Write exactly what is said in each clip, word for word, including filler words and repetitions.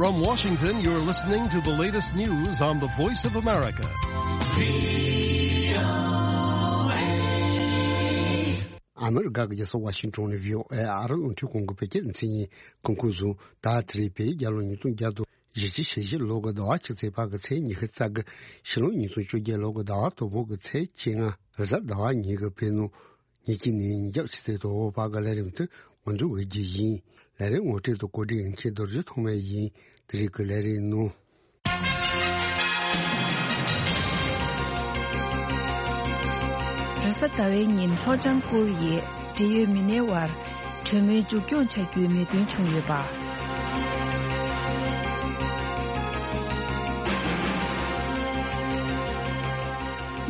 From Washington, you're listening to the latest news on the Voice of America. ཨ་མི་རི་ཀ་གི་རྒྱལ་ས་ཝ་ཤིང་ཊོན་ནས་བྷི་ཨོ་ཨེ་ཨ་རི་རླུང་འཕྲིན་ཁང་གི་བོད་སྐད་སྡེ་ཚན་ཡིན། གོང་གསལ་ཟིན། ད་དེ་རིང་བོད་རྒྱལ་ལོ་ཉིས་སྟོང་བརྒྱ་དང་བཞི་བཅུ་ཞེ་བཞི་ལོ་གི་ཟླ་བ་གཅིག་ཚེས་པ་གི་ཚེས་ཉི་ཤུ་རྩ་གི། ཕྱི་ལོ་ཉིས་སྟོང་བཅོ་བརྒྱད་ལོ་གི་ཟླ་བ་དང་པོ་གི་ཚེས་བཅོ་ལྔ་རེས་གཟའ་ཟླ་བ་ཉིན་གྱི་བོད་ནང་ཉིན་གཅིག་ནས་ཉིན་རྒྱབ་ཕྱི་ཚེས་དང་པོ་བར་གྱི་ལས་རིམ་དེ་ང་ཚོ་འགོ་རྒྱུ་ཡིན། ལས་རིམ་ངོ་སྤྲོད་དང་གོ་སྒྲིག་ཡིན་མཁན་རྡོ་རྗེ་ཐོགས་མེད་ཡིན། དེ་རིང་གི་ལས་རིམ་ནང་། རེས་གཟའ་ཟླ་བའི་ཉིན་ལྷོ་བྱང་ཀུར་ཡི་འབྲེལ་ཡོད་མི་སྣའི་དབར་གྲོས་མོལ་མཇུག་སྐྱོང་བྱ་རྒྱུའི་མོས་མཐུན་བྱུང་ཡོད་པ།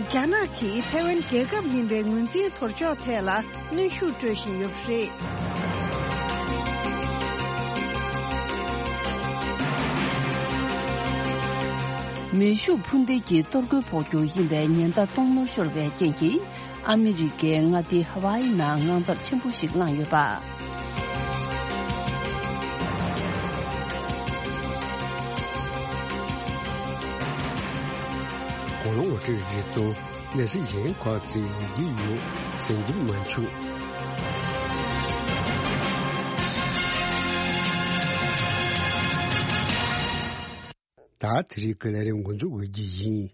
རྒྱ་ནག་གིས་ཐའེ་ཝན་རྒྱལ་ཁབ་ཡིན་པའི་ངོས་འཛིན་དོར་ཕྱོགས་ཐད་ལ་གནོན་ཤུགས་སྤྲོད་བཞིན་ཡོད་པ་རེད། མེ་ཤུགས་འཕུར་མདེལ་གྱི་གཏོར་རྒོལ་ཕོག་རྒྱུ་ཡིན་པའི་ཉེན་བརྡ་གཏོང་ནོར་ཤོར་བའི་རྐྱེན་གྱིས། ཨ་མི་རི་ཀའི་མངའ་སྡེ་ཧ་ཝཱ་ཡི་ནང་དངངས་འཚབ་ཆེན་པོ་ཞིག་བསླངས་ཡོད་པ། གོ་ལོང་འོ་ཁྲིད་གཟིགས་དང་གནས་ཚུལ་གཞན་ཁག་ཅིག་ཡོང་གི་ཡོད། གསན་རྒྱུ་མ་འཆུག་ད་དེ་རིང་གི་ལས་རིམ་འགོ་འཛུགས་འོས་ཀྱི་ཡིན།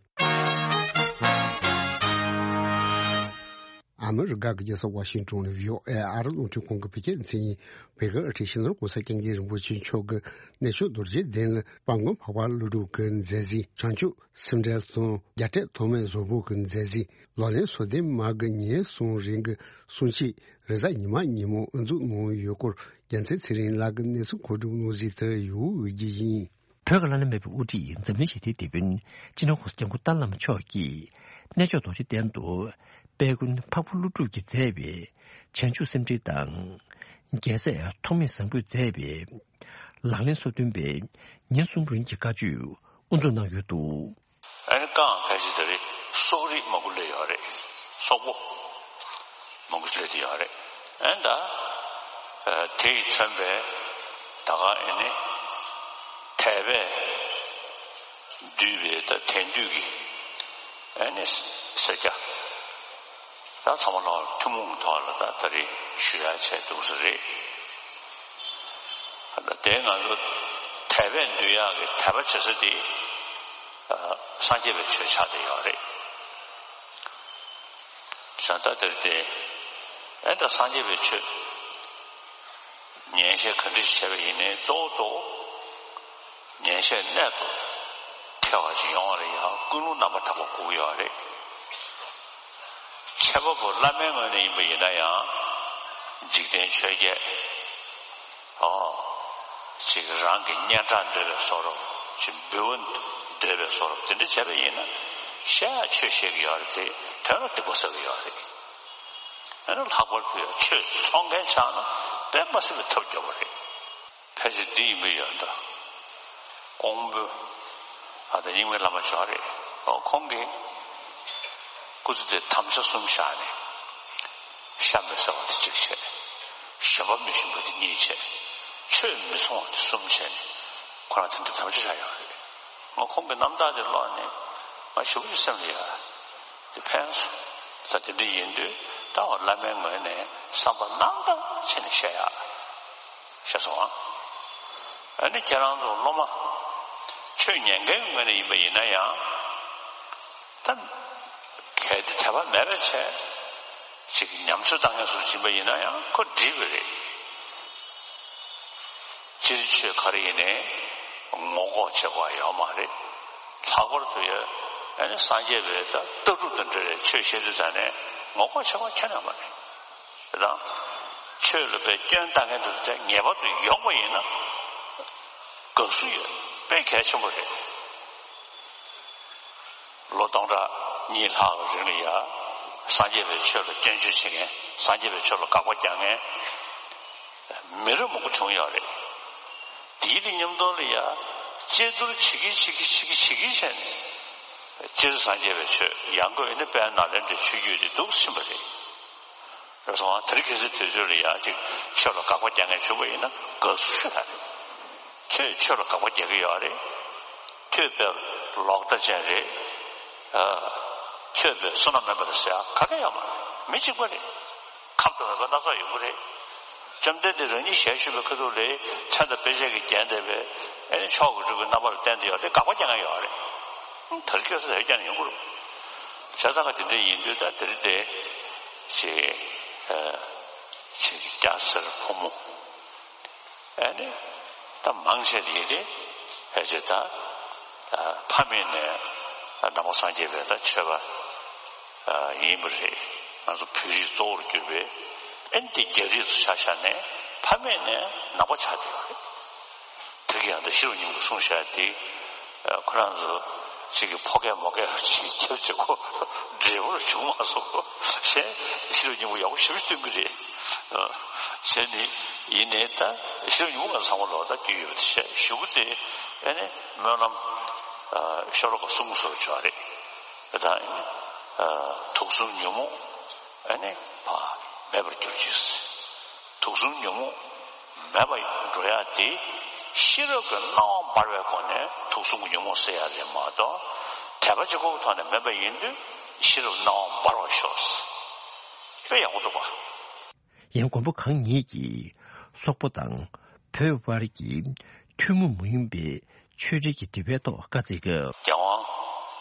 ཨ་མི་རི་ཀ་གི་རྒྱལ་ས་ཝ་ཤིང་ཏོན་ནས་བྷི་ཨོ་ཨེ་ཨ་རི་རླུང་འཕྲིན་ཁང་གི་བོད་སྐད་སྡེ་ཚན་ཡིན། བོད་ཀྱི་ཨ་ཁྲིད་སྤྱི་ནོར་༸གོང་ས་༸སྐྱབས་མགོན་རིན་པོ་ཆེ་མཆོག་གི་གནས་མཆོག་རྡོ་རྗེ་གདན་ལ་དཔལ་མགོན་འཕགས་པ་ཀླུ་སྒྲུབ་ཀྱི་མཛད་རྗེས། བྱང་ཆུབ་སེམས་འགྲེལ་དང་རྒྱལ་སྲས་ཐོགས་མེད་བཟང་པོ་གི་མཛད་རྗེས། ལག་ལེན་སོ་བདུན་མ་གི་ཉིན་གསུམ་རིང་གི་གསུང་ཆོས་རེས་གཟའ་ཉི་མ་ཉིན་མོ་དབུ་འཛུགས་གནང་ཡོད་སྐོར། རྒྱལ་མཚན་ཚེ་རིང་ལགས་ཀྱི་གནས་ཚུལ་མཁོ་སྒྲུབ་གནང་གཟིགས་དེ་ཡོད་འོས་ཀྱི་ཡིན། བོད་ཀྱི་བླ་ན་མེད་པའི་དབུ་ཁྲིད་འཛམ་གླིང་ཞི་བདེའི་དེད་དཔོན་སྤྱི་ནོར་༸གོང་ས་༸སྐྱབས་མགོན་རྟ་བླ་མ་མཆོག་གིས་གནས་མཆོག་རྡོ་རྗེ་གདན་དུ་དཔལ་མགོན་འཕགས་པ་ཀླུ་སྒྲུབ་ཀྱིས་མཛད་པའི་བྱང་ཆུབ་སེམས་འགྲེལ་དང་། རྒྱལ་སྲས་ཐོགས་མེད་བཟང་པོས་མཛད་པའི་ལག་ལེན་སོ་བདུན་པའི་ཉིན་གསུམ་རིང་གི་བཀའ་ཆོས་དབུ་འཛུགས་གནང་ཡོད་འདུག། ཨ་ནི་རྐང་ཕལ་ཆེར་དེ་རིང་སོག་རིགས་མང་པོ་སླེབས་ཡོད་རེད། སོག་པོ་མང་པོ་སླེབས་ཡོད་རེད། ཨ་ནི་ད་དེ་ཡིས་མཚོན་པའི་ད་ག་ཨ་ནི་དད་པས་བསྡུས་པའི་ད་དད་འདུས་ཀྱི་ཨ་ནི་སེར་སྐྱ་ད་ཚང་མ་ལ་ཐུན་མོང་གི་ཐོག་ལ་ད་ད་རེས་ཞུ་ཡག་བྱས་འདུག་ས་རེད། ད་དེ་ང་ཚོ་དད་པས་འདུས་ཡག་གི་དད་པ་བྱེད་ས་དེ་སངས་རྒྱས་པའི་ཆོས་ཆགས་བསྡད་ཡོད་རེད། བྱ་ད་དེར་བརྟེན་ཨེ་ད་སངས་རྒྱས་པའི་ཆོས་ཉན་བཤད་ག་འདྲ་ཞིག་བྱས་པ་ཡིན་ནའི་གཙོ་བོ་གཙོ་བོ་ཉན་བཤད་གནད་དུ་འཁེལ་བ་ཞིག་ཡོང་བ་ལ་ཡང་ཀུན་སློང་རྣམ་པར་དག་པ་དགོས་ཀྱི་ཡོད་རེད། འཆད་པ་པོ་བླ་མའི་ངོས་ནས་ཡིན་པ་ཡིན་ན་ཡང་། འཇིག་རྟེན་ཆོས་བརྒྱད། ཨོ། ཅིག་རང་གི་སྙན་གྲགས་འདོད་པའི་བཟོ་འདྲ། ཅིག་འབུལ་བ་འདོད་པའི་བཟོ་འདྲ། དེ་འདྲ་བྱས་པ་ཡིན་ན་བཤད་ཡག་ཆོས་བཤད་ཀྱི་ཡོད་རེད་དེ། དོན་ལ་སྡིག་པ་བསགས་ཀྱི་ཡོད་རེད། ཨ་ནི་ལྷག་པར་དུ་ཡང་ཆོས་ཚོགས་མཁན་ཆགས་ན་དཔེ་མ་སྲིད་པའི་ཐབས་སྐྱོ་པོ་རེད། ཕལ་ཆེར་འདི་ཡིན་པ་ཡོད་འདུག། ཀོང་པོ་ཨ་ད་རྙིང་མའི་བླ་མ་མཆོག་རེད། ཨོ་ཁོང་གིས་སྐུ་ཚེ་འདིར་དམ་བཅའ་གསུམ་བཞག་ནས། ཤ་མི་ཟ་བ་དེ་གཅིག་བྱས། ཞོན་པ་མི་ཞུམ་པ་དེ་གཉིས་བྱས། ཆོས་མི་འཚོང་བ་དེ་གསུམ་བྱས་ནས་ཁོ་རང་དེ་འདྲ་དམ་བཅའ་བཞག་ཡོད་རེད། ང་ཁོང་གི་རྣམ་ཐར་དེ་ཀློག་ནས་ང་ཞེ་པོ་ཅིག་སེམས་ལ་ཡ་དེ་ཕན་སོང་། ད་དེ་འདྲ་ཡིན་དུས་ད་འོ་བླ་མའི་ངོས་ནས་བསམ་པ་རྣམ་དག་བྱས་ནས་བཤད་ཡག་བཤད་སོང་ཨ། ཨ་ནི་ཁྱེད་རང་ཚོ་སློབ་མ་ཆོས་ཉན་མཁན་གྱི་ངོས་ནས་ཡིན་པ་ཡིན་ན་ཡང་། ད་གལ་ཏེ་དད་པ་མེད་པ་བྱས་ཅིག་ཉམས་ཚོད་བཏང་མཁན་སུ་ཡིན་པ་ཡིན་ན་ཡང་ཁོ་འགྲིག་པ་རེད། སྤྱིར་ཆོས་ག་རེ་ཡིན་ནའི་ངོ་ལྐོག་བྱེད་དགོས་ཡོད་མ་རེད། ལྷག་པར་དུ་ཡ་ཨ་ནི་སངས་རྒྱས་པའི་ད་ལྟ་གྲུབ་དང་འབྲེལ་བའི་ཆོས་བཤད་དུས་ཙང་ནས་ངོ་ལྐོག་བྱེད་དགོས་ཁྱོན་ནས་མ་རེད། དེ་དང་ཆོས་ལ་དཔེ་སྐྱོན་བཏང་མཁན་དེ་ཚོ་ངེས་པར་དུ་ཡོང་བ་ཡིན་ན་དགའ་བསུ་ཡོད། དཔེ་གལ་ཆེན་པོ་རེད། ལོ་སྟོང་ཕྲག་གཉིས་ལྷག་གི་རིང་ལ་ཡ། སངས་རྒྱས་པའི་ཆོས་ལ་སྐྱོན་བརྗོད་བྱེད་མཁན། སངས་རྒྱས་པའི་ཆོས་ལ་དགག་པ་རྒྱག་མཁན། མི་རབས་མང་པོ་བྱུང་ཡོད་རེད། དེའི་དེ་མཉམ་དུ་ལ་ཡ། དཔྱད་བསྡུར་བྱེད་ཀྱི་བྱེད་ཀྱི་བྱེད་ཀྱི་བྱེད་ཀྱི་བྱས་ནས། སྤྱིར་སངས་རྒྱས་པའི་ཆོས་ཡང་སྒོས་ནི་དཔལ་ནཱ་ལེནྡྲའི་ཆོས་བརྒྱུད་དེ་འདུག་ཕྱིན་པ་རེད། རེད་སོང་ཨ། དེ་རིང་ཁ་སང་དུས་ཚོད་ལ་ཡ་ཅིག་ཆོས་ལ་དགག་པ་རྒྱག་མཁན་བྱུང་བ་ཡིན་ན་དགའ་བསུ་ཞུ་ཡག་རེད། ཁྱོད་ཆོས་ལ་དགག་པ་རྒྱག་གི་ཡོད་རེད། ཁྱོད་དཔེ་ལོག་ལྟ་ཅན་རེད། ཨ། ཁྱོད་དཔེ་བསོད་ནམས་མེད་པ་རེད་ཟེར་ཡ་ག་གེ་ཡོད་མ་རེད། མི་གཅིག་པ་རེད། ཁམས་དང་མོས་པ་སྣ་ཚོགས་ཡོང་གི་རེད། བཅོམ་ལྡན་འདས་རང་ཉིད་ཞལ་བཞུགས་པའི་ཁ་ཐུག་ལ་མཚན་དང་དཔེ་བྱད་ཀྱིས་བརྒྱན་བསྡད་པའི་ཨེ་ནི་མཆོག་གི་སྤྲུལ་སྐུའི་རྣམ་པ་ལ་བསྟན་བསྡད་ཡོད་རེད། དགག་པ་རྒྱག་མཁན་ཡོད་རེད། ད་རེས་ཁ་སང་དེ་རྒྱག་ནས་ཡོང་གི་རེད། བྱས་ཙང་ག་དེ་འདྲ་ཡིན་དུས་ད་དེ་རིང་དེ་ཅིག་ཨ་ཅིག་སྐྱ་སེར་ཕོ་མོ། ཨ་ནི། ད་མང་ཆེ་དེ་ཡིན་ཏེ། ཕལ་ཆེར་ད། ཕ་མེས་ནས་ནང་པ་སངས་རྒྱས་པའི་ད་ཆོས་པ་ཡིན་པ་རེད། ང་ཚོ་བོད་རིགས་གཙོ་བོར་གྱུར་པའི་ཨ་ནི་དེ་རྒྱ་རིགས་ཚོ་ཆ་བཞག་ནས་ཕ་མེས་ནས་ནང་པ་ཆགས་བསྡད་ཡོད་རེད། དེ་གི་ཡང་ད་ཤེས་རབ་སྙིང་པོ་གསུངས་བཞག་དེ། ཁོ་རང་ཚོ་གཅིག་གི་ཕོ་སྐད་མོ་སྐད་ཅིག་ཁྱབ་བྱེད་ཁོ་འབྲས་བུར་བྱུང་མ་སོང་། གཞན་ཤེས་རབ་སྙིང་པོ་ཡག་པོ་ཞེ་པོ་སྟོན་གི་རེད། བྱས་ནས་ཡིན་ནའི་ད་ཤེས་རབ་སྙིང་པོ་ང་ཚང་མ་ལོག་ད་རྒྱུས་ཡོད་པ་དེ་བཤད་ཞུ་གི་དེ། ཨ་ནི་སྨོན་ལམ་ཤོ་ལོ་ཀ་གསུམ་བཟོ་བྱ་རེད། ད་དུག་གསུམ་ཉོན་མོངས་ཨ་ནི་མེད་པར་གྱུར་ཅིག། དུག་གསུམ་ཉོན་མོངས་མེད་པར་འགྲོ་ཡ་དེ་ཤེས་རབ་ཀྱི་སྣང་བ་འབར་བའི་སྒོ་ནས་དུག་གསུམ་གྱི་ཉོན་མོངས་སེལ་ཡ་རེད་མ་གཏོགས། དད་པ་གཅིག་པོའི་ཐོག་ནས་མེད་པ་ཡིན་དུས་ཤེས་རབ་སྣང་བ་འབར་བར་ཤོག། དཔེ་ཡག་པོ་འདུག་པ། ཡང་མགོན་པོ་གང་ཉིད་ཀྱིས་སོག་པོ་དང་བོད་དབར་གྱི་ཐུན་མོང་མ་ཡིན་པའི་ཆོས་འབྲེལ་གྱི་དེད་པའི་ཐོག་བཀའ་སྩལ་སྐབས། རྒྱལ་དབང་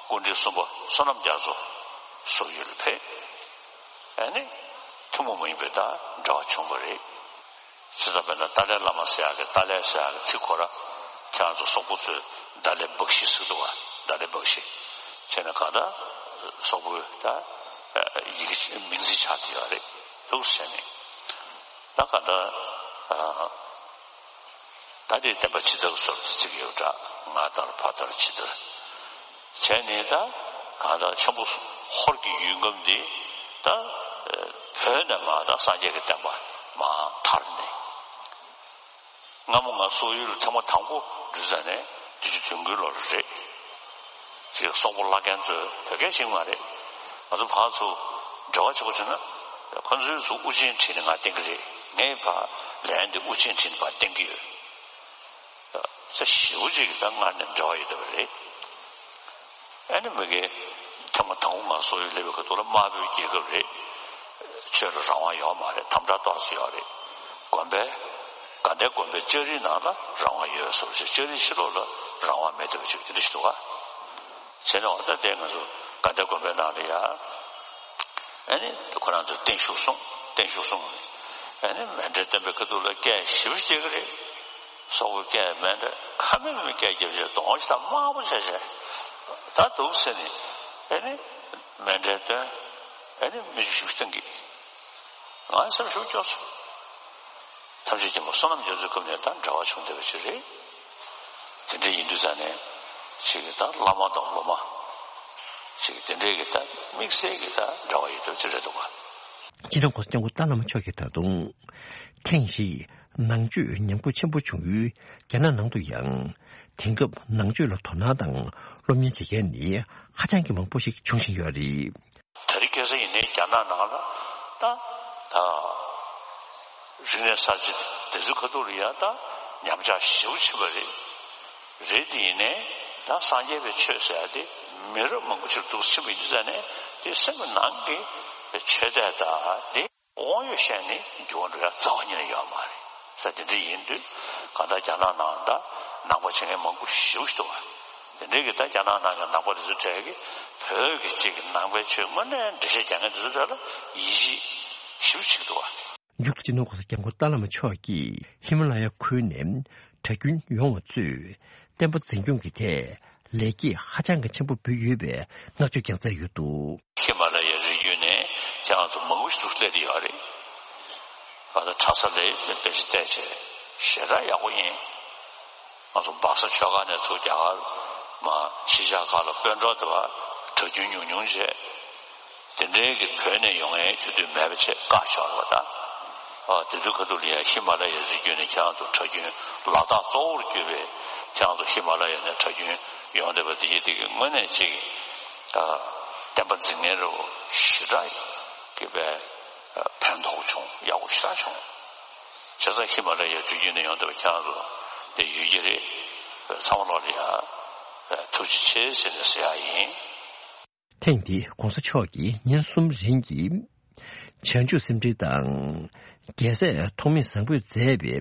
སྐུ་ཕྲེང་གསུམ་པ་བསོད་ནམས་རྒྱ་མཚོ་སོག་ཡུལ་ལ་ཕེབས། ཨ་ནི་ཐུན་མོང་མ་ཡིན་པའི་ད་འབྲེལ་བ་བྱུང་བ་རེད། བྱས་ཙང་དཔེར་ན་ཏཱ་ལའི་བླ་མ་ཟེར་ཡག་གི་ཏཱ་ལའི་ཟེར་ཡག་གི་ཚིག་ཁོ་ར་ཁྱེད་རང་ཚོ་སོག་པོ་ཚོས་ཏཱ་ལའི་བག་ཤི་ཟེར་འདུག་བ། ཏཱ་ལའི་བག་ཤི། བྱས་ན་གང་ལྟར་སོག་པོའི་ད་ཡི་གེ་མིང་ཚིག་ཆགས་བསྡད་ཡོད་རེད་འདུག་ཟེར་ནས། ད་གང་ལྟར་ད་དེ་བསྟན་པ་ཇི་ལྟར་གསོལ་ཟེར་གྱི་ཡོད་འདྲ། སྔ་དར་བར་དར་ཇི་ལྟར། བྱས་ནས་ད་གང་ལྟར་ཆེན་པོ་ཧོར་གྱི་ཡུལ་ཁམས་འདི་ད་བོད་ནས་མར་ད་སངས་རྒྱས་ཀྱི་བསྟན་པ་མར་དར་ནས། སྔ་མོ་ང་སོག་ཡུལ་ལ་ཐེངས་མ་དང་པོ་འགྲོ་ས་ནས་བདུན་ཅུ་དོན་དགུའི་ལོ་རེད། ཅིག་སོག་པོ་བླ་རྒན་ཚོས་བོད་སྐད་ཤེས་ཀྱི་མ་རེད། ང་ཚོ་ཕར་ཚུར་འབྲེལ་བ་བྱེད་དགོས་བྱུང་ན། ཁོ་ཚོས་ཚུར་དབུ་ཅན་ཁྲིད་ནས་ང་བསྟན་གྱི་རེད། ངས་ཕར་ལན་དེ་དབུ་ཅན་ཁྲིད་ནས་ཕར་བསྟན་གྱི་ཡོད། ས་ཞེ་པོ་ཅིག་གི་ད་སྔར་ནས་འབྲེལ་བ་ཡོད་བསྡད་པ་རེད། ཨ་ནི་མི་གི་ཐེངས་མ་དང་པོ་ང་སོག་ཡུལ་སླེབས་པའི་སྐབས་དུས་ལ་དམར་པོའི་རྒྱལ་ཁབ་རེད། ཆོས་ལ་རང་དབང་ཡོད་མ་རེད། དམ་དྲག་ཏོག་ཙམ་ཡོད་རེད། དགོན་པའི་དགའ་ལྡན་དགོན་པའི་ལྕགས་རིའི་ནང་ལ་རང་དབང་ཡོད་བཟོ་ཞིག། ལྕགས་རིའི་ཕྱི་ལོགས་ལ་རང་དབང་མེད་བསྡད་པ་ཅིག་དེ་འདྲ་ཞིག་འདུག་ག། བྱས་ནས་འོ་ད་དེ་ང་ཚོ་དགའ་ལྡན་དགོན་པའི་ནང་ལ་ཡ། ཨ་ནི་ཁོ་རང་ཚོས་བརྟན་བཞུགས་གསུངས། བརྟན་བཞུགས་གསུངས་ནས། ཨ་ནི་མཎྜལ་སྟོན་པའི་ཁ་ཐུག་ལ་སྐད་ཞེ་པོ་ཅིག་རྒྱག་གི་རེད། སོག་པོའི་སྐད་མཎྜལ་ཁ་མེད་མེད་སྐད་རྒྱབ་བྱས་གདོང་ཞིག་དང་དམར་པོ་བྱས་བྱས། ད་འདུག་ཟེར་ནས། ཨ་ནི་མཎྜལ་སྟོན། ཨ་ནི་མི་ཞིག་བཏང་གི། ང་སེམས་ཤུགས་སྐྱོ་སོང་། ཐམས་ཅད་མཁྱེན་པ་བསོད་ནམས་རྒྱ་མཚོའི་སྐབས་ནས་ད་འབྲེལ་བ་བྱུང་བསྡད་པ་ཅིག་རེད། དེ་འདྲ་ཡིན་དུས་ཙང་ནས་ཅིག་གི་ད་བླ་མ་དང་སློབ་མ་ཅིག་དེ་འདྲའི་གི་ད་དམིགས་བསལ་གི་ད་འབྲེལ་བ་ཡོད་དོ་ཅིག་རེད་འདུག་ག། སྤྱི་ནོར་གོང་ས་སྐྱབས་མགོན་ཏཱ་བླ་མ་མཆོག་གིས་ད་དུང་ཐེངས་ཤིག་ནང་ཆོས་ཉམས་རྒུད་ཆེན་པོ་བྱུང་ཡུལ་རྒྱ་ནག་ནང་དུ་ཡང་དེང་སྐབས་ནང་ཆོས་ལ་དོ་སྣང་དང་སློབ་གཉེར་བྱེད་མཁན་ནི་ཧ་ཅང་གི་མང་པོ་ཞིག་འབྱུང་བཞིན་ཡོད་རེད། དེ་རིང་ཁ་སང་ཡིན་ནའི་རྒྱ་ནག་ནང་ལ་ད་ད་རིག་གནས་གསར་བརྗེ་དེ་ཚོའི་ཁ་ཐུག་ལ་ཡ་ད་ཉམས་ཆག་ཞེ་པོ་ཕྱིན་པ་རེད། རེད་དེ་ཡིན་ནའི་ད་སངས་རྒྱས་པའི་ཆོས་ཟེར་ཡ་དེ་མི་རབས་མང་པོ་ཅིག་འདུག་ཕྱིན་པ་ཡིན་དུས་ཙང་ནས་དེ་སེམས་ཀྱི་ནང་གི་ཆོས་དད་ད་དེ། དབང་ཡོད་བཤད་ནས་འགྱུར་བ་འགྲོ་ཡ་རྩ་བ་ཉིད་ནས་ཡོད་མ་རེད་ཟེར། དེ་འདྲ་ཡིན་དུས་གང་ལྟར་རྒྱ་ནག་ནང་ད་ནང་པ་བྱེད་མཁན་མང་པོ་ཞེ་པོ་ཞིག་འདུག་བ། དེ་འདྲའི་གི་ད་རྒྱ་ནག་ནང་གི་ནང་པ་དེ་ཚོའི་གྲས་ཀྱིས་བོད་ཀྱི་གཅིག་གི་ནང་པའི་ཆོས་དངོས་གནས་འགྲེལ་བཤད་རྒྱག་མཁན་དེ་ཚོའི་གྲས་ལ་ཡིད་ཆེས་ཞེ་པོ་ཅིག་འདུག་བ། མཇུག་ཏུ་སྤྱི་ནོར་གོང་ས་སྐྱབས་མགོན་ཏཱ་བླ་མ་མཆོག་གིས་ཧི་མ་ལ་ཡ་ཁུལ་ནས་གྲྭ་རྒྱུན་ཡོང་བ་ཚོས་བསྟན་པ་འཛིན་སྐྱོང་གི་ཐད་ལེགས་སྐྱེས་ཧ་ཅང་གི་ཆེན་པོ་འབུལ་ཡོད་པའི་བསྔགས་བརྗོད་ཀྱང་མཛད་ཡོད་འདུག། ཧི་མ་ལ་ཡའི་རི་རྒྱུད་ནས་ཁྱེད་རང་ཚོ་མང་པོ་ཞིག་ཏུ་སླེབས་ཡོད་རེད། ང་ཚོ་གྲྭ་ས་ལ་དཔེ་ཆ་བལྟས་བྱས་ཞེ་དྲག་ཡག་པོ་ཡིན། ང་ཚོ་སྦག་ས་ཆོས་སྒར་ནས་ཚུར་རྒྱ་གར་མ་གཞིས་ཆགས་ཁག་ལ་དཔོན་གྲོགས་དེ་བ་གྲྭ་རྒྱུན་ཉུང་ཉུང་བྱས། དེ་འདྲའི་གི་བོད་ནས་ཡོང་མཁན་དེ་དུས་མེད་པ་བྱས་བཀག་བཞག་རེད་པ་ད། ཨ་དེ་དུས་ཁ་ཐུག་ལ་ཡང་ཧི་མ་ལ་ཡའི་རི་རྒྱུད་ནས་ཁྱེད་རང་ཚོ་གྲྭ་རྒྱུན་ལ་དྭགས་གཙོ་བོར་གྱུར་པའི་ཁྱེད་རང་ཚོ་ཧི་མ་ལ་ཡ་ནས་གྲྭ་རྒྱུན་ཡོང་བསྡད་པ་དེ་ཡིན་དེ་གི་དངོས་གནས་ཅིག་ཨ་བསྟན་པ་འཛིན་མཁན་རེད་པ་ཞེ་དྲག་གི་པའི་ཕན་ཐོགས་བྱུང་། ཡག་པོ་ཞེ་དྲག་བྱུང་། བྱས་ཙང་ཧི་མ་ལ་ཡའི་རི་རྒྱུད་ནས་ཡོང་བསྡད་པ་ཁྱེད་རང་ཚོ་ དེ་ཡོད་ཀྱི་རེད། ཚང་མ་ལོག་ལ་ཡ་ཐུགས་རྗེ་ཆེ་ཟེར་ནས་ཟེར་ཡ་ཡིན། ཐེངས་འདིའི་༧གོང་ས་མཆོག་གིས་ཉིན་གསུམ་རིང་གི་བྱང་ཆུབ་སེམས་འགྲེལ་དང་། རྒྱལ་སྲས་ཐོགས་མེད་བཟང་པོས་མཛད་པའི་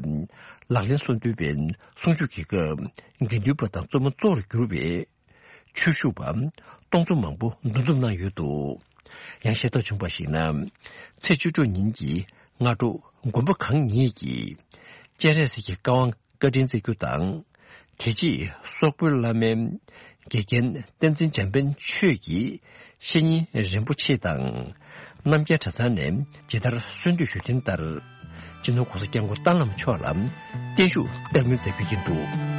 ལག་ལེན་གསུམ་འདུལ་བའི་གསུང་ཆོས་ཀྱི་སྐབས། དགེ་འདུན་པ་དང་བཙུན་མོ་གཙོ་བོར་གྱུར་པའི་ཆོས་ཞུ་བ་སྟོང་ཚོ་མང་པོ་འདུ་འཛོམས་གནང་ཡོད་འདུག། ཡང་ཤེས་རྟོགས་བྱུང་བར་གཞིགས་ན། ཚེས་བཅུ་དྲུག་ཉིན་གྱི་སྔ་དྲོ་དགོན་པ་གང་ཉིད་ཀྱི་སྤྱན་རས་གཟིགས་ཀྱི་བཀའ་དབང་བཀའ་དྲིན་སྩལ་རྒྱུ་དང་། དེ་རྗེས་སོག་པོའི་བླ་མའི་དགེ་རྒན་བསྟན་འཛིན་འཇམ་དཔལ་ཆོས་ཀྱི་བཤེས་གཉེན་རིན་པོ་ཆེ་དང་རྣམ་རྒྱལ་གྲྭ་ཚང་ནས་ཇི་ལྟར་གསོལ་འདེབས་ཞུ་དོན་ལྟར། སྤྱི་ནོར་༧གོང་ས་༧སྐྱབས་མགོན་རྟ་དམ་མཆོག་ལ་བརྟན་བཞུགས་བསྟར་མུས་མཛད་རྒྱུ་ཡིན་འདུག།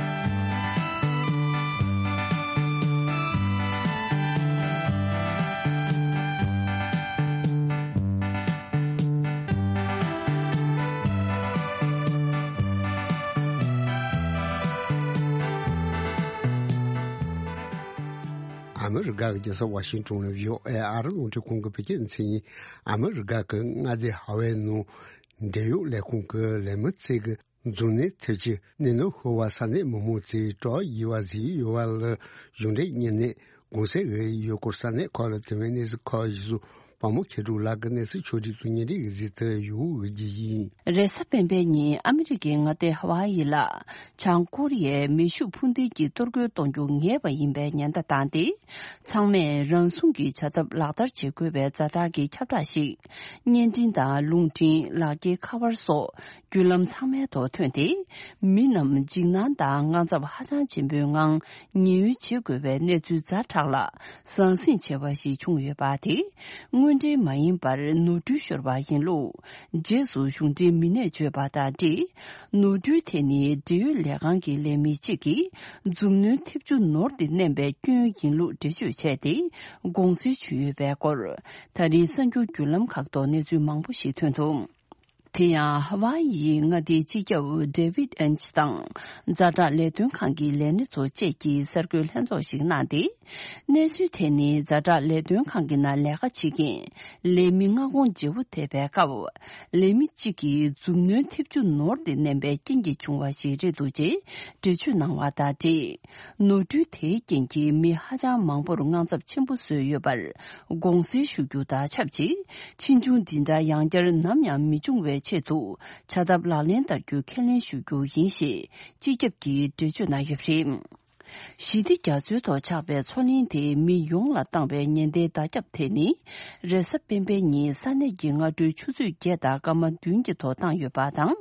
ཨ་མི་རི་ཀ་གི་རྒྱལ་ས་ཝ་ཤིང་ཏོན་ནས་བྷི་ཨོ་ཨེ་ཨ་རི་རླུང་འཕྲིན་ཁང་གི་བོད་སྐད་སྡེ་ཚན་ཡིན། ཨ་མི་རི་ཀ་གི་མངའ་སྡེ་ཧ་ཝའི་ནང་འབྲེལ་ཡོད་ལས་ཁུངས་ཀྱི་ལས་མི་ཚོས་ཀྱི་འཛུལ་ནས་ཐེབས་ཀྱི་གནས་ནོར་ཤོར་བ་ས་གནས་མི་མང་ཚོས་སྤྲོ་བ་ཡོད་པ་ཟིག་ཡོད་པ་ལ་གཞུང་འབྲེལ་གཉེར་ནས་གུང་སེང་ཡོད་སྐོར་ས་གནས་ཁག་ལ་ཐོན་པའི་གནས་ཚུལ་ཁག་ཡིན་ཟུར་བ་མོ་མཁས་གྲུབ་ལགས་ཀྱི་གནས་ཚུལ་ཕྱོགས་སྒྲིག་ཏུ་སྙན་སྒྲོན་གྱི་གཟིགས་དུ་ཡོད་ཀྱི་ཡིན། རེས་གཟའ་སྤེན་པའི་ཉིན་ཨ་མི་རི་ཀའི་མངའ་སྡེ་ཧ་ཝ་ཡི་ལ་བྱང་ཀོ་རི་ཡའི་མེ་ཤུགས་འཕུར་མདེལ་གྱིས་གཏོར་རྒོལ་གཏོང་རྒྱུ་ངེས་པ་ཡིན་པའི་ཉེན་བརྡ་བཏང་སྟེ། ཚང་མས་རང་སྲུང་གི་བྱ་ཐབས་ལག་བསྟར་བྱེད་དགོས་པའི་ཛ་དྲག་གི་ཁྱབ་བསྒྲགས་ཤིག་བརྙན་འཕྲིན་དང་རླུང་འཕྲིན། ལག་འཁྱེར་ཁ་པར་སོགས་བརྒྱུད་ལམ་ཚང་མའི་ཐོག་ཐོན་ཏེ། མི་རྣམས་འཇིགས་སྣང་དང་དངངས་འཚབ་ཧ་ཅང་ཆེན་པོའི་ངང་ཉེན་གཡོལ་བྱེད་དགོས་པའི་གནས་ཚུལ་ཛ་དྲག་ལ་ཟང་ཟིང་ཆེ་བ་ཞིག་བྱུང་ཡོད་པ་དེ་དངོས་འབྲེལ་མ་ཡིན་པར་ནོར་འཁྲུལ་ཤོར་བ་ཡིན་ལུགས། རྗེས་སུ་གཞུང་འབྲེལ་མི་སྣས་བརྗོད་པ་དང་འབྲེལ། ནོར་འཁྲུལ་དེ་ནི་འབྲེལ་ཡོད་ལས་ཁང་གི་ལས་མི་གཅིག་གིས་མཛུབ་གནོན་ཐེབས་ཆུ་ནོར་དེ་མནན་པའི་སྐྱོན་ཡིན་ལུགས་འགྲེལ་བརྗོད་བྱས་ཏེ་དགོངས་སེལ་ཞུས་ཡོད་པའི་སྐོར། ད་རེས་གསར་འགྱུར་བརྒྱུད་ལམ་ཁག་ཐོག་གནས་ཚུལ་མང་པོ་ཞིག་ཐོན་འདུག། དེ་ཡང་ཧ་ཝ་ཡིའི་མངའ་སྡེའི་སྤྱི་ཁྱབ་ཌེ་ཝིད་ཨེན་ཆི་དང་ཛ་དྲག་ལས་དོན་ཁང་གི་ལས་སྣེ་ཚོ་བཅས་ཀྱིས་གསར་འགོད་ལྷན་ཚོགས་ཤིག་གནང་སྟེ། གནས་ཚུལ་དེ་ནི་ཛ་དྲག་ལས་དོན་ཁང་གི་ནང་ལས་ཀ་བྱེད་མཁན་ལས་མི་མངའ་ཁོངས་བརྗེ་པོ་ཐེབས་པའི་སྐབས། ལས་མི་གཅིག་གིས་མཛུབ་གནོན་ཐེབས་ཆུ་ནོར་ཏེ་མནན་པའི་རྐྱེན་གྱིས་བྱུང་བ་ཞིག་རེད་འདུག་ཅེས་འགྲེལ་བརྗོད་གནང་བ་དང་འབྲེལ། ནོར་འཁྲུལ་དེའི་རྐྱེན་གྱིས་མི་ཧ་ཅང་མང་པོར་དངངས་འཚབ་ཆེན་པོ་བཟོས་ཡོད་པར་དགོངས་སེལ་ཞུ་རྒྱུ་དང་ཆབས་ཅིག། ཕྱིས་འབྱུང་འདི་འདྲ་ཡང་བསྐྱར་ནམ་ཡང་མི་འབྱུང་བའི་ཆེད་དུ་བྱ་ཐབས་ལག་ལེན་བསྟར་རྒྱུ་ཁས་ལེན་ཞུ་རྒྱུ་ཡིན་ཞེས་སྤྱི་ཁྱབ་ཀྱིས་འགྲེལ་བརྗོད་གནང་ཡོད་པ་རེད། ཞི་བདེ་རྒྱ་མཚོའི་ཐོག་ཆགས་པའི་མཚོ་གླིང་དེ་མི་ཡོངས་ལ་བཏང་བའི་ཉེན་བརྡའི་བརྡ་ཁྱབ་དེ་ནི། རེས་གཟའ་སྤེན་པའི་ཉིན་ས་གནས་ཀྱི་སྔ་དྲོའི་ཆུ་ཚོད་བརྒྱད་དང་སྐར་མ་བདུན་གྱི་ཐོག་བཏང་ཡོད་པ་དང་།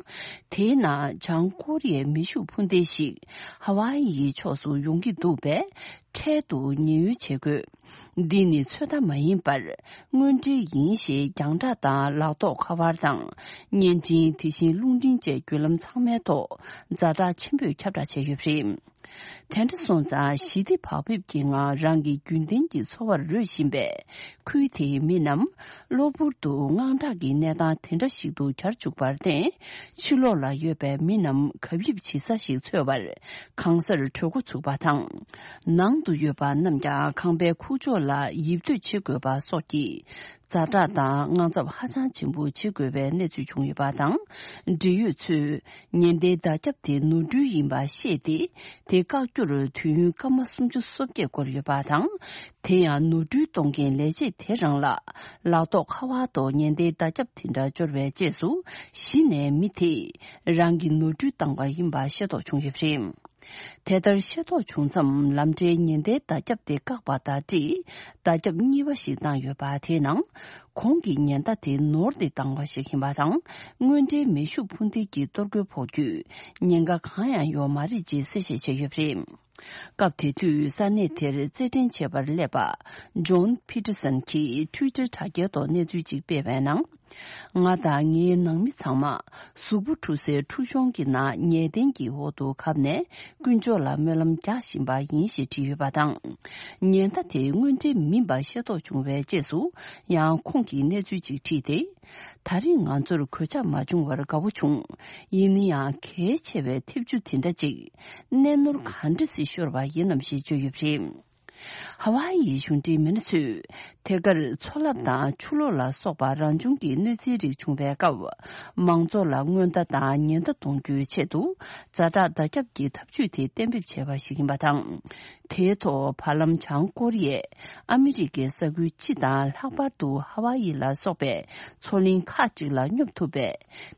དེའི་ནང་བྱང་ཀོ་རི་ཡའི་མེ་ཤུགས་འཕུར་མདེལ་ཞིག་ཧ་ཝ་ཡིའི་ཕྱོགས་སུ་ཡོང་གི་འདུག་པས། འཕྲལ་དུ་ཉེན་གཡོལ་བྱེད་དགོས། འདི་ནི་ཚོད་ལྟ་མ་ཡིན་པར། དངོས་འབྲེལ་ཡིན་ཞེས་རྒྱང་བསྒྲགས་དང་ལག་ཐོག་ཁ་པར་དང་། བརྙན་འཕྲིན། དེ་བཞིན་རླུང་འཕྲིན་བཅས་བརྒྱུད་ལམ་ཚང་མའི་ཐོག་ཛ་དྲག་ཆེན་པོས་ཁྱབ་བསྒྲགས་བྱས་ཡོད་པ་རེད། དེ་འདྲ་སོང་ཙང་ཞི་བདེ་བག་ཕེབས་ཀྱི་ངང་རང་གི་རྒྱུན་ལྡན་གྱི་འཚོ་བར་རོལ་བཞིན་པའི་ཁུལ་དེའི་མི་རྣམས་གློ་བུར་དུ་དངངས་སྐྲག་གི་གནས་སྟངས་དེ་འདྲ་ཞིག་ཏུ་གྱར་བཅུག་པར་བརྟེན། ཕྱི་ལོགས་ལ་ཡོད་པའི་མི་རྣམས་གབ་ཡིབ་བྱེད་ས་ཞིག་འཚོལ་བར་གང་སར་བྲོས་འགོ་ཚུགས་པ་དང་། ནང་དུ་ཡོད་པ་རྣམས་ཀྱང་ཁང་པའི་ཁུག་ཀྱོག་ལ་ཡིབ་སྡོད་བྱེད་དགོས་པ་སོགས་ཀྱི་ཛ་དྲག་དང་དངངས་འཚབ་ཧ་ཅང་ཆེན་པོ་བྱེད་དགོས་པའི་གནས་ཚུལ་བྱུང་ཡོད་པ་དང་། འབྲེལ་ཡོད་ཚོས་ཉེན་བརྡའི་བརྡ་ཁྱབ་དེ་ནོར་འཁྲུལ་ཡིན་པ་ཤེས་ཏེ། དེ་བཀག་རྒྱུར་དུས་ཡུན་སྐར་མ་སུམ་ཅུ་སོ་བརྒྱད་འགོར་ཡོད་པ་དང་། དེ་ཡང་ནོར་འཁྲུལ་གཏོང་མཁན་ལས་བྱེད་དེ་རང་ལ་ལག་ཐོག་ཁ་པར་ཐོག་ཉེན་བརྡའི་བརྡ་ཁྱབ་དེ་འདྲ་འབྱོར་བའི་རྗེས་སུ། གཞི་ནས་མི་དེས་རང་གི་ནོར་འཁྲུལ་བཏང་བ་ཡིན་པ་ཤེས་རྟོགས་བྱུང་ཡོད་པ་རེད། དེ་ལྟར་ཤེས་རྟོགས་བྱུང་མཚམས། ལམ་འབྲས་ཉེན་བརྡའི་བརྡ་ཁྱབ་དེ་བཀག་པ་དང་འབྲེལ། བརྡ་ཁྱབ་གཉིས་པ་ཞིག་བཏང་ཡོད་པ་དེའི་ནང་། གོང་གི་ཉེན་བརྡ་དེ་ནོར་ཏེ་བཏང་བ་ཞིག་ཡིན་པ་དང་། དངོས་འབྲེལ་མེ་ཤུགས་འཕུར་མདེལ་གྱིས་གཏོར་རྒོལ་ཕོག་རྒྱུའི་ཉེན་ཁ་གང་ཡང་ཡོད་མ་རེད་ཅེས་གསལ་བཤད་བྱས་ཡོད་པ་རེད། སྐབས་དེ་དུས་ས་གནས་དེར་རྩེད་འགྲན་བྱེད་པར་སླེབས་པ། ཇོན་ཕི་ཏི་སན་གྱིས་ཊུའི་ཊར་དྲ་རྒྱའི་ཐོག་གནས་ཚུལ་ཅིག་སྤེལ་བའི་ནང་། ང་དང་ངའི་ནང་མི་ཚང་མ་གཟུགས་པོ་འཁྲུ་སའི་འཁྲུ་གཤོང་གི་ནང་ཉལ་གདན་གྱི་འོག་ཏུ་གབ་ནས་དཀོན་མཆོག་ལ་སྨོན་ལམ་རྒྱག་བཞིན་པ་ཡིན་ཞེས་བྲིས་ཡོད་པ་དང་། ཉེན་བརྡ་དེ་དངོས་འབྲེལ་མིན་པ་ཤེས་རྟོགས་བྱུང་བའི་རྗེས་སུ། ཡང་ཁོང་གིས་གནས་ཚུལ་ཅིག་བྲིས་ཏེ། ད་རེས་ང་ཚོར་གོད་ཆག་མ་བྱུང་བར་དགའ་བོ་བྱུང་། ཡིན་ན་ཡང་གལ་ཆེ་བའི་ཐེབས་ཆུ་དེ་འདྲ་ཅིག་གནས་ནོར་ག་འདྲ་སེ་ཤོར་བ་ཡིན་ནམ་ཞེས་བརྗོད་ཡོད་པ་རེད། ཧ་ཝཱ་ཡིའི་གཞུང་འབྲེལ་མི་སྣ་ཚོས་དེ་གར་མཚོ་རླབས་དང་ཆུ་ལོག་ལ་སོགས་པ་རང་བྱུང་གི་གནོད་འཚེའི་རིགས་བྱུང་བའི་སྐབས། མང་ཚོགས་ལ་སྔོན་བརྡ་དང་ཉེན་བརྡ་གཏོང་རྒྱུའི་ཆེད་དུ། ཛ་དྲག་བརྡ་ཁྱབ་ཀྱི་ཐབས་ཇུས་དེ་གཏན་འབེབས་བྱས་པ་ཞིག་ཡིན་པ་དང་། དེའི་ཐོག་བར་ལམ་བྱང་ཀོ་རི་ཡས་ཨ་མི་རི་ཀའི་ས་ཁུལ་སྤྱི་དང་། ལྷག་པར་དུ་ཧ་ཝཱ་ཡི་ལ་སོགས་པའི་མཚོ་གླིང་ཁག་ཅིག་ལ་སྙོབ་ཐུབ་པའི་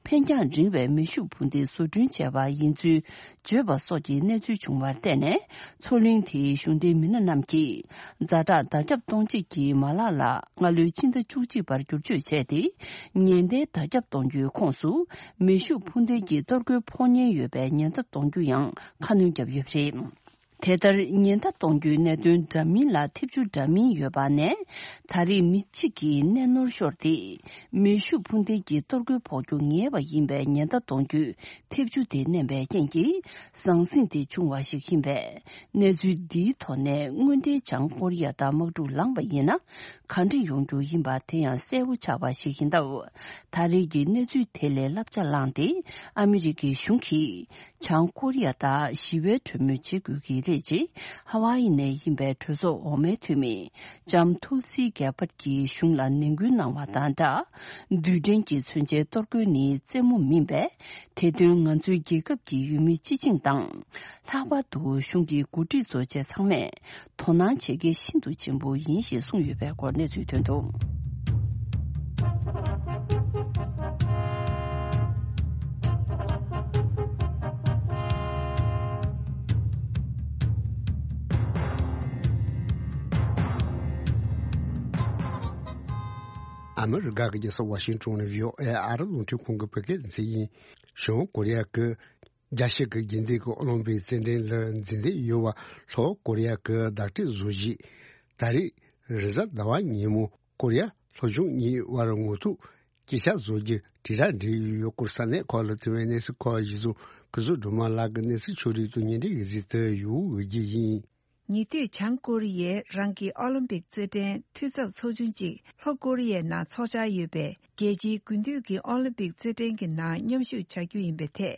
འཕེན་རྒྱང་རིང་བའི་མེ་ཤུགས་འཕུར་མདེལ་བཟོ་སྐྲུན་བྱས་པ་ཡིན་ཚུལ་བརྗོད་པ་སོགས་ཀྱི་གནས་ཚུལ་བྱུང་བར་བརྟེན་ནས། མཚོ་གླིང་དེའི་གཞུང་འབྲེལ་མི་སྣ་རྣམས་ཀྱིས་ཛ་དྲག་བརྡ་ཁྱབ་གཏོང་བྱེད་ཀྱི་མ་ལག་ལ་སྔ་ལོའི་ཕྱི་ཟླ་བཅུ་གཅིག་པར་བསྒྱུར་བཅོས་བྱས་ཏེ། ཉེན་བརྡའི་བརྡ་ཁྱབ་གཏོང་རྒྱུའི་ཁོངས་སུ་མེ་ཤུགས་འཕུར་མདེལ་གྱི་གཏོར་རྒོལ་ཕོག་ཉེན་ཡོད་པའི་ཉེན་བརྡ་གཏོང་རྒྱུ་ཡང་ཁ་སྣོན་བརྒྱབ་ཡོད་པ་རེད། དེ་ལྟར་ཉེན་བརྡ་གཏོང་རྒྱུའི་གནད་དོན་འདྲ་མིན་ལ་ཐེབས་ཆུ་འདྲ་མིན་ཡོད་པ་ནས། ད་རེས་མི་གཅིག་གིས་གནས་ནོར་ཤོར་ཏེ། མེ་ཤུགས་འཕུར་མདེལ་གྱི་གཏོར་རྒོལ་ཕོག་རྒྱུ་ངེས་པ་ཡིན་པའི་ཉེན་བརྡ་གཏོང་རྒྱུའི་ཐེབས་ཆུ་དེ་མནན་པའི་རྐྱེན་གྱིས་ཟང་ཟིང་དེ་བྱུང་བ་ཞིག་ཡིན་པས། གནས་ཚུལ་འདིའི་ཐོག་ནས་དངོས་འབྲེལ་བྱང་ཀོ་རི་ཡ་དང་དམག་འཁྲུག་ལངས་པ་ཡིན་ན། ག་འདྲ་ཡོང་རྒྱུ་ཡིན་པ་དེ་ཡང་གསལ་བོ་ཆགས་པ་ཞིག་ཡིན་སྟབས། ད་རེས་ཀྱི་གནས་ཚུལ་དེ་ལས་བསླབ་བྱ་བླངས་ཏེ། ཨ་མི་རི་ཀའི་གཞུང་གིས་བྱང་ཀོ་རི་ཡ་དང་ཞི་བའི་གྲོས་མོལ་བྱེད་དགོས་ཀྱི་རེད་ཅེས། ཧ་ཝཱ་ཡི་ནས་ཡིན་པའི་གྲོས་ཚོགས་འོག་མའི་འཐུས་མི་ལྕམ་ཐུལ་སི་གེ་པར་གྱིས་གཞུང་ལ་ནན་སྐུལ་གནང་བ་དང་སྦྲགས། རྡུལ་ཕྲན་གྱི་མཚོན་ཆའི་གཏོར་རྒོལ་ནི་རྩེད་མོ་མིན་པས། དེ་དོན་ང་ཚོའི་རྒྱལ་ཁབ་ཀྱི་ཡུལ་མི་སྤྱི་བྱིངས་དང་། ལྷག་པར་དུ་གཞུང་གི་འགོ་ཁྲིད་ཚོ་བཅས་ཚང་མས་དོ་སྣང་བྱེད་གལ་ཤིན་ཏུ་ཆེན་པོ་ཡིན་ཞེས་གསུངས་ཡོད་པའི་སྐོར་གནས་ཚུལ་ཐོན་འདུག། ཨ་མི་རི་ཀ་གི་རྒྱལ་ས་ཝ་ཤིང་ཏོན་ནས་བྷི་ཨོ་ཨེ་ཨ་རི་རླུང་འཕྲིན་ཁང་གི་བོད་སྐད་སྡེ་ཚན་ཡིན། བྱང་ཀོ་རི་ཡ་གི་རྒྱལ་སྤྱི་གི་རྒྱུན་ལྡན་གྱི་ཨོ་ལིམ་པིག་རྩེད་འགྲན་ལ་འཛུལ་འདོད་ཡོད་པ་ལྷོ་ཀོ་རི་ཡ་གི་བདག་སྐྱོང་བཟོ་གཞིས་ད་རེས་རེས་གཟའ་ཟླ་བ་ཉིན་མོ་ཀོ་རི་ཡ་ལྷོ་བྱང་གཉིས་དབར་ངོ་ཐུག་སྐད་ཆ་བཟོ་རྒྱུ་དྲིལ་བསྒྲགས་འབྲི་ཡོད་སྐོར་ས་གནས་ཁག་ལ་ཐོན་པའི་གནས་ཚུལ་ཁག་གཞི་བཟུང་སྐུ་གཟུགས་སྒྲོལ་མ་ལགས་ཀྱི་གནས་ཚུལ་ཕྱོགས་སྒྲིག་ཏུ་ཉན་འདྲི་གི་གཟིགས་དུ་ཡོད་རྒྱུ་ཡིན། ཉེ་དུས་བྱང་ཀོ་རི་ཡས་རང་གི་ཨོ་ལིམ་པིག་རྩེད་འགྲན་འཐུས་ཚབ་ཚོགས་ཆུང་གཅིག་ལྷོ་ཀོ་རི་ཡའི་ནང་འཚོགས་འཆར་ཡོད་པའི་རྒྱལ་སྤྱིའི་དགུན་དུས་ཀྱི་ཨོ་ལིམ་པིག་རྩེད་འགྲན་གྱི་ནང་མཉམ་ཞུགས་བྱ་རྒྱུ་ཡིན་པའི་ཐད།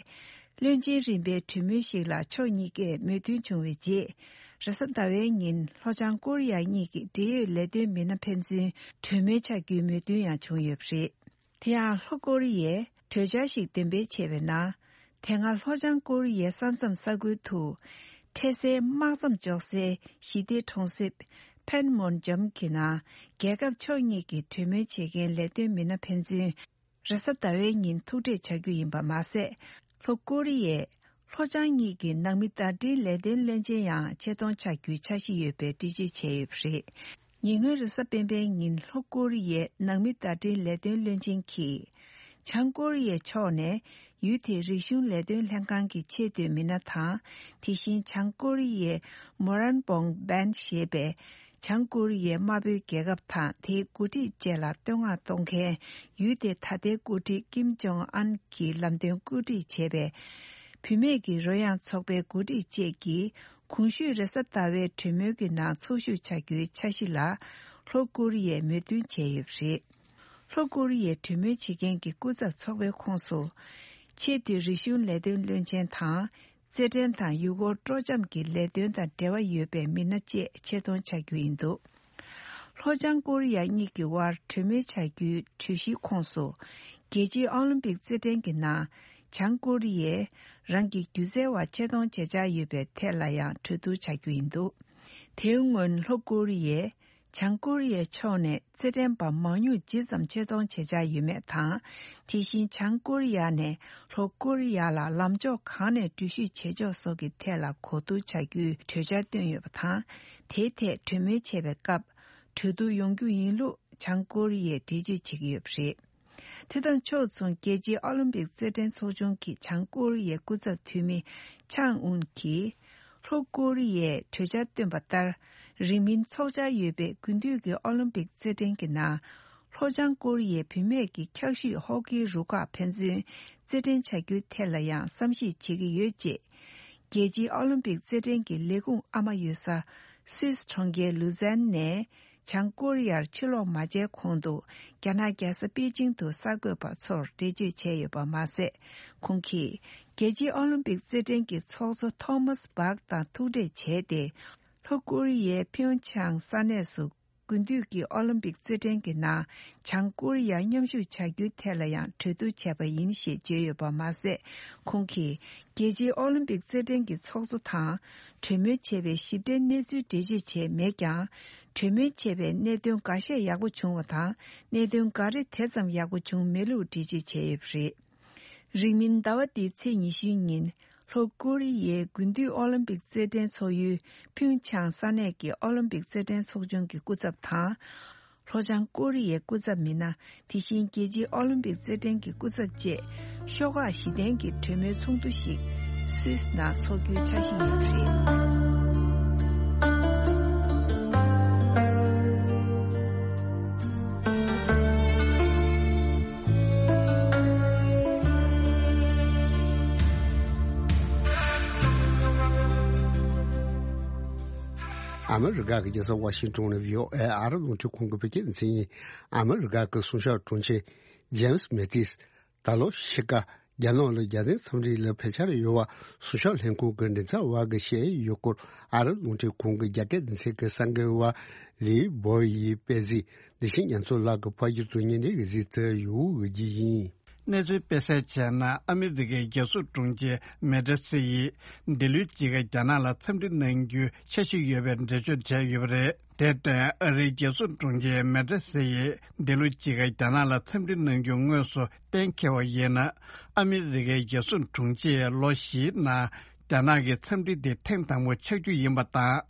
བློན་ཆེན་རིམ་པའི་གྲོས་མོལ་ཞིག་ལ་ཕྱོགས་གཉིས་ཀས་མོས་མཐུན་བྱུང་བའི་རྗེས། རེས་གཟའ་ཟླ་བའི་ཉིན་ལྷོ་བྱང་ཀོ་རི་ཡ་གཉིས་ཀྱི་འབྲེལ་ཡོད་ལས་དོན་མི་སྣ་ཕན་ཚུན་གྲོས་མོལ་བྱ་རྒྱུའི་མོས་མཐུན་ཡང་བྱུང་ཡོད་པ་རེད། དེ་ཡང་ལྷོ་ཀོ་རི་ཡས་གྲོས་འཆར་ཞིག་འདོན་སྤེལ་བྱས་པའི་ནང་། དེ་སྔ་ལྷོ་བྱང་ཀོ་རི་ཡའི་ས་མཚམས་ས་ཁུལ་དུ། འཕྲལ་སེལ་དམག་མཚམས་འཇོག་སའི་ཞི་བདེ་གྲོང་གསེབ་ཕན་མོན་ཇམ་གྱི་ནང་རྒྱལ་ཁབ་ཕྱོགས་གཉིས་ཀྱི་གྲོས་མོལ་བྱེད་མཁན་ལས་དོན་མི་སྣ་ཕན་ཚུན་རེས་གཟའ་ཟླ་བའི་ཉིན་ཐུག་འཕྲད་བྱ་རྒྱུ་ཡིན་པ་མ་ཟད། ལྷོ་ཀོ་རི་ཡས་ལྷོ་བྱང་གཉིས་ཀྱི་ནང་མི་བརྡ་འཕྲིན་ལས་དོན་བློན་ཆེན་ཡང་ཆེད་གཏོང་བྱ་རྒྱུའི་འཆར་གཞི་ཡོད་པའི་འགྲེལ་བརྗོད་བྱས་ཡོད་པ་རེད། ཉེ་སྔོན་རེས་གཟའ་སྤེན་པའི་ཉིན་ལྷོ་ཀོ་རི་ཡའི་ནང་མི་བརྡ་འཕྲིན་ལས་དོན་བློན་ཆེན་གྱིས། བྱང་ཀོ་རི་ཡའི་ཕྱོགས་ནས་ཡུལ་དེའི་རིག་གཞུང་ལས་དོན་ལྷན་ཁང་གི་ཆེས་མཐོའི་མི་སྣ་དང་། དེ་བཞིན་བྱང་ཀོ་རི་ཡའི་མོ་རན་བོང་བན་ཞེས་པའི་བྱང་ཀོ་རི་ཡའི་དམར་པོའི་རྒྱལ་ཁབ་དང་དེའི་འགོ་ཁྲིད་བཅས་ལ་བསྟོད་བསྔགས་གཏོང་མཁན་ཡུལ་དེའི་ད་ལྟའི་འགོ་ཁྲིད་ཀིམ་ཇོང་ཨན་གྱི་ལམ་སྟོན་བཀོད་སྒྲིག་བྱས་པའི་བུད་མེད་ཀྱི་རོལ་དབྱངས་ཚོགས་པའི་འགོ་ཁྲིད་བཅས་ཀྱིས། གོང་ཞུས་རེས་གཟའ་ཟླ་བའི་གྲོས་མོལ་གྱི་ནང་ཚོགས་ཞུགས་བྱ་རྒྱུའི་འཆར་གཞི་ལ་ལྷོ་ཀོ་རི་ཡས་མོས་མཐུན་བྱས་ཡོད་པ་རེད། ལྷོ་ཀོ་རི་ཡའི་གྲོས་མོལ་བྱེད་མཁན་གྱི་སྐུ་ཚབ་ཚོགས་པའི་ཁོངས་སུ། ཆེས་མཐོའི་རིག་གཞུང་ལས་དོན་བློན་ཆེན་དང་། རྩེད་འགྲན་དང་ཡུལ་སྐོར་སྤྲོ་འཆམ་གྱི་ལས་དོན་དང་འབྲེལ་བ་ཡོད་པའི་མི་སྣ་བཅས་ཆེད་གཏོང་བྱ་རྒྱུ་ཡིན་འདུག་ལྷོ་བྱང་ཀོ་རི་ཡ་གཉིས་ཀྱི་དབར་གྲོས་མོལ་བྱ་རྒྱུའི་གྲོས་གཞིའི་ཁོངས་སུ། རྒྱལ་སྤྱིའི་ཨོ་ལིམ་པིག་རྩེད་འགྲན་གྱི་ནང་། བྱང་ཀོ་རི་ཡས་རང་གི་སྒྱུ་རྩལ་བ་ཆེད་གཏོང་བྱེད་འཆར་ཡོད་པའི་ཐད་ལ་ཡང་གྲོས་བསྡུར་བྱ་རྒྱུ་ཡིན་འདུག་དེའི་སྔོན་ལྷོ་ཀོ་རི་ཡས་བྱང་ཀོ་རི་ཡའི་ཕྱོགས་ནས་རྩེད་འགྲན་པ་མང་ཉུང་ཇི་ཙམ་ཆེད་གཏོང་བྱེད་འཆར་ཡོད་མེད་དང་། དེ་བཞིན་བྱང་ཀོ་རི་ཡ་ནས་ལྷོ་ཀོ་རི་ཡ་ལ་ལམ་ཕྱོགས་གང་ནས་འགྲུལ་བཞུད་བྱེད་ཕྱོགས་སོགས་ཀྱི་ཐད་ལ་གོ་བསྡུར་བྱ་རྒྱུའི་གྲོས་འཆར་བཏོན་ཡོད་པ་དང་། དེའི་ཐད་གྲོས་མོལ་བྱེད་པའི་སྐབས། གྲོས་བསྡུར་ཡོང་རྒྱུ་ཡིན་ལུགས་བྱང་ཀོ་རི་ཡས་འགྲེལ་བརྗོད་བྱེད་ཀྱི་ཡོད་པ་རེད། དེ་དང་ཕྱོགས་མཚུངས་རྒྱལ་སྤྱིའི་ཨོ་ལིམ་པིག་རྩེད་འགྲན་ཚོགས་ཆུང་གི་བྱང་ཀོ་རི་ཡའི་སྐུ་ཚབ་འཐུས་མི་ཆང་ཨུན་གྱིས། ལྷོ་ཀོ་རི་ཡས་གྲོས་འཆར་བཏོན་པ་ལྟར། རིང་མིན་འཚོགས་འཆར་ཡོད་པའི་དགུན་དུས་ཀྱི་ཨོ་ལིམ་པིག་རྩེད་འགྲན་གྱི་ནང་། ལྷོ་བྱང་ཀོ་རི་ཡའི་བུད་མེད་ཀྱི་འཁྱག་ཤུད་ཧོ་ཀིའི་རུ་ཁག་ཕན་ཚུན་རྩེད་འགྲན་བྱ་རྒྱུའི་ཐད་ལ་ཡང་བསམ་གཞིག་བྱེད་ཀྱི་ཡོད་ཅེས། རྒྱལ་སྤྱིའི་ཨོ་ལིམ་པིག་རྩེད་འགྲན་གྱི་ལས་ཁུངས་ཨ་མ་ཡོད་ས་སུད་སི་གྲོང་ཁྱེར་ལུ་ཛན་ནས། བྱང་ཀོ་རི་ཡར་ཕྱིར་ལོག་མ་བྱས་གོང་དུ་རྒྱ་ནག་རྒྱལ་ས་པེ་ཅིང་དུ་གསར་འགོད་པ་ཚོར་འགྲེལ་བརྗོད་བྱས་ཡོད་པ་མ་ཟད། ཁོང་གིས་རྒྱལ་སྤྱིའི་ཨོ་ལིམ་པིག་རྩེད་འགྲན་གྱི་ཚོགས་གཙོ་ཐོ་མཱས་བྷག་དང་ཐུག་འཕྲད་བྱས་ཏེ། ལྷོ་ཀོ་རི་ཡའི་ཕིའུ་ཆང་ས་གནས་སུ། དགུན་དུས་ཀྱི་ཨོ་ལིམ་པིག་རྩེད་འགྲན་གྱི་ནང་བྱང་ཀོ་རི་ཡ་མཉམ་ཞུགས་བྱ་རྒྱུའི་ཐད་ལ་ཡང་གྲོས་བསྡུར་བྱས་པ་ཡིན་ཞེས་བརྗོད་ཡོད་པ་མ་ཟད། ཁོང་གིས་རྒྱལ་སྤྱིའི་ཨོ་ལིམ་པིག་རྩེད་འགྲན་གྱི་ཚོགས་གཙོ་དང་གྲོས་མོལ་བྱས་པའི་ཞིབ་ཕྲའི་གནས་ཚུལ་འགྲེལ་བརྗོད་བྱས་མེད་ཀྱང་། གྲོས་མོལ་བྱས་པའི་གནད་དོན་འགའ་ཤས་ཡག་པོ་བྱུང་བ་དང་། གནད་དོན་འགའ་རེ་དེ་ཙམ་ཡག་པོ་བྱུང་མེད་ལུགས་འགྲེལ་བརྗོད་བྱས་ཡོད་པ་རེད། རིང་མིན་ཟླ་བ་འདིའི་ཚེས་ཉི་ཤུའི་ཉིན། ལྷོ་ཀོ་རི་ཡའི་དགུན་དུས་ཨོ་ལིམ་པིག་རྩེད་འགྲན་ཚོགས་ཡུལ་ཕིའུ་ཆང་ས་གནས་ཀྱི་ཨོ་ལིམ་པིག་རྩེད་འགྲན་ཚོགས་ཆུང་གི་སྐུ་ཚབ་དང་། ལྷོ་བྱང་ཀོ་རི་ཡའི་སྐུ་ཚབ་མི་སྣ། དེ་བཞིན་རྒྱལ་སྤྱིའི་ཨོ་ལིམ་པིག་རྩེད་འགྲན་གྱི་སྐུ་ཚབ་བཅས་ཤོག་ཁག་བཞི་ལྡན་གྱི་གྲོས་མོལ་ཚོགས་འདུ་ཞིག་སུད་སི་ནང་འཚོགས་རྒྱུའི་འཆར་གཞི་ཡོད་པ་རེད། ཨ་མི་རི་ཀ་གི་རྒྱལ་ས་ཝ་ཤིང་ཏོན་ནས་ཝི་ཨོ་ཨེ་ཨ་རི་རླུང་འཕྲིན་ཁང་གི་བོད་སྐད་སྡེ་ཚན་ཡིན། ཨ་མི་རི་ཀ་གི་གསུང་ཞབས་དྲུང་ཆེ་ཇེམ་སི་མེ་ཏིས་ད་ལོ་ཕྱི་དགའ་རྒྱ་ནག་ལ་རྒྱལ་དོན་འཚམས་འདྲི་ལ་ཕེབས་འཆར་ཡོད་པ་གསུང་ཞབས་ལྷན་ཁང་གི་མགྲིན་ཚབ་པ་གིས་བཤད་ཡོད་སྐོར། ཨ་རི་རླུང་འཕྲིན་ཁང་གི་རྒྱ་སྐད་སྡེ་ཚན་གྱི་གསར་འགོད་པ་ལི་བོ་ཡིས་སྤེལ་གཟིགས། འདི་བཞིན་རྒྱ་མཚོ་ལགས་ཀྱིས་ཕབ་སྒྱུར་དུ་སྙན་འདེབས་ཀྱི་གཟིགས་ཚུལ་ཡོད་འོས་ཀྱི་ཡིན། གནས་ཚུལ་སྤེལ་གསལ་བྱས་ན། ཨ་མི་རི་ཀའི་རྒྱལ་སྲུང་དྲུང་ཆེ་མེ་ཏྲ་སི་ཡིས་འདི་ལོའི་དཔྱིད་ཀ་རྒྱ་ནག་ལ་འཚམས་འདྲི་གནང་རྒྱུའི་འཆར་གཞི་ཡོད་པའི་འགྲེལ་བརྗོད་བྱས་ཡོད་པ་རེད། དེར་བརྟེན། ཨ་རིའི་རྒྱལ་སྲུང་དྲུང་ཆེ་མེ་ཏྲ་སི་ཡིས་འདི་ལོའི་དཔྱིད་ཀ་རྒྱ་ནག་ལ་འཚམས་འདྲི་གནང་རྒྱུ་དངོས་སུ་གཏན་འཁེལ་བ་ཡིན་ན། ཨ་མི་རི་ཀའི་རྒྱལ་སྲུང་དྲུང་ཆེས་ལོ་བཞིའི་ནང་རྒྱ་ནག་གི་འཚམས་འདྲི་དེ་ཐེངས་དང་པོ་ཆགས་རྒྱུ་ཡིན་པ་དང་།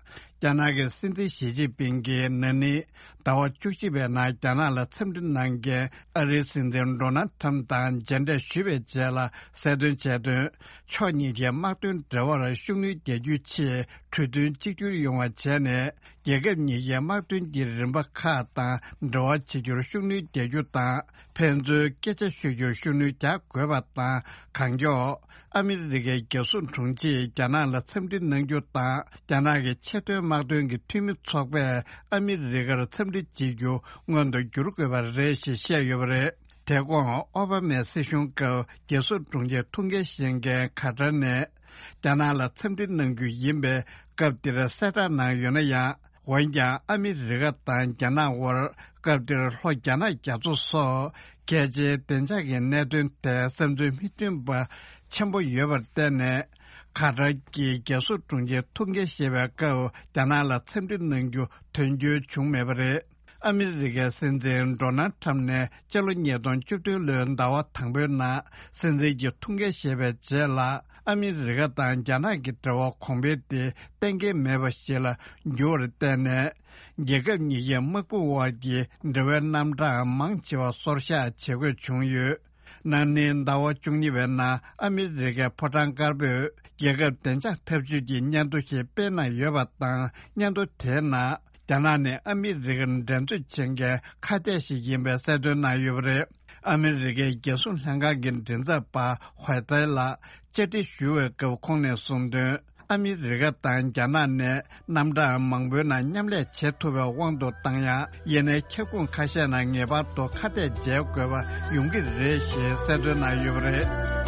རྒྱ་ནག་གི་སྲིད་འཛིན་ཞི་ཅིན་ཕིང་གིས་ན་ནིང་ཟླ་བ་བཅུ་གཅིག་པའི་ནང་རྒྱ་ནག་ལ་འཚམས་འདྲི་གནང་མཁན་ཨ་རིའི་སྲིད་འཛིན་ཌོ་ནལ་ཁྲམ་དང་མཇལ་འཕྲད་ཞུས་པའི་རྗེས་ལ་གསལ་སྟོན་བྱས་དོན། ཕྱོགས་གཉིས་ཀའི་དམག་དོན་འབྲེལ་བར་ཤུགས་སྣོན་རྒྱག་རྒྱུའི་ཆེད་གྲོས་མཐུན་གཅིག་གྱུར་ཡོང་བ་བྱས་ནས། རྒྱལ་ཁབ་གཉིས་ཀའི་དམག་དོན་གྱི་རིམ་པ་ཁག་དང་འབྲེལ་བ་བྱེད་རྒྱུར་ཤུགས་སྣོན་རྒྱག་རྒྱུ་དང་། ཕན་ཚུན་སྐད་ཆ་ཤོད་རྒྱུར་ཤུགས་སྣོན་རྒྱག་དགོས་པ་དང་། གང་མགྱོགས་ཨ་མི་རི་ཀའི་རྒྱལ་སྲུང་དྲུང་ཆེས་རྒྱ་ནག་ལ་འཚམས་འདྲི་གནང་རྒྱུ་དང་། རྒྱ་ནག་གི་ཆེས་མཐོའི་དམག་དོན་གྱི་འཐུས་མི་ཚོགས་པས་ཨ་མི་རི་ཀར་འཚམས་འདྲི་བྱེད་རྒྱུ་སྔོན་དུ་འགྱུར་དགོས་པ་རེད་ཞེས་བཤད་ཡོད་པ་རེད། དེ་གོང་ཨོ་བྷ་མའི་སྲིད་གཞུང་སྐབས་རྒྱལ་སྲུང་དྲུང་ཆེའི་ཐུགས་འགན་བཞེས་མཁན་ཁ་ཏར་ནས། རྒྱ་ནག་ལ་འཚམས་འདྲི་གནང་རྒྱུ་ཡིན་པས། སྐབས་དེར་གསལ་བསྒྲགས་གནང་ཡོད་ན་ཡང་། འོན་ཀྱང་ཨ་མི་རི་ཀ་དང་རྒྱ་ནག་དབར་སྐབས་དེར་ལྷོ་རྒྱ་ནག་རྒྱ་མཚོ་སོགས་གལ་ཆེའི་བདེ་འཇགས་ཀྱི་གནད་དོན་ཐད་བསམ་ཚུལ་མི་མཐུན་པ་ཆེན་པོ་ཡོད་པར་བརྟེན་ནས། ཁ་ཏར་གྱིས་རྒྱལ་སྲུང་དྲུང་ཆེའི་ཐུགས་འགན་བཞེས་པའི་སྐབས་རྒྱ་ནག་ལ་འཚམས་འདྲི་གནང་རྒྱུ་དོན་འཁྱོལ་བྱུང་མེད་པ་རེད། ཨ་མི་རི་ཀའི་སྲིད་འཛིན་ཌོ་ནལ་ཁྲམ་ནས་སྤྱི་ལོ་ཉིས་སྟོང་བཅུ་བདུན་ལོའི་ཟླ་བ་དང་པོའི་ནང་སྲིད་འཛིན་གྱི་ཐུགས་འགན་བཞེས་པའི་རྗེས་ལ། ཨ་མི་རི་ཀ་དང་རྒྱ་ནག་གི་འབྲེལ་བ་གོང་འཕེལ་དེ་གཏན་འཁེལ་མེད་པ་ཞིག་ལ་འགྱུར་བར་བརྟེན་ནས། རྒྱལ་ཁབ་གཉིས་ཀའི་དམག་དཔུང་དབར་གྱི་འབྲེལ་བའི་རྣམ་གྲངས་མང་ཆེ་བ་སོར་བཞག་བྱེད་དགོས་བྱུང་ཡོད། ན་ནིང་ཟླ་བ་བཅུ་གཉིས་པའི་ནང་ཨ་མི་རི་ཀའི་ཕོ་བྲང་དཀར་པོས་རྒྱལ་ཁབ་བདེ་འཇགས་འཐབ་ཇུས་ཀྱི་སྙན་ཐོ་ཞིག་སྤེལ་གནང་ཡོད་པ་དང་། སྙན་ཐོ་དེའི་ནང་། རྒྱ་ནག་ནི་ཨ་མི་རི་ཀར་འགྲན་རྩོད་བྱེད་མཁན་ཁ་གཏད་ཞིག་ཡིན་པའི་གསལ་སྟོན་གནང་ཡོད་པ་རེད། ཨ་མི་རི་ཀའི་རྒྱལ་སྲུང་ལྷན་ཁང་གི་མགྲིན་ཚབ་པ་ཧོའེ་ཏའེ་ལགས་བཅར་འདྲི་ཞུ་བའི་སྐབས་ཁོང་ནས་གསུངས་དོན། ཨ་མི་རི་ཀ་དང་རྒྱ་ནག་ནས་རྣམ་གྲངས་མང་པོའི་ནང་མཉམ་ལས་བྱེད་ཐུབ་པའི་དབང་དུ་བཏང་ཡང་། ཡིན་ནའི་ཁྱབ་ཁོངས་ཁ་ཤས་ནང་ངེས་པར་དུ་ཁ་གཏད་འཇལ་དགོས་པ་ཡོང་གི་རེད་ཞེས་གསལ་སྟོན་གནང་ཡོད་པ་རེད།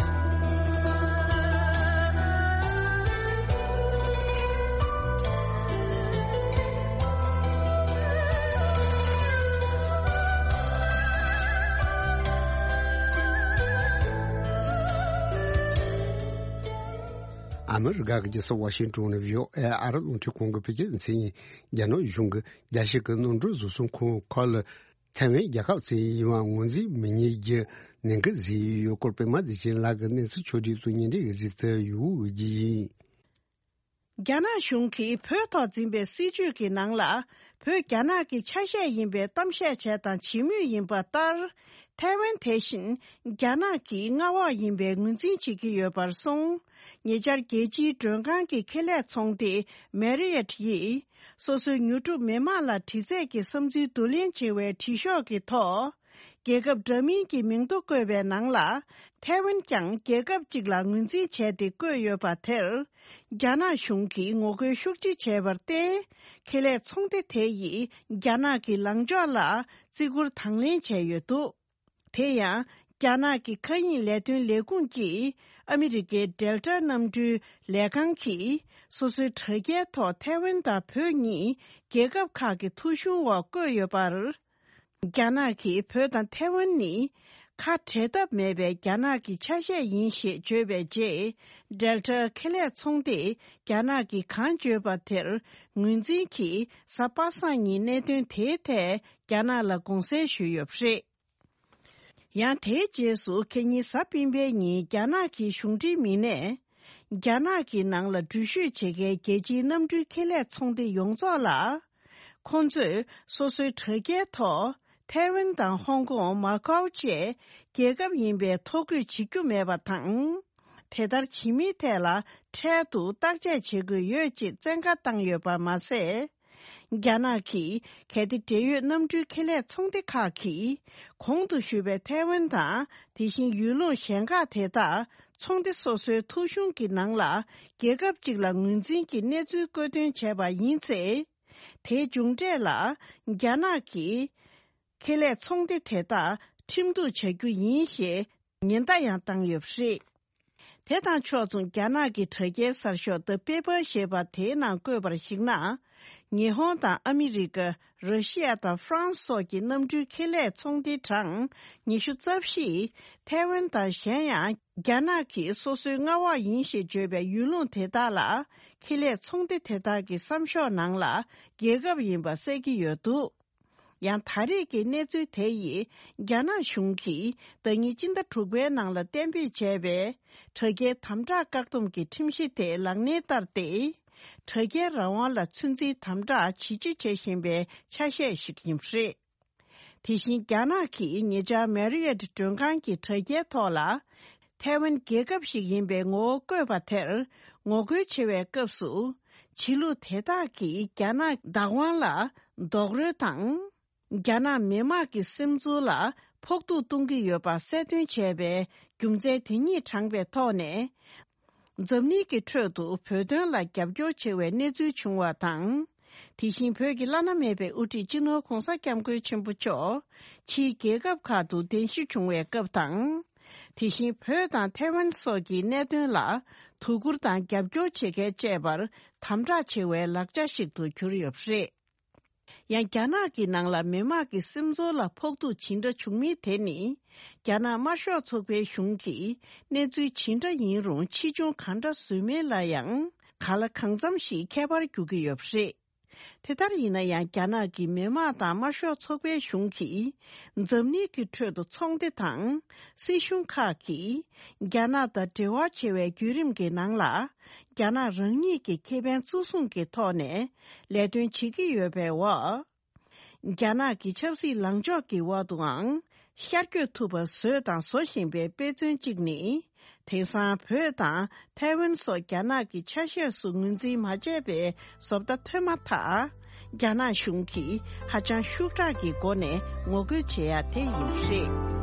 ཨ་མི་རི་ཀ་གི་རྒྱལ་ས་ཝ་ཤིང་ཏོན་ནས་ཝི་ཨོ་ཨེ་ཨ་རི་རླུང་འཕྲིན་ཁང་གི་བོད་སྐད་སྡེ་ཚན་ཡིན། རྒྱ་ནག་གཞུང་གིས་རྒྱལ་སྤྱི་གི་གནམ་གྲུ་བཟོ་ཚོང་ཁང་ཁག་ལ་ཐའེ་ཝན་རྒྱལ་ཁབ་ཅིག་ཡིན་པ་ངོས་འཛིན་མི་ཉན་རྒྱུ་ནན་སྐུལ་བཟོས་ཡོད་སྐོར། པད་མ་བདེ་ཆེན་ལགས་ཀྱིས་གནས་ཚུལ་ཕྱོགས་སྒྲིག་ཏུ་སྙན་སྒྲོན་ཞུ་རྒྱུ་ཡིན། རྒྱ་ནག་གཞུང་གིས་བོད་ཐོག་འཛིན་པའི་སྲིད་བྱུས་ཀྱི་ནང་ལ། བོད་རྒྱ་ནག་གི་ཆ་ཤས་ཡིན་པའི་གཏམ་བཤད་བྱས་དང་བྱེད་མུས་ཡིན་པ་ལྟར། ཐའེ་ཝན་དེ་བཞིན་རྒྱ་ནག་གི་མངའ་འོག་ཡིན་པའི་ངོས་འཛིན་བྱེད་ཀྱི་ཡོད་པར་སོང་། ཉེ་ཆར་རྒྱལ་སྤྱིའི་མགྲོན་ཁང་གི་ཁེ་ལས་ཚོང་སྡེ་མེ་རི་ཡཊ་ཡིས། སོ་སོའི་ཉོ་སྒྲུབ་མི་མང་ལ་དྲི་རྩད་ཀྱི་བསམ་ཚུལ་བསྡུ་ལེན་བྱེད་པའི་དྲི་ཤོག་གི་ཐོག་རྒྱལ་ཁབ་འདྲ་མིན་གྱི་མིང་ཐོ་བཀོད་པའི་ནང་ལ། ཐའེ་ཝན་ཀྱང་རྒྱལ་ཁབ་ཅིག་ལ་ངོས་འཛིན་བྱས་ཏེ་བཀོད་ཡོད་པ་དེར། རྒྱ་ནག་གཞུང་གིས་ངོ་རྒོལ་ཤུགས་ཆེ་བྱས་པར་བརྟེན། ཁེ་ལས་ཚོང་སྡེ་དེ་ཡིས་རྒྱ་ནག་གི་ལངས་ཕྱོགས་ལ་བརྩི་བཀུར་དང་ལེན་བྱས་ཡོད་འདུག་དེ་ཡང་ རྒྱ་ནག་གི་མཁའ་དབྱིངས་ལས་དོན་ལས་ཁུངས་ཀྱིས་ཨ་མི་རི་ཀའི་ཌེལ་ཊ་གནམ་གྲུའི་ལས་ཁང་གིས་སོ་སོའི་དྲ་རྒྱའི་ཐོག་ཐའེ་ཝན་དང་བོད་གཉིས་རྒྱལ་ཁབ་ཁག་གི་ཐོ་གཞུང་འོག་བཀོད་ཡོད་པར། རྒྱ་ནག་གིས་བོད་དང་ཐའེ་ཝན་ནི་ཁ་བྲལ་ཐབས་མེད་པའི་རྒྱ་ནག་གི་ཆ་ཤས་ཡིན་ཞེས་བརྗོད་པའི་རྗེས། ཌེལ་ཊ་ཁེ་ལས་ཚོང་སྡེས་རྒྱ་ནག་གིས་གང་བརྗོད་པ་དེར་ངོས་འཛིན་གྱིས་གཟའ་པ་སངས་ཉིན་གནད་དོན་དེའི་ཐད་རྒྱ་ནག་ལ་དགོངས་སེལ་ཞུས་ཡོད་པ་རེད། ཡང་དེའི་རྗེས་སུ་ཁེ་ཉིན་གཟའ་སྤེན་པའི་ཉིན་རྒྱ་ནག་གི་གཞུང་འབྲེལ་མི་སྣས། རྒྱ་ནག་གི་ནང་ལ་འགྲུལ་བཞུད་བྱེད་མཁན་རྒྱལ་སྤྱིའི་གནམ་གྲུའི་ཁེ་ལས་ཚོང་སྡེ་ཡོངས་རྫོགས་ལ། ཁོང་ཚོས་སོ་སོའི་དྲ་རྒྱའི་ཐོག་ཐའེ་ཝན་དང་ཧོང་ཀོང་། མ་ཀའོ་བཅས་རྒྱལ་ཁབ་ཡིན་པའི་ཐོ་འགོད་བྱེད་རྒྱུ་མེད་པ་དང་། དེ་ལྟར་བྱེད་མིན་ཐད་ལ་འཕྲལ་དུ་བརྟག་དཔྱད་བྱེད་དགོས་ཡོད་ཅེས་བཙན་བཀའ་བཏང་ཡོད་པ་མ་ཟད། རྒྱ་ནག་གིས་གལ་ཏེ་འབྲེལ་ཡོད་གནམ་གྲུའི་ཁེ་ལས་ཚོང་སྡེ་ཁག་གིས་གོང་དུ་ཞུས་པའི་ཐའེ་ཝན་དང་དེ་བཞིན་ཡུལ་ལུང་གཞན་ཁག་དེ་དག་ཚོང་སྡེ་སོ་སོའི་ཐོ་གཞུང་གི་ནང་ལ་རྒྱལ་ཁབ་ཅིག་ལ་ངོས་འཛིན་གྱི་གནས་ཚུལ་བཀོད་འདོན་བྱས་པ་ཡིན་ཚེ། དེའི་མཇུག་འབྲས་ལ་རྒྱ་ནག་གིས་ཁེ་ལས་ཚོང་སྡེ་དེ་དག་ཁྲིམས་གཏུག་བྱ་རྒྱུ་ཡིན་ཞེས་ཉེན་བརྡ་ཡང་བཏང་ཡོད་པ་རེད། དེ་དང་ཕྱོགས་མཚུངས། རྒྱ་ནག་གི་དྲ་རྒྱའི་གསར་ཤོག་The Paper ཞེས་པ་དེའི་ནང་བཀོད་པར་གཞིགས་ན། ཉི་ཧོང་དང་ཨ་མི་རི་ཀ། ར་ཤི་ཡ་དང་ཧྥ་རན་སི་སོགས་ཀྱི་གནམ་གྲུའི་ཁེ་ལས་ཚོང་སྡེ་གྲངས་ཉི་ཤུ་རྩ་བཞི་ཐའེ་ཝན་དང་གཞན་ཡང་རྒྱ་ནག་གིས་སོ་སོའི་མངའ་འོག་ཡིན་ཞེས་བརྗོད་པའི་ཡུལ་ལུང་དེ་དག་ལ་ཁེ་ལས་ཚོང་སྡེ་དེ་དག་གི་བསམ་ཤོག་ནང་ལ་རྒྱལ་ཁབ་ཡིན་པ་གསལ་གྱི་ཡོད་འདུག་ཡང་ད་རེས་ཀྱི་གནས་ཚུལ་དེ་ཡིས་རྒྱ་ནག་གཞུང་གིས་ཟླ་ཉིན་སྤྱི་ཟླ་དྲུག་པའི་ནང་ལ་གཏན་འབེབས་བྱས་པའི་དྲ་རྒྱའི་དམ་དྲག་བཀག་སྡོམ་གྱི་ཁྲིམས་གཞི་དེ་ལག་ལེན་བསྟར་ཏེ། དྲ་རྒྱའི་རང་དབང་ལ་ཚོད་འཛིན་དམ་དྲག་ཇི་ཆེ་བྱེད་བཞིན་པའི་ཆ་ཤས་ཤིག་ཡིན་པ་རེད། དེ་བཞིན་རྒྱ་ནག་གིས་ཉེ་ཆར་མེ་རི་ཡོད་མགྲོན་ཁང་གི་དྲ་རྒྱའི་ཐོག་ལ། ཐའེ་ཝན་རྒྱལ་ཁབ་ཞིག་ཡིན་པའི་ངོ་བོ་བཀོད་པ་དེར་ངོ་རྒོལ་བྱེད་པའི་སྐབས་སུ། ཕྱི་ལུགས་དེ་དག་གིས་རྒྱ་ནག་བདག་དབང་ལ་རྡོག་རོལ་དང་། རྒྱ་ནག་མི་དམངས་ཀྱི་སེམས་ཚོར་ལ་ཕོག་ཐུག་གཏོང་གི་ཡོད་པ་གསལ་སྟོན་བྱས་པའི་རྒྱུ་མཚན་དེ་ཉིད་དྲངས་པའི་ཐོག་ནས། འཛམ་གླིང་གི་ཁྲོད་དུ་བོད་དོན་ལ་རྒྱབ་སྐྱོར་བྱེད་པའི་གནས་ཚུལ་བྱུང་བ་དང་། དེ་བཞིན་བོད་ཀྱི་བླ་ན་མེད་པའི་དབུ་ཁྲིད་སྤྱི་ནོར་༧གོང་ས་༧སྐྱབས་མགོན་ཆེན་པོ་མཆོག་ཕྱིའི་རྒྱལ་ཁབ་ཁག་ཏུ་གདན་ཞུ་བྱུང་བའི་སྐབས་དང་། དེ་བཞིན་བོད་དང་ཐའེ་ཝན་སོགས་ཀྱི་གནད་དོན་ལ་དོ་ཁུར་དང་རྒྱབ་སྐྱོར་བྱེད་མཁན་བཅས་པར་དམ་དྲག་བྱེད་པའི་ལག་ཆ་ཞིག་ཏུ་གྱུར་ཡོད་པ་རེད། ཡང་རྒྱ་ནག་གི་ནང་ལ་མི་དམངས་ཀྱི་སེམས་ཚོར་ལ་ཕོག་ཐུག་ཇི་འདྲ་བྱུང་མིན་དེ་ནི། རྒྱ་ནག་དམར་ཤོག་ཚོགས་པའི་གཞུང་གིས་གནས་ཚུལ་ཇི་འདྲ་ཡིན་རུང་ཕྱིས་འབྱུང་གང་འདྲ་བཟོས་མིན་ལ་ཡང་གང་ལ་གང་འཚམ་ཞིག་ཁྱད་པར་འགྱུར་གྱི་ཡོད་པ་རེད། དེ་ལྟར་ཡིན་ན་ཡང་རྒྱ་ནག་གི་མི་དམངས་དང་དམར་ཤོག་ཚོགས་པའི་གཞུང་གིས་འཛམ་གླིང་གི་ཁྲོད་དུ་ཚོང་སྡེ་དང་སྲིད་གཞུང་ཁག་གིས་རྒྱ་ནག་དང་འབྲེལ་བ་བྱེད་པའི་བརྒྱུད་རིམ་གྱི་ནང་ལ། རྒྱ་ནག་རང་ཉིད་ཀྱི་ཁེ་ཕན་གཙོ་བཟུང་གི་ཐོག་ནས་ལས་དོན་བྱེད་ཀྱི་ཡོད་པའི་འོག་རྒྱ་ནག་གི་ཆབ་སྲིད་ལངས་ཕྱོགས་ཀྱི་འོག་ཏུའང་ཤར་བསྐྱོད་ཐུབ་པ་བཟོས་དང་བཟོ་བཞིན་པའི་དཔེ་མཚོན་གཅིག་ནི། དེང་སང་བོད་དང་ཐའེ་ཝན་སོགས་རྒྱ་ནག་གི་ཆ་ཤས་སུ་ངོས་འཛིན་མ་བྱས་པའི་བཟོ་ལྟ་ཐོན་མ་ཐག་རྒྱ་ནག་གཞུང་གིས་ཧ་ཅང་ཤུགས་དྲག་གི་སྒོ་ནས་ངོ་རྒོལ་བྱེད་ཡ་དེ་ཡིན་པ་རེད།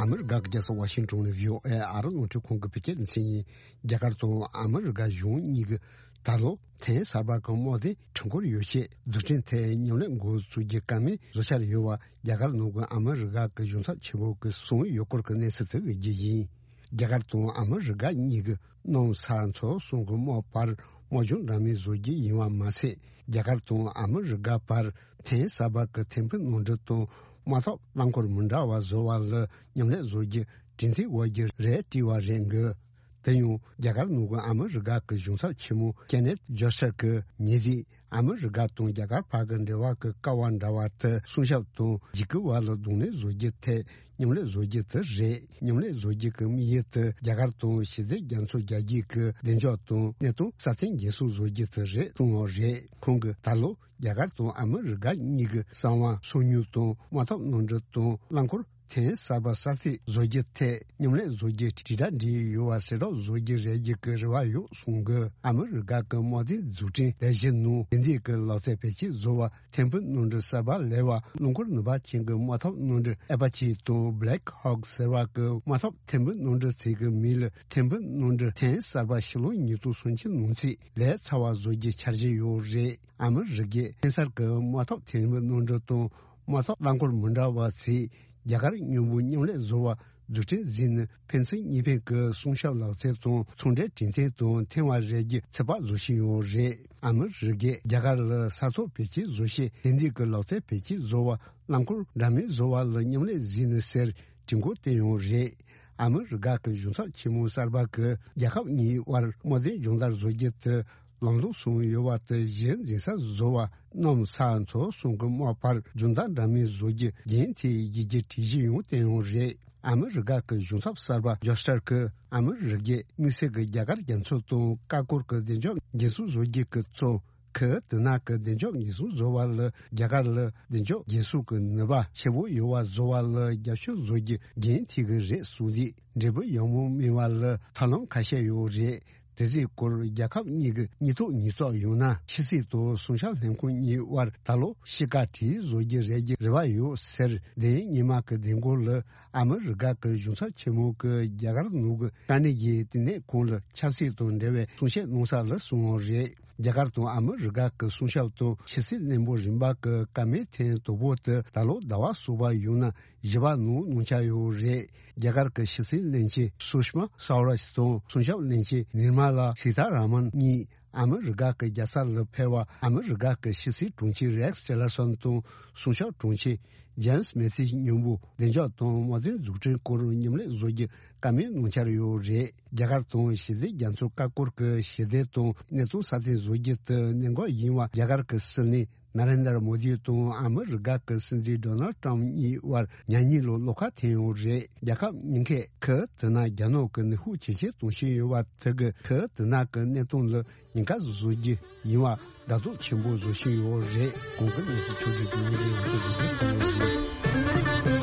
ཨ་མི་རི་ཀ་གི་རྒྱལ་ས་ཝ་ཤིང་ཏོན་ནས་བྷི་ཨོ་ཨེ་ཨ་རི་རླུང་འཕྲིན་ཁང་གི་བོད་སྐད་སྡེ་ཚན་ཡིན། རྒྱ་གར་དང་ཨ་མི་རི་ཀ་གཞུང་གཉིས་ཀྱིས་ད་ལོ་ཐེངས་གསར་པ་གི་དམག་སྡེ་ཁྲིམས་འཁོར་ཡོ་བྱད་རྫུན་འཕྲིན་ཐད་མཉམ་ལས་འགོ་བཙུགས་རྒྱུ་བཀའ་མོལ་བཟོ་འཆར་ཡོད་པ་རྒྱ་གར་ནང་གི་ཨ་མི་རི་ཀ་གི་གཞུང་ཚབ་ཆེན་པོ་གིས་གསུངས་ཡོད་སྐོར་གྱི་གནས་ཚུལ་དེ་གི་རྒྱུ་ཡིན། རྒྱ་གར་དང་ཨ་མི་རི་ཀ་གཉིས་ཀྱི་གནམ་ས་མཚོ་གསུམ་གྱི་དམག་བར་དམག་སྦྱོང་འདྲ་མིན་བཟོ་རྒྱུ་ཡིན་པ་མ་ཟད། རྒྱ་གར་དང་ཨ་མི་རི་ཀ་བར་ཐེངས་གསར་པ་གི་ཐེམ་སྤུས་ནོར་འཁྲུལ་དང་དམག་འཐབ་རླངས་འཁོར་མི་འདྲ་བ་བཟོ་བ་ལ་མཉམ་ལས་བཟོ་རྒྱུ་གྲོས་མཐུན་འོག་གི་རེད་བྲིས་པ་རེད་འགོད། དེ་ཡང་རྒྱ་གར་ནང་གི་ཨ་མི་རི་ཀ་གི་གཞུང་ཚབ་ཆེན་མོ་ཀེ་ནེཐ་ཇོ་སར་གྱིས་ཉེ་དུས། ཨ་མི་རི་ཀ་དང་རྒྱ་གར་བར་གྱི་འབྲེལ་བ་གྱི་ཀ་བ་འདྲ་བ་དེ་སྲུང་སྐྱོབ་དང་འཇིགས་སྐུལ་བར་ལ་གདོང་ལེན་བཟོ་རྒྱུའི་ཐད་མཉམ་ལས་བཟོ་རྒྱུ་དེ་རེད། མཉམ་ལས་བཟོ་རྒྱུ་གི་དམིགས་ཡུལ་དེ་རྒྱ་གར་དང་ཞི་བདེ་རྒྱ་མཚོ་རྒྱ་རྒྱུད་ཀྱི་བདེ་འཇགས་དང་གནས་སྟངས་སྲ་བརྟན་འགན་སྲུང་བཟོ་རྒྱུ་དེ་རེད་གསུངས་པ་རེད། ཁོང་གིས་ད་ལོ་རྒྱ་གར་དང་ཨ་མི་རི་ཀ་གཉིས་ཀྱི་གསང་བ་སོ་ཉུལ་དང་དམག་འཐབ་ནོར་འཁྲུལ་དང་རླངས་འཁོར་ ཐོན་གསར་པ་གསར་གཏོད་བཟོ་རྒྱུ་ཐད་མཉམ་ལས་བཟོ་རྒྱུ་དྲིལ་བསྒྲགས་འབྲེལ་ཡོད་པ་གསལ་བསྒྲགས་བཟོ་རྒྱུ་རེད་རྒྱུ་གི་རེ་བ་ཡོད་གསུང་གི། ཨ་མི་རི་ཀ་གི་དམག་དོན་འཛུགས་སྐྲུན་ལས་གཞི་ནང་དེ་འདྲའི་གི་ལག་རྩལ་བེད་སྤྱོད་བཟོ་བ་ཐེམ་བུ་གནམ་གྲུ་གསར་པ་ལས་པ་རླངས་འཁོར་ནུས་པ་ཅན་གྱི་དམག་འཐབ་གནམ་གྲུ་ཨེ་པ་ཆི་དང་Black Hawk ཟེར་བ་གི་དམག་འཐབ་ཐེམ་བུ་གནམ་གྲུ་ཚིག་གི་མིང་ལ་ཐེམ་བུ་གནམ་གྲུ་ཐེངས་གསར་པ་ཕྱི་ལོ་ཉིས་སྟོང་སུམ་ཅུ་ནང་ཚུད་ལས་ཚར་བ་བཟོ་རྒྱུ་འཆར་གཞི་ཡོད་རེད། ཨ་མི་རི་ཀས་ཐེངས་གསར་གྱི་དམག་འཐབ་ཐེམ་བུ་གནམ་གྲུ་དང་དམག་འཐབ་རླངས་འཁོར་མི་འདྲ་བ་ཚིག་རྒྱ་གར་མཉམ་པོ་མཉམ་ལས་བཟོ་བ་འཛུགས་སྐྲུན་ཟིན་ནས་ཕན་ཚུན་གཉིས་ཕན་གྱི་སྲུང་སྐྱོབ་ལག་རྩལ་དང་ཚོང་འབྲེལ་གྲོས་མཐུན་དང་མཐུན་པ་རེད་རྒྱུ་ཚོད་དཔག་བཟོ་བཞིན་ཡོད་རེད། ཨ་མི་རི་ཀས་རྒྱ་གར་ལ་ས་ཐོག་བེད་སྤྱོད་བཟོ་ཤེས་དེ་འདྲའི་གི་ལག་རྩལ་བེད་སྤྱོད་བཟོ་བ་རླངས་འཁོར་འདྲ་མིན་བཟོ་བ་ལ་མཉམ་ལས་ཟིན་ནས་ཟེར་དྲན་སྐུལ་བསྟན་ཡོད་རེད། ཨ་མི་རི་ཀ་གི་གཞུང་ཚབ་ཆེན་མོ་གསར་པ་གིས་རྒྱལ་ཁབ་གཉིས་དབར་དམག་དོན་སྦྱོང་བརྡར་བཟོ་རྒྱུ་དེ་ལམ་ལྷོང་སོང་ཡོད་པ་དེ་གཞི་འཛིན་ས་བཟོ་བ་གནམ་ས་མཚོ་གསུམ་གྱི་དམག་བར་སྦྱོང་བརྡར་འདྲ་མིན་བཟོ་རྒྱུ་རྒྱུན་མཐུད་ཡིན་རྒྱུ་གྲོས་གཞི་ཡང་བཏོན་ཡོད་རེད། ཨ་མི་རི་ཀ་གི་གཞུང་ཚབ་གསར་པ་ཇོ་སི་ཊར་གིས་ཨ་མི་རི་ཀས་དམིགས་བསལ་གྱི་རྒྱ་གར་རྒྱ་མཚོ་དང་ཀ་ཀོར་གྱི་བདེ་འཇགས་འགན་སྲུང་བཟོ་རྒྱུ་གི་གཙོ་ཁུ་དི་ན་གི་བདེ་འཇགས་འགན་སྲུང་བཟོ་བ་ལ་རྒྱ་གར་ལ་བདེ་འཇགས་འགན་སྲུང་གི་ནུས་པ་ཆེ་བོ་ཡོད་པ་བཟོ་བ་ལ་རྒྱབ་སྐྱོར་བཟོ་རྒྱུ་འགན་འཁྱེར་གི་རེད་གསུངས་ཏེ། འབྲས་བུ་ཡག་མོ་སྨིན་པ་ལ་ཐབས་ལམ་ཁ་ཤས་ཡོད་རེད། དེ་ཚོའི་སྐོར་རྒྱལ་ཁབ་གཉིས་ཀྱི་གཉིས་ཐོག་གཉིས་ཐོག་ཡོང་ན་ཕྱི་སྲིད་དང་སྲུང་སྐྱོབ་ལྷན་ཁང་གཉིས་དབར་ད་ལོ་ཕྱི་བཀའ་བྲིས་བཟོ་རྒྱུ་རེད་རྒྱུ་རེ་བ་ཡོད་ཟེར། དེ་ཉི་མ་གི་བདེ་འགོད་ལ་ཨ་མི་རི་ཀ་གི་གཞུང་ཚབ་ཆེན་མོ་གིས་རྒྱ་གར་ནང་གི་དཀའ་གནད་ཀྱི་ལྟེ་གནས་ཁང་ལ་ཆབ་སྲིད་དང་འབྲེལ་བའི་གསུང་བཤད་གནང་ས་ལ་གསུངས་པ་རེད། རྒྱ་གར་དང་ཨ་མི་རི་ཀ་གི་སྲུང་སྐྱོབ་དང་ཕྱི་སྲིད་བློན་པོ་རིམ་པ་གི་བཀའ་མོལ་ཐེངས་དང་པོ་དེ་ད་ལོ་ཟླ་བ་གསུམ་པ་ཡོང་ན་བཞི་པ་ནང་གནང་འཆར་ཡོད་རེད། རྒྱ་གར་གྱི་ཕྱི་སྲིད་བློན་ཆེན་སུ་ཤི་མ་སྭ་ཝ་རཱཇ་དང་སྲུང་སྐྱོབ་བློན་ཆེན་ནིར་མ་ལ་སི་ཐ་ར་མན་གཉིས་ཨ་མི་རི་ཀ་གི་རྒྱལ་ས་ལ་ཕེབས་པ། ཨ་མི་རི་ཀ་གི་ཕྱི་སྲིད་དྲུང་ཆེ་རེག་ཊི་ལར་སོན་དང་སྲུང་སྐྱོབ་དྲུང་ཆེ་ཇེམ་སི་མེ་ཐིས་མཉམ་པོ་བདེ་འཇགས་དང་དམག་དོན་འཛུགས་སྐྲུན་སྐོར་མཉམ་ལས་བཟོ་རྒྱུ་བཀའ་མོལ་གནང་འཆར་ཡོད་རེད། རྒྱ་གར་དང་ཞི་བདེ་རྒྱ་མཚོ་ཀ་ཀོར་གྱི་ཞི་བདེ་དང་གནས་སྟངས་སྲ་བརྟན་བཟོ་རྒྱུ་དེ་གནད་འགག་ཡིན་པ་རྒྱ་གར་གྱི་སྲིད་བློན་ན་རེན་དར་མོ་དི་དང་ཨ་མི་རི་ཀ་གི་སྲིད་འཛིན་ཌོ་ནལ་ཊམ་གཉིས་དབར་ཉག་ཉིས་ལོ་བློ་ཁ་འཐེན་ཡོད་རེད། རྒྱལ་ཁབ་གཉིས་ཀས་ཁུ་དི་ན་རྒྱ་ནག་གི་ནུས་ཤུགས་ཇེ་ཆེ་གཏོང་བཞིན་ཡོད་པ་དེ་གིས་ཁུ་དི་ན་གི་གནས་སྟངས་ལ་ཉེན་ཁ་བཟོ་རྒྱུ་ཡིན་པ་དགའ་སྡུག་ཆེན་པོ་བཟོ་བཞིན་ཡོད་རེད། གོང་གི་གནས་ཚུལ་ཕྱོགས་བསྒྲིགས་ཀྱི་ཉིན་རེའི་ཡང་སྲིད་ཀྱི་དོན་དུ་ཡོད་རེད།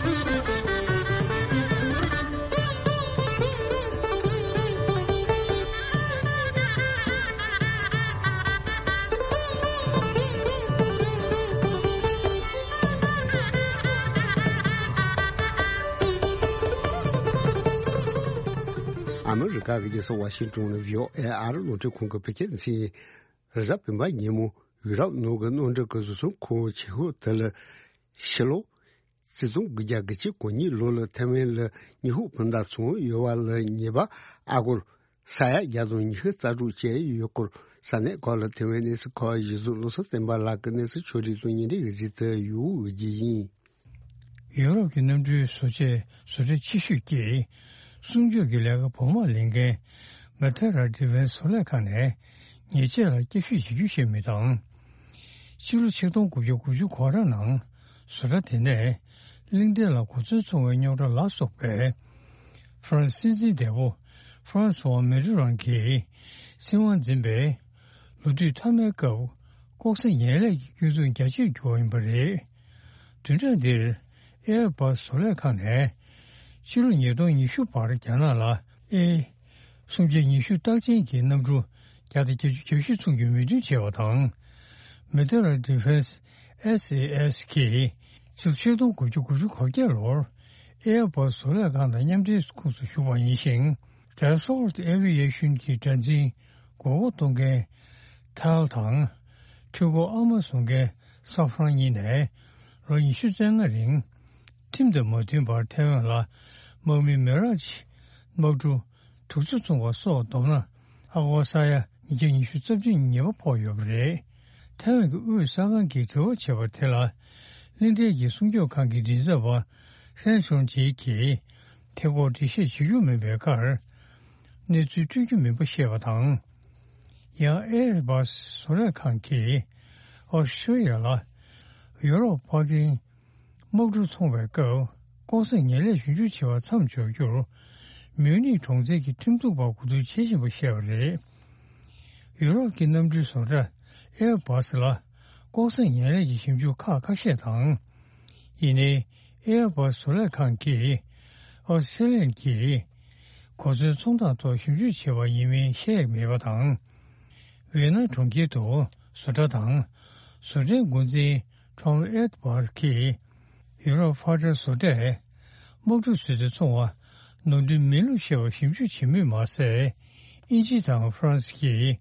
ཨ་མི་རི་ཀ་གི་རྒྱལ་ས་ཝ་ཤིང་ཏོན་ནས་བྷི་ཨོ་ཨེ་ཨ་རི་རླུང་འཕྲིན་ཁང་གི་བོད་སྐད་སྡེ་ཚན་ཡིན། རེས་གཟའ་སྤེན་པ་ཉིན་མོ་ཡུ་རོབ་ནང་གི་གནམ་གྲུ་གི་བཟོ་ཚོང་ཁང་ཆེ་ཤོས་དེ་ལ་ཕྱི་ལོ་ཆིག་སྟོང་དགུ་བརྒྱ་དགུ་བཅུ་གོ་གཉིས་ལོ་ལ་ཐེ་ཝན་ལ་ཉི་ཧུང་ཕུ་ཐག་ཚོང་ཡོད་པ་ལ་ཉེས་པ་ཨ་སྒོར་ས་ཡ་བརྒྱ་དང་ཉི་ཤུ་རྩ་དྲུག་བཅད་ཡོད་སྐོར་ས་གནས་ཁག་ལ་ཐེ་ཝན་གནས་ཚུལ་ཁག་གཞི་བཟུང་བློ་བཟང་བསྟན་པ་ལགས་ཀྱིས་གནས་ཚུལ་ཕྱོགས་བསྒྲིགས་དང་བརྙན་འཕྲིན་གྱི་གཟིགས་དུ་ཡོད་རྒྱུ་ཡིན། ཡུ་རོབ་ཀྱི་གནམ་གྲུའི་བཟོ་ཆས་བཟོ་གྲྭ་ཆེ་ཤོས་ཀྱིས་སྲུང་སྐྱོབ་ཀྱི་ལས་ཀ་བོགས་མ་ལེན་མཁན་མེ་ཐེ་ར་ཌི་ཕེན་སི་བཟོ་ལས་ཁང་ནས་ཉེས་ཆད་ལ་བསྐྱར་ཞིབ་བྱེད་རྒྱུ་ཞེས་མི་དང་། ཕྱི་ལོ་ཆིག་སྟོང་དགུ་བརྒྱ་དགུ་བཅུ་གོ་གྲངས་ནང་བཟོ་གྲྭ་དེ་ནས་གླིང་ཕྲན་ལ་གོ་མཚོན་ཚོང་བའི་རྙོག་དྲ་ལ་སོགས་པའི་ཧྥ་རན་སི་སྲིད་འཛིན་འདས་པོ་ཧྥ་རན་སི་ཝང་མེ་ཏྲི་རང་གིས་སྲིད་དབང་འཛིན་པའི་ལོ་དུས་མཐའ་མའི་སྐབས་ལྐོག་ཟ་ངན་ལྷད་ཀྱི་སྐྱོན་འཛུགས་རྒྱ་ཆེར་གྱུར་བ་ཡིན་པ་རེད། བདུན་ཕྲག་འདིར་ཨེར་བྷ་སི་བཟོ་ལས་ཁང་ནས་ཕྱི་ལོ་ཉིས་སྟོང་ཉི་ཤུ་བར་རྒྱ་ནག་ལ་ཨེ་སུམ་བརྒྱ་ཉི་ཤུ་རྟགས་ཅན་གྱི་གནམ་གྲུ་བརྒྱ་དང་བརྒྱད་ཅུ་གྱ་བཞི་ཚོང་རྒྱུའི་མོས་མཐུན་བྱས་པ་དང་། མེ་ཐེ་ར་ཌི་ཕེན་སི་ཨེས་ཨེ་ཨེས་ཀྱིས་ཕྱི་ལོ་ཆིག་སྟོང་དགུ་བརྒྱ་དགུ་བཅུ་གོ་བརྒྱད་ལོར་ཨེར་བྷ་སི་བཟོ་ལས་ཁང་དང་མཉམ་འབྲེལ་ཁོངས་སུ་ཞུགས་པ་ཡིན་ཞིང་། ཌེ་སོལ་ཨེ་བི་ཡེ་ཤོན་གྱི་སྒྲ་འཛིན་མགོ་སྐོར་གཏོང་མཁན་ཐལ་དང་། འཕྲུལ་འཁོར་ཨ་མ་བཟོ་མཁན་ས་ཧྥ་རན་གཉིས་ནས་ལོ་ཉི་ཤུ་རྩ་ལྔ་རིང་ཁྲིམས་དང་མ་མཐུན་པར་ཐའེ་ཝན་ལ་དམག་མི་མེ་ར་ཇི་དམག་གྲུ་དྲུག་ཅུ་བཙོང་བ་སོགས་བསྡོམས་ན་ཨ་སྒོར་ས་ཡ་ཉིས་བརྒྱ་ཉི་ཤུ་རྩ་བདུན་ཉེས་པ་ཕོག་ཡོད་པ་རེད། ཐའེ་ཝན་གྱི་དབུས་གསར་ཁང་གིས་དྲི་བ་བྱས་པ་དེ་ལ་གླིང་ཕྲན་གྱི་སྲུང་སྐྱོབ་ཁང་གི་མགྲིན་ཚབ་པ་ཧྲན་ཆོང་ཅེ་གིས་ཐད་ཀར་འགྲེལ་བཤད་བྱེད་རྒྱུ་མིན་པའི་ཁར་གནས་ཚུལ་སྤྲོད་རྒྱུ་མིན་པ་བཤད་པ་དང་། ཡང་ཨེར་བྷ་སི་བཟོ་ལས་ཁང་གིས་ཨོ་སི་ཀྲི་ཡ་ལ་ཡོ་རོབ་ཕར་འགྲེང་དམག་གྲུ་འཚོང་བའི་སྐབས་ལྐོག་ཟ་ངན་ལས་ཞིབ་འཇུག་བྱེད་པ་མཚམས་འཇོག་རྒྱུར་མིའུ་ནིག་གྲོང་ཁྱེར་གྱི་ཁྲིམས་འཛུགས་པར་གོ་བསྡུར་བྱེད་བཞིན་པ་བཤད་པ་རེད། ཡུ་རོབ་ཀྱི་གནམ་གྲུའི་བཟོ་གྲྭ་ཨེར་བྷ་སི་ལ་ལྐོག་ཟ་ངན་ལས་ཀྱི་ཞིབ་འཇུག་ཁག་ཁ་ཤས་དང་། ཡིན་ནའི་ ཨེར་བཱས་བཟོ་ལས་ཁང་གིས་ཨོ་སི་ཀྲི་ལི་ཡན་གྱིས་གོ་མཚོན་ཚོང་སྟངས་ཐོག་ཞིབ་འཇུག་བྱས་པ་ཡིན་མིན་བཤད་མེད་པ་དང་། ཝི་ཡེ་ན་གྲོང་ཁྱེར་དུ་བཟོ་གྲྭ་དང་བཟོ་གྲྭའི་འགོ་འཛིན་ཁྲོང་ཨེར་བཱས་ཀྱིས་ཡུ་རོབ་ཕར་འགྲེལ་བཟོ་གྲྭས་དམག་འཁྲུག་བཟོས་ཏེ་འཚོང་བ་ནོར་འཁྲུལ་མིན་ལུགས་བཤད་པ་ཞིབ་འཇུག་བྱེད་མུས་མ་ཟད། དབྱིན་ཇི་དང་ཧྥ་རན་སི་གིས་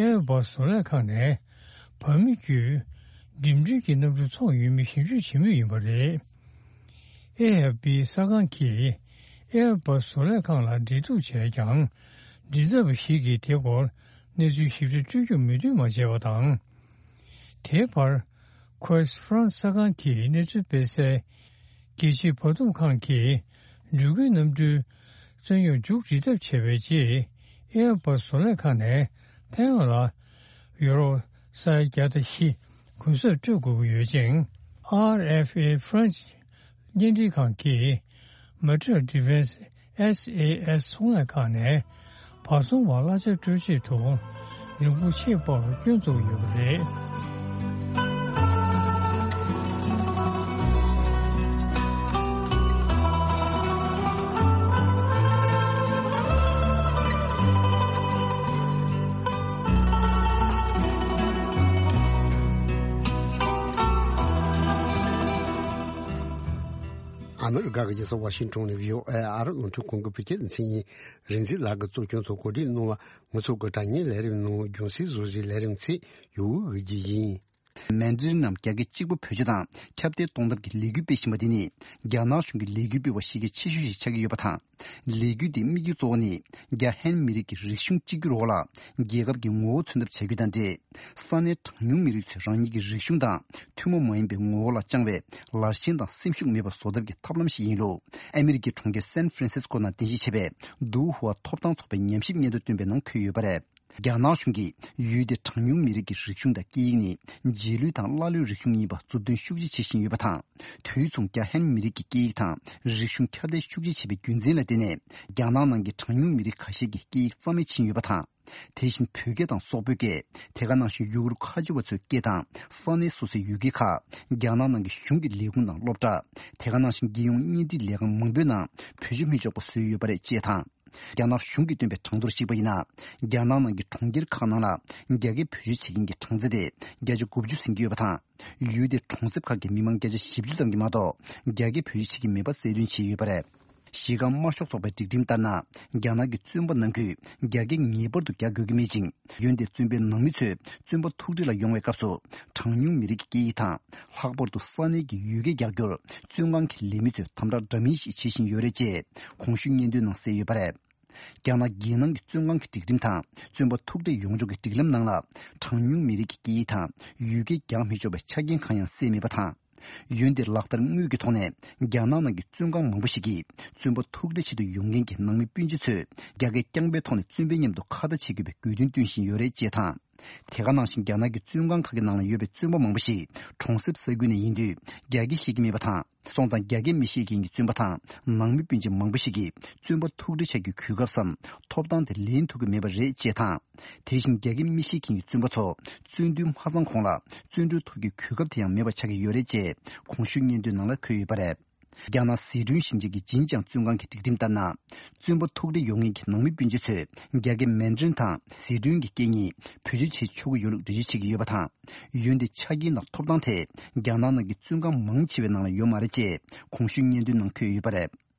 ཨེར་བཱས་བཟོ་ལས་ཁང་ནས་བར་མི་བརྒྱུད་འགྲིམ་འགྲུལ་གྱི་གནམ་གྲུ་འཚོང་ཡོད་མེད་ཞིབ་འཇུག་བྱེད་མུས་ཡིན་པ་རེད། ཨེ་ཨེཕ་པི་གསར་ཁང་གིས་ཨེར་བཱས་བཟོ་ལས་ཁང་ལ་འབྲེལ་གཏུག་བྱས་ཀྱང་། མགྲིན་ཚབ་པ་ཞིག་གིས་དེ་སྐོར་གནས་ཚུལ་ཞིབ་ཕྲ་སྤྲོད་རྒྱུར་མོས་མཐུན་མ་བྱས་པ་དང་། དེའི་བར། ཁོས་ཧྥ་རན་སི་གསར་ཁང་གིས་གནས་ཚུལ་སྤེལ་གསལ། རྒྱལ་སྤྱིའི་བར་འདུམ་ཁང་གིས་འགྲུལ་སྐྱོད་གནམ་གྲུའི་རྩོད་རྙོག་མཇུག་སྒྲིལ་ཐབས་བྱས་པའི་རྗེས། ཨེར་བཱས་བཟོ་ལས་ཁང་ནས་ཐའེ་ཝན་ལ་ཡུ་རོ་ས་ཡ་བརྒྱ་དང་བཞི་གུན་གསབ་སྤྲོད་དགོས་ཀྱི་ཡོད་ཅིང་། ཨར་ཨེཕ་ཨེ་French བརྙན་འཕྲིན་ཁང་གིས་Material Defense S A S ཚོང་ལས་ཁང་ནས་བར་སྲུང་བར་གླ་ཆ་སྤྲོད་ཆེད་དུ་རིན་གོང་ཆེས་སྤར་བར་སྐྱོན་བཙུགས་ཡོད་པ་རེད། ཨ་མི་རི་ཀ་གི་རྒྱལ་ས་ཝ་ཤིང་ཊོན་ནས་ཝི་ཨོ་ཨེ་ཨ་རི་རླུང་འཕྲིན་ཁང་གི་བོད་སྐད་སྡེ་ཚན་ཡིན། རིག་འཛིན་ལགས་ཀྱིས་གཙོ་སྐྱོང་ཐོག་གོ་སྒྲིག་གནང་བ། ང་ཚོ་གི་དྲ་བརྙན་ལས་རིམ་ནང་རྒྱང་སྲིང་བཟོ་གཞིའི་ལས་རིམ་ཚེ་ཡོད་འོས་ཀྱི་ཡིན། མན་ཌ་རིན་ནམ་རྒྱ་སྐད་གཅིག་པ་བེད་སྤྱོད་དང་ཁྱབ་གདལ་གཏོང་ཐབས་ཀྱི་ལས་འགུལ་སྤེལ་བཞིན་པ་འདི་ནི། རྒྱ་ནག་གཞུང་གི་ལས་འགུལ་སྤེལ་བ་ཞིག་གི་ཆེ་ཤོས་ཤིག་ཆགས་ཀྱི་ཡོད་པ་དང་། ལས་འགུལ་འདིའི་དམིགས་ཡུལ་གཙོ་བོ་ནི། རྒྱ་ཧན་མི་རིགས་ཀྱི་རིག་གཞུང་གཅིག་གྱུར་འོག་ལ་རྒྱལ་ཁབ་ཀྱི་ངོ་བོ་མཚོན་ཐབས་བྱ་རྒྱུ་དང་འབྲེལ། ས་གནས་གྲངས་ཉུང་མི་རིགས་ཚོས་རང་ཉིད་ཀྱི་རིག་གཞུང་དང་ཐུན་མོང་མ་ཡིན་པའི་ངོ་བོ་ལ་བཅངས་པའི་ལར་ཞེན་དང་སེམས་ཤུགས་མེད་པ་བཟོ་ཐབས་ཀྱི་ཐབས་ལམ་ཞིག་ཡིན་ལུགས། ཨ་མི་རི་ཀའི་གྲོང་ཁྱེར་སན་ཧྥ་རན་སིས་ཀོ་ནང་རྟེན་གཞི་བྱས་པའི་ཏུའུ་ཧུའ་ཐོབ་ཐང་ཚོགས་པའི་ཉམས་ཞིབ་སྙན་ཐོ་བཏོན་པའི་ནང་འཁོད་ཡོད་པ་རེད། རྒྱ་ནག་གཞུང་གིས་ཡུལ་དེའི་གྲངས་ཉུང་མི་རིགས་ཀྱི་རིག་གཞུང་དང་སྐད་ཡིག་ནི་རྗེས་ལུས་དང་ཀླ་ཀློའི་རིག་གཞུང་ཡིན་པ་མཛུབ་སྟོན་ཤུགས་ཆེ་བྱེད་བཞིན་ཡོད་པ་དང་། དུས་མཚུངས་རྒྱ་ཧན་མི་རིགས་ཀྱི་སྐད་ཡིག་དང་རིག་གཞུང་ཁྱབ་གདལ་ཤུགས་ཆེ་བྱེད་པའི་རྒྱུ་མཚན་ལ་བརྟེན་ནས། རྒྱ་ནག་ནང་གི་གྲངས་ཉུང་མི་རིགས་ཁ་ཤས་ཀྱི་སྐད་ཡིག་རྩ་མེད་ཕྱིན་ཡོད་པ་དང་། དེ་བཞིན་བོད་སྐད་དང་སོག་པོའི་སྐད། དེ་ག་ནང་བཞིན་ཡུ་གུར་ཁ་ཆེ་བ་ཚོའི་སྐད་དང་ས་གནས་སོ་སོའི་ཡུལ་སྐད་ཁག་རྒྱ་ནག་ནང་གི་གཞུང་གི་ལས་ཁུངས་དང་སློབ་གྲྭ། དེ་ག་ནང་བཞིན་རྒྱལ་ཡོངས་གཉེན་སྒྲིག་ལས་ཁང་མང་པོའི་ནང་བེད་སྤྱོད་མི་ཆོག་པ་བཟོས་ཡོད་པ་རེད་ཅེས་དང་། རྒྱ་ནག་གཞུང་གིས་བཏོན་པའི་གྲངས་ཐོར་གཞིགས་པ་ཡིན་ན། རྒྱ་ནག་ནང་གི་གྲོང་ཁྱེར་ཁག་ནང་ལ་རྒྱ་སྐད་བེད་སྤྱོད་བྱེད་མཁན་གྱི་གྲངས་ཚད་དེ་བརྒྱ་ཆ་དགུ་བཅུ་ཟིན་གྱི་ཡོད་པ་དང་། ཡུལ་དེའི་གྲོང་གསེབ་ཁག་གི་མི་མང་བརྒྱ་ཆ་བཞི་བཅུ་ཙམ་གྱིས་མ་གཏོགས་རྒྱ་སྐད་བེད་སྤྱོད་བྱེད་ཀྱི་མེད་པ་གསལ་སྟོན་བྱས་ཡོད་པ་རེད། གཞི་རྐང་དམར་ཤོག་ཚོགས་པའི་སྒྲིག་ཁྲིམས་ལྟར་ན། རྒྱ་ནག་གི་བཙོན་པ་ནང་ཁུལ་རྒྱ་སྐད་ངེས་པར་དུ་རྒྱག་དགོས་ཀྱི་མེད་ཅིང་། འོན་ཏེ་བཙོན་པའི་ནང་མི་ཚོས་བཙོན་པ་ཐུག་འཕྲད་ལ་ཡོང་བའི་སྐབས་སུ། གྲངས་ཉུང་མི་རིགས་ཀྱི་སྐད་ཡིག་དང་། ལྷག་པར་དུ་ས་གནས་ཀྱི་ཡུལ་སྐད་རྒྱག་རྒྱུར་བཙོན་ཁང་གི་ལས་མི་ཚོས་དམ་དྲག་འདྲ་མིན་ཞིག་བྱེད་བཞིན་ཡོད་རེད་ཅེས་གོང་ཞུས་སྙན་ཐོའི་ནང་གསལ་ཡོད་པ་རེད། རྒྱ་ནག་རྒྱལ་ནང་གི་བཙོན་ཁང་གི་སྒྲིག་ཁྲིམས་དང་བཙོན་པ་ཐུག་འཕྲད་ཡོང་ཕྱོགས་ཀྱི་སྒྲིག་ལམ་ནང་ལ། གྲངས་ཉུང་མི་རིགས་ཀྱི་སྐད་ཡིག་དང་ཡུལ་སྐད་རྒྱག་མི་ཆོག་པའི་ཆ་རྐྱེན་གང་ཡང་གསལ་མེད་པ་དང་། འོན་ཏེ་ལག་བསྟར་དངོས་ཀྱི་ཐོག་ནས་རྒྱ་ནག་ནང་གི་བཙོན་ཁང་མང་པོ་ཞིག་གིས་བཙོན་པ་ཐུག་འཕྲད་ཆེད་དུ་ཡོང་མཁན་གྱི་ནང་མི་སྤུན་མཆེད་ཚོས་རྒྱ་སྐད་རྐྱང་པའི་ཐོག་ནས་བཙོན་པའི་མཉམ་དུ་ཁ་བརྡ་བྱེད་དགོས་པའི་དགོས་འདུན་བཏོན་བཞིན་ཡོད་རེད་ཅེས་དང་། དེ་ག་ནང་བཞིན་རྒྱ་ནག་གི་བཙོན་ཁང་ཁག་གི་ནང་ལ་ཡོད་པའི་བཙོན་པ་མང་པོ་ཞིག་གྲོང་གསེབ་ས་ཁུལ་ནས་ཡིན་དུས་རྒྱ་སྐད་ཤེས་ཀྱི་མེད་པ་དང་། སོང་ཙང་རྒྱ་སྐད་མི་ཤེས་མཁན་གྱི་བཙོན་པ་དང་ནང་མི་སྤུན་མཆེད་མང་པོ་ཞིག་གིས་བཙོན་པ་ཐུག་འཕྲད་བྱ་རྒྱུའི་གོ་སྐབས་སམ་ཐོབ་ཐང་དེ་ལེན་ཐུབ་ཀྱི་མེད་པ་རེད་ཅེས་དང་། དེ་བཞིན་རྒྱ་སྐད་མི་ཤེས་མཁན་གྱི་བཙོན་པ་ཚོ་བཙོན་དུས་མ་ཚང་གོང་ལ་བཙོན་གྲོལ་ཐོབ་རྒྱུའི་གོ་སྐབས་དེ་ཡང་མེད་པ་ཆགས་ཀྱི་ཡོད་རེད་ཅེས་གོང་ཞུས་སྙན་ཐོའི་ནང་ལ་འཁོད་ཡོད་པ་རེད། རྒྱ་ནག་ཟི་ཁྲོན་ཞིང་ཆེན་གྱི་ཇིན་ཅང་བཙོན་ཁང་གི་སྒྲིག་ཁྲིམས་ལྟར་ན། བཙོན་པ་ཐུག་འཕྲད་ཡོང་མཁན་གྱི་ནང་མི་སྤུན་མཆེད་ཚོས་རྒྱ་སྐད་མན་ཌ་རིན་དང་ཟི་ཁྲོན་གྱི་སྐད་གཉིས་བེད་སྤྱོད་བྱེད་ཆོག་གི་ཡོད་ལུགས་འགྲེལ་བརྗོད་བྱེད་ཀྱི་ཡོད་པ་དང་། འོན་ཏེ་ཆ་རྐྱེན་དང་ཐོབ་ཐང་དེ་རྒྱ་ནག་ནང་གི་བཙོན་ཁང་མང་ཆེ་བའི་ནང་ལ་ཡོད་མ་རེད་ཅེས་གོང་ཞུས་སྙན་ཐོའི་ནང་འཁོད་ཡོད་པ་རེད།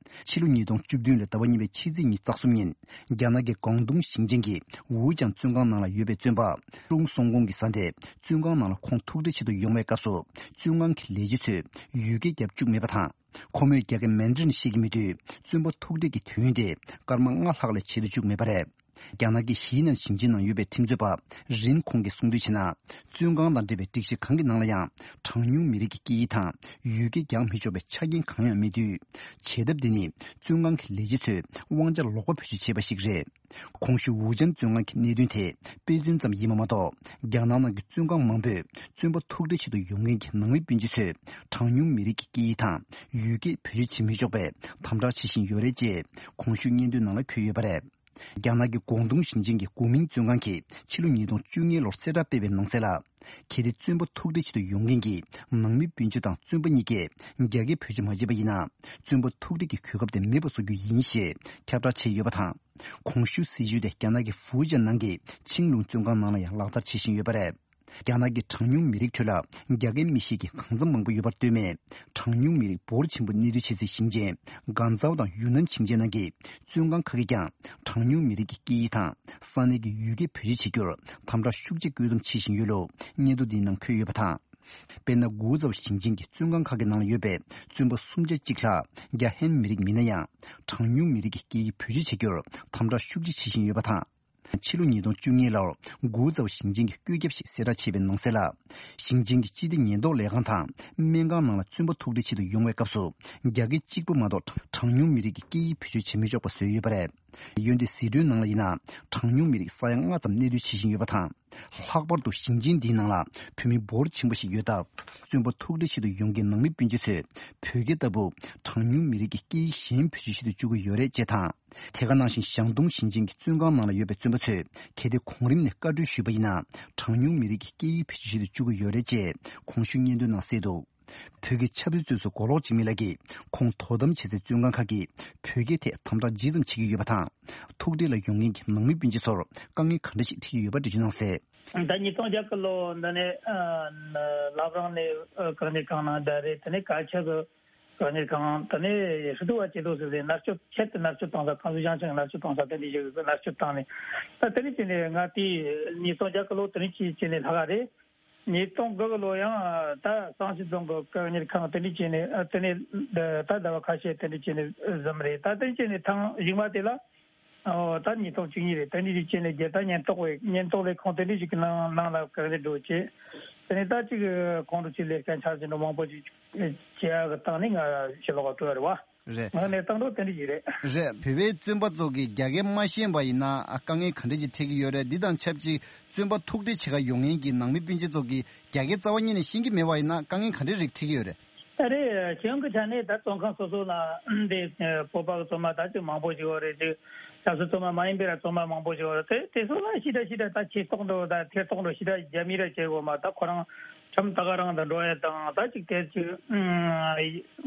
ཕྱི་ལོ་ཉིས་སྟོང་བཅུ་བདུན་ལོའི་ཟླ་བ་གཉིས་པའི་ཕྱི་ཚེས་ཉི་ཤུ་རྩ་གསུམ་ཉིན། རྒྱ་ནག་གི་ཀོང་ཏུང་ཞིང་ཆེན་གྱི་ཝུའུ་ཅང་བཙོན་ཁང་ནང་ལ་ཡོད་པའི་བཙོན་པ་ཀྲུང་སུང་ཀོང་གི་བཟའ་ཟླས་བཙོན་ཁང་ནང་ལ་ཁོང་ཐུག་འཕྲད་ཆེད་དུ་ཡོང་བའི་སྐབས་སུ། བཙོན་ཁང་གི་ལས་བྱེད་ཚོས་ཡུལ་སྐད་རྒྱབ་བཅུག་མེད་པ་དང་། ཁོ་མོས་རྒྱ་སྐད་མན་ཌ་རིན་ཤེས་ཀྱི་མེད་དུས། བཙོན་པ་ཐུག་འཕྲད་ཀྱི་དུས་ཡུན་དེ་སྐར་མ་ལྔ་ལྷག་ལས་ཆེ་རུ་བཅུག་མེད་པ་རེད། རྒྱ་ནག་གི་ཧི་ནན་ཞིང་ཆེན་ནང་ཡོད་པའི་ཁྲིམས་རྩོད་པ་རིན་ཁོང་གིས་གསུངས་དོན་བྱས་ན། བཙོན་ཁང་དང་འབྲེལ་བའི་སྒྲིག་གཞི་གང་གི་ནང་ལ་ཡང་གྲངས་ཉུང་མི་རིགས་ཀྱི་སྐད་ཡིག་དང་ཡུལ་སྐད་རྒྱག་མི་ཆོག་པའི་ཆ་རྐྱེན་གང་ཡང་མེད་དུས། བྱེད་ཐབས་འདི་ནི་བཙོན་ཁང་གི་ལས་བྱེད་ཚོས་དབང་ཆ་ལོག་པ་བེད་སྤྱོད་བྱས་པ་ཞིག་རེད། གོང་ཞུས་ཝུའུ་ཅན་བཙོན་ཁང་གི་གནད་དོན་དེ་དཔེ་མཚོན་ཙམ་ཡིན་པ་མ་གཏོགས། རྒྱ་ནག་ནང་གི་བཙོན་ཁང་མང་པོས་བཙོན་པ་ཐུག་འཕྲད་ཆེད་དུ་ཡོང་མཁན་གྱི་ནང་མི་སྤུན་མཆེད་ཚོས་གྲངས་ཉུང་མི་རིགས་ཀྱི་སྐད་ཡིག་དང་ཡུལ་སྐད་བེད་སྤྱོད་བྱེད་མི་ཆོག་པའི་དམ་དྲག་བྱེད་བཞིན་ཡོད་རེད་ཅེས་གོང་ཞུས་སྙན་ཐོའི་ནང་ལ་འཁོད་ཡོད་པ་རེད། རྒྱ་ནག་གི་ཀོང་ཏུང་ཞིང་ཆེན་གྱི་གོ་མིང་བཙོན་ཁང་གིས་ཕྱི་ལོ་ཉིས་སྟོང་བཅུ་གཉིས་ལོར་གསལ་བསྒྲགས་སྤེལ་བའི་ནང་གསལ་ལ། གལ་ཏེ་བཙོན་པ་ཐུག་འཕྲད་བྱེད་དུ་ཡོང་མཁན་གྱི་ནང་མི་སྤུན་མཆེད་དང་བཙོན་པ་གཉིས་ཀས་རྒྱ་སྐད་བེད་སྤྱོད་མ་བྱས་པ་ཡིན་ན། བཙོན་པ་ཐུག་འཕྲད་ཀྱི་གོ་སྐབས་དེ་མེད་པ་བཟོ་རྒྱུ་ཡིན་ཞེས་ཁྱབ་བསྒྲགས་བྱས་ཡོད་པ་དང་། གོང་ཞུས་སྲིད་བྱུས་དེ་རྒྱ་ནག་གི་ཧྥུའུ་ཅན་ནང་གི་ཆིང་ལུང་བཙོན་ཁང་ནང་ལ་ཡང་ལག་བསྟར་བྱེད་བཞིན་ཡོད་པ་རེད། རྒྱ་ནག་གི་གྲངས་ཉུང་མི་རིགས་ཁྲོད་ལ་རྒྱ་སྐད་མི་ཤེས་མཁན་གང་འཚམ་མང་པོ་ཡོད་པར་ལྟོས་མེད། གྲངས་ཉུང་མི་རིགས་འབོར་ཆེན་པོ་གནས་སྡོད་བྱེད་སའི་ཞིང་ཆེན་ཀན་ཙའོ་དང་ཡུན་ནན་ཞིང་ཆེན་ནང་གི་བཙོན་ཁང་ཁག་གིས་ཀྱང་གྲངས་ཉུང་མི་རིགས་ཀྱི་སྐད་ཡིག་དང་ས་གནས་ཀྱི་ཡུལ་སྐད་བེད་སྤྱོད་བྱེད་རྒྱུར་དམ་དྲག་ཤུགས་ཆེ་བཀོད་འདོམས་བྱེད་བཞིན་ཡོད་ལུགས་སྙན་ཐོ་འདིའི་ནང་འཁོད་ཡོད་པ་དང་། དཔེར་ན། ཀུའུ་ཙའོ་ཞིང་ཆེན་གྱི་བཙོན་ཁང་ཁག་གི་ནང་ལ་ཡོད་པའི་བཙོན་པ་སུམ་ཆ་གཅིག་ལྷག་རྒྱ་ཧན་མི་རིགས་མིན་ན་ཡང་། གྲངས་ཉུང་མི་རིགས་ཀྱི་སྐད་ཡིག་བེད་སྤྱོད་བྱེད་རྒྱུར་དམ་དྲག་ཤུགས་ཆེ་བྱེད་བཞིན་ཡོད་པ་དང་། ཕྱི་ལོ་ཉིས་སྟོང་བཅུ་གཉིས་ལོར་ཀུའུ་ཙའོ་ཞིང་ཆེན་གྱི་བཀོད་ཁྱབ་ཞིག་གསལ་བསྒྲགས་བྱས་པའི་ནང་གསལ་ལ། ཞིང་ཆེན་གྱི་སྤྱི་བདེ་ཉེན་རྟོག་ལས་ཁང་དང་སྨན་ཁང་ནང་ལ་བཙོན་པ་ཐུག་འཕྲད་ཆེད་དུ་ཡོང་བའི་སྐབས་སུ། རྒྱ་སྐད་གཅིག་པུ་མ་གཏོགས་གྲངས་ཉུང་མི་རིགས་ཀྱི་སྐད་ཡིག་བེད་སྤྱོད་བྱེད་མི་ཆོག་པ་བཟོས་ཡོད་པ་རེད། འོན་ཏེ་ཟི་ཁྲོན་ནང་ལ་ཡིན་ན། གྲངས་ཉུང་མི་རིགས་ས་ཡ་ལྔ་ཙམ་གནས་སྡོད་བྱེད་བཞིན་ཡོད་པ་དང་། ལྷག་པར་དུ་ཞིང་ཆེན་འདིའི་ནང་ལ་བོད་མི་འབོར་ཆེན་པོ་ཞིག་ཡོད་སྟབས། བཙོན་པ་ཐུག་འཕྲད་ཆེད་དུ་ཡོང་མཁན་ནང་མི་སྤུན་མཆེད་ཚོས་བོད་སྐད་ལྟ་བུ་གྲངས་ཉུང་མི་རིགས་ཀྱི་སྐད་ཡིག་གཞན་བེད་སྤྱོད་བྱེད་དུ་བཅུག་གི་ཡོད་རེད་ཅེས་དང་། དེ་ག་ནང་བཞིན་ཞང་ཏུང་ཞིང་ཆེན་གྱི་བཙོན་ཁང་ནང་ལ་ཡོད་པའི་བཙོན་པ་ཚོས་གལ་ཏེ་གོང་རིམ་ནས་བཀའ་འཁྲོལ་ཞུས་པ་ཡིན་ན། གྲངས་ཉུང་མི་རིགས་ཀྱི་སྐད་ཡིག་བེད་སྤྱོད་བྱེད་དུ་བཅུག་གི་ཡོད་རེད་ཅེས་གོང་ཞུས་སྙན་ཐོའི་ནང་གསལ་འདུག་བོད་ཀྱི་ཆབ་སྲིད་བཙོན་ཟུར་མགོ་ལོག་འཇིགས་མེད་ལགས་ཀྱིས་ཁོང་དོ་དམ་བྱེད་སའི་བཙོན་ཁང་ཁག་གིས་བོད་སྐད་ཐད་དམ་དྲག་ཇི་ཙམ་བྱེད་ཀྱི་ཡོད་པ་དང་། ཐུག་འཕྲད་ལ་ཡོང་མཁན་གྱི་ནང་མི་སྤུན་མཆེད་ཚོར་དཀའ་ངལ་ག་འདྲ་ཞིག་འཕྲད་ཀྱི་ཡོད་པ་འགྲེལ་བརྗོད་གནང་གསལ། ད་ཉིས་སྟོང་བརྒྱད་ལོ་འདི་ནས་ཨ་བླ་བྲང་ནས་ཨ་བཀག་ཉར་ཁང་ནང་བསྡད་རེད། དེ་ནས་བཀའ་ཁྱབ་བཀག་ཉར་ཁང་དེ་ནས་ཧྲི་ཏུ་བ་ཅེ་ཏུ་ཟེར་ཏེ་མནར་གཅོད་ཆེད་དུ་མནར་གཅོད་བཏང་ས། ཁང་སུ་ཞང་ཆང་མནར་གཅོད་བཏང་ས་དེ་འདྲ་ཞིག་མནར་གཅོད་བཏང་ནས། ད་དེ་ནས་བྱས་ནས་ང་དེ་ཉིས་སྟོང་བརྒྱད་ལོ་དེ་ནས་བྱས་བྱས་ནས་ལྷག་ག་རེད། ཉིས་སྟོང་དགུ་གི་ལོ་ཡང་ད་གཙང་ཆུ་རྫོང་གི་བཀག་ཉར་ཁང་དེ་འདྲ་བྱས་ནས་ཨ་དེ་ནས་ད་ཟླ་བ་ཁ་ཤས་དེ་འདྲ་བྱས་ནས་ཟིན་རེད། ད་དེ་བྱས་ནས་ཐེངས་གཞུག་མ་དེ་ལ་ཨོ་ད་ཉིས་སྟོང་བཅུ་གཉིས་རེད། དེ་འདྲ་བྱས་ནས་རྒྱལ་དར་ཉེན་རྟོག་པའི་ཉེན་རྟོག་ལས་ཁུངས་དེ་འདྲ་ཞིག་གི་ནང་ནང་ལ་བཀག་ཉར་འགྲོ་བྱས། དེ་ནས་ད་ཅིག་ཁོང་ཁྲོ་ཆུ་ལས་ཀ་འཆར་གཞི་འགྲོ་མང་པོ་ཞིག་བྱེད་ཡག་གི་སྟེང་ནས་ང་ཕྱི་ལོགས་ལ་འགྲོ་ཡ་རེད་བ། རེད། ང་གནས་སྟངས་འགྲོ་དེ་འདྲ་ཞིག་རེད། རེད། བོད་པའི་བཙོན་པ་ཚོ་གིས་རྒྱ་སྐད་མ་ཤེས་པ་ཡིན་ན་ཨ་དཀའ་ངལ་ག་འདྲ་ཅིག་འཕྲད་ཀྱི་ཡོད་རེད། འདི་དང་ཆབས་ཅིག་བཙོན་པ་ཐུག་འཕྲད་བྱེད་ག་ཡོང་མཁན་གྱི་ནང་མི་སྤུན་མཆེད་ཚོ་གིས་རྒྱ་སྐད་རྩ་བ་ཉིད་ནས་ཤེས་ཀྱི་མེད་པ་ཡིན་ན་དཀའ་ངལ་ག་འདྲ་རིགས་འཕྲད་ཀྱི་ཡོད་རེད། ད་རེད། གཞུང་གི་ཆ་ནས་ད་བཙོན་ཁང་སོ་སོ་ལ་འདི་བོད་པ་གི་བཙོན་པ་ད་ཅིག་མང་པོ་ཞིག་ཡོད་རེད། ཅིག་ཆབ་སྲིད་བཙོན་པ་མ་ཡིན་པའི་ར་བཙོན་པ་མང་པོ་ཞིག་ཡོད་རེད། དེ་དེ་ཚོ་ལ་ཞེ་དྲག་ཞེ་དྲག་ད་ཆེ་མཐོང་འགྲོ་ད་ཐེ་གཏོགས་འགྲོ་ཞེ་དྲག་རྒྱ་མི་ར་བྱེད་དགོས་མ། ད་ཁོ་རང་ཁྲིམས་ད་ག་རང་དུ་འགྲོ་ཡ་དང་ད་ཅིག་དེ་ཅིག་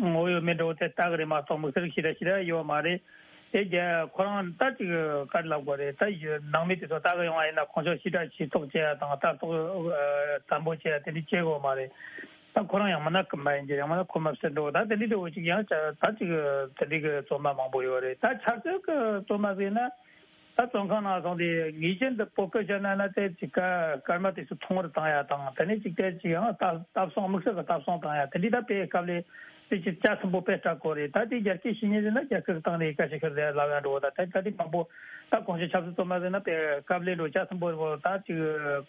ངོ་ཡོད་མེད་འགྲོ་དེ་ལྟ་གི་རེད་མ་གཏོགས་དམིགས་བསལ་ཞེ་དྲག་ཞེ་དྲག་ཡོད་མ་རེད། དེ་རྒྱ་ཁོ་རང་ད་ཅིག་ག་རེ་ལབ་དགོས་རེད། ད་ནང་མི་དེ་ཚོ་ལྟ་གི་ཡོང་བ་ཡིན་ན་ཁོང་ཚོ་ཞེ་དྲག་ཞེ་ཐོག་བྱེད་ཡ་དང་ལྟ་རྟོག་དམ་པོ་བྱེད་ཡ་དེ་འདྲ་བྱེད་དགོས་མ་རེད། ད་ཁོ་རང་ཡང་མིན་ན་ཀུན་མ་ཡིན་གྱི་ཡང་མིན་ན་ཁོ་མ་བསད་འགྲོ་ད་དེ་འདྲ་འདྲ་བོ་ཅིག་ཡང་ད་ཅིག་དེ་འདྲ་གི་བཙོན་པ་མང་པོ་ཡོད་རེད། ད་ཆབ་སྲིད་ཀྱི་བཙོན་པ་ཟེར་ན། ད་བཙོན་ཁང་ནང་སོང་སྟེ་ངེས་ཅན་དུ་བོད་སྐད་བཤད་ན་ན་དེ་ཅིག་ཀ་སྐར་མ་དེ་ཚོ་མཐོང་བར་བཏང་ཡ་དང་དེ་ནས་ཅིག་དེ་ཅིག་ཡང་ལྟ་ལྟ་སྲུང་དམིགས་བསལ་གྱི་ལྟ་སྲུང་བཏང་ཡ་དེ་འདྲའི་ད་དཔེ་དཀའ་ལས་དེ་ཅིག་ལྕགས་ཟིན་པོ་དཔེ་དྲག་གོ་རེད། ད་དེ་རྒྱ་སྐད་ཤེས་ཉེན་ཟེར་ན་རྒྱ་སྐད་བཏང་ནས་ཀ་ཤི་ཁར་ལ་ལབ་ཡ་འགྲོ་ད་དེ་ད་དེ་མང་པོ་ད་གོང་ཞུས་ཆབ་སྲིད་བཙོན་པ་ཟེར་ན་དཔེ་དཀའ་ལས་འགྲོ་ལྕགས་ཟིན་པོ་ད་ཅིག་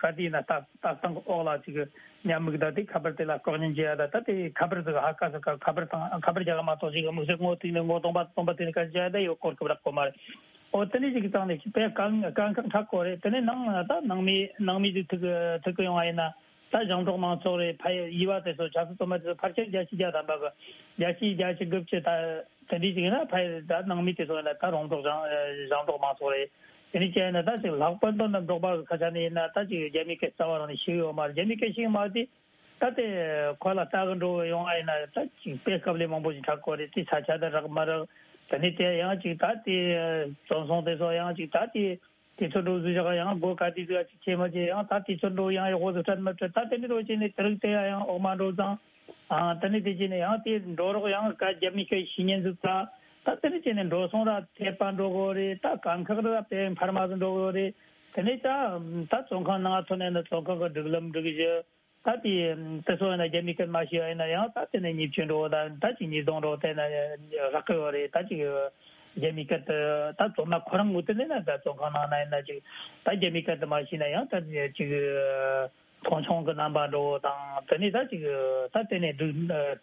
ག་དེ་ཡིན་ན་ལྟ་ལྟ་སྟངས་ཀྱི་འོག་ལ་ཅིག་ཉམས་མིག་ད་དེ་ཁ་པར་དེ་ལ་ལྐོག་ཉན་བྱེད་ཡ་ད་ད་དེ་ཁ་པར་ཟིག་ཧ་ཀ་ཟིག་ཁ་པར་དང་ཁ་པར་རྒྱག་གི་མ་གཏོགས་ཅིག་དམིགས་བསལ་ངོ་ཐུག་ནས་ངོ་སྟོང་པ་སྟོང་པ་དེ་ནས་ཀ་ཤི་བྱ་ཡ་ད་ཡོད་སྐོར་གི་རག་གོ་མ་རེད། ཨོ་དེ་འདྲ་ཞིག་གི་སྟེང་ནས་དཔེ་དཀའ་དཀའ་ཁག་འཕྲད་གོ་རེད། དེ་ནས་ནང་ད་ནང་མི་ནང་མི་དེ་ཐུག་ཐུག་གི་ཡོང་བ་ཡིན་ན་ད་ཞིང་འབྲོག་མང་ཚོགས་རེད། ཕ་ཡི་བ་དེ་ཚོ་ཆབ་སྲིད་བཙོན་པ་དེ་ཚོ་ཕལ་ཆེར་བརྒྱ་ཆ་བརྒྱ་ཐམ་པ་གི་བརྒྱ་ཆ་བརྒྱ་ཆ་དགུ་བཅུ་ད་དེ་འདྲ་ཞིག་ཡིན་ན་ཕ་ཡི་ད་ནང་མི་དེ་ཚོ་ཡིན་ན་ད་རོང་འབྲོག་ཞིང་ཞིང་འབྲོག་མང་ཚོགས་རེད། དེ་འདྲ་བྱས་ཡིན་ན་ད་ཅིག་ལྷག་པར་དུ་ནི་འབྲོག་པ་གི་ཁ་ཆ་ནས་ཡིན་ན་ད་ཅིག་རྒྱ་མིའི་སྐད་རྩ་བ་རང་ནས་ཤེས་ཡོད་མ་རེད། རྒྱ་མིའི་སྐད་ཤེས་མ་དེ། ད་དེ་ཁོ་ལ་ལྟ་གི་འགྲོ་གི་ཡོང་ཨ་ཡིན་ན་ད་ཅིག་དཔེ་དཀའ་ལས་མང་པོ་ཞིག་འཕྲད་གོ་རེད། དེ་ས་ཆ་དེ་རག་མ་རག་དེ་ནས་དེ་ཡང་ཅིག་ད་དེ་བཙོན་སྲུང་དེ་ཚོ་ཡང་ཅིག་ད་དེ་དེ་ཚོ་འགྲོ་ཟུ་བཞག་ཡང་སྒོ་ག་དུས་ཟིག་ཅིག་ཆེ་མ་ཆེ་ཡང་ད་དེ་ཚོ་འགྲོ་ཡང་ཡག་པོ་ཟིག་སྤྲད་མ་སྤྲད་ད་དེ་འདྲ་འགྲོ་བྱས་ནས་དེ་རིགས་དེ་ཡང་འོག་མ་འགྲོ་ཙང་ཨ་དེ་ནས་དེ་བྱས་ནས་ཡང་དེ་འགྲོ་རོགས་ཡང་ག་རྒྱ་མི་སྐད་ཤེས་ཉན་ཟིག་ད་ད་དེ་འདྲ་བྱས་ནས་འགྲོ་སོང་ར་ཐེབས་པ་འགྲོ་གོ་རེད། ད་དཀའ་ཁག་ར་དཔེ་འཕར་མ་ཟིག་འགྲོ་གོ་རེད། དེ་ནས་ད་ད་བཙོན་ཁང་ནང་ཐོན་ནས་ནི་བཙོན་ཁང་གི་སྒྲིག་ལམ་སྒྲིག་གཞི། ད་དེ་དེ་ཚོ་ཡིན་ན་རྒྱ་མིའི་སྐད་མ་ཤེས་པ་ཡིན་ན་ཡང་ད་དེ་ནས་ཉེས་སྐྱོན་འགྲོ་ད་ད་ཅིག་ཉེས་རྡུང་འགྲོ་དེ་ན་རག་གི་ཡོད་རེད། ད་ཅིག་རྒྱ་མིའི་སྐད་དེ་ད་བཙོན་མ་ཁོ་རང་ངོས་དེ་ནས་ན་ད་བཙོན་ཁང་ནང་ན་ཡིན་ན་ཅིག་ད་རྒྱ་མིའི་སྐད་དེ་མ་ཤེས་ན་ཡང་ད་ཅིག་མཐོང་ཆུང་གི་རྣམ་པ་འགྲོ་དང་དེ་ནས་ད་ཅིག་ད་དེ་ནས་སྒྲིག་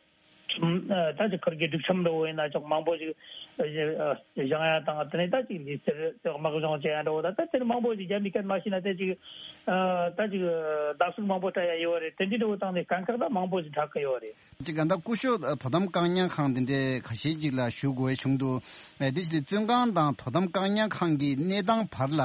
ཁྲིམས་ད་ཅིག་ཁུར་གི་སྒྲིག་ཁྲིམས་འདྲ་བོ་ཡིན་ན་ཅོག་མང་པོ་ཞིག་བཞེངས་ཡ་དང་དེ་ནས་ད་ཅིག་ལུས་རྩལ་དམག་སྦྱོང་བྱེད་ཡ་འདྲ་བོ་ད་ད་དེ་ནས་མང་པོ་ཞིག་རྒྱ་མི་སྐད་མ་ཤེས་ན་དེ་ཅིག་ད་ཅིག་བརྡབ་གསིག་མང་པོ་སྤྲད་ཡ་ཡོད་རེད། དེ་འདྲའི་འདྲ་བོ་བཏང་ནས་དཀའ་ཁག་ད་མང་པོ་ཞིག་འཕྲད་ཀྱི་ཡོད་རེད། ཅིག་ག་ད་སྐུ་ཞབས་དོ་དམ་བཀག་ཉར་ཁང་འདི་འདྲའི་ཁ་ཤས་ཅིག་ལ་ཞུ་དགོས་བྱུང་འདུག་དེ་ཕྱིར་བཙོན་ཁང་དང་དོ་དམ་བཀག་ཉར་ཁང་གི་གནས་སྟངས་བར་ལ་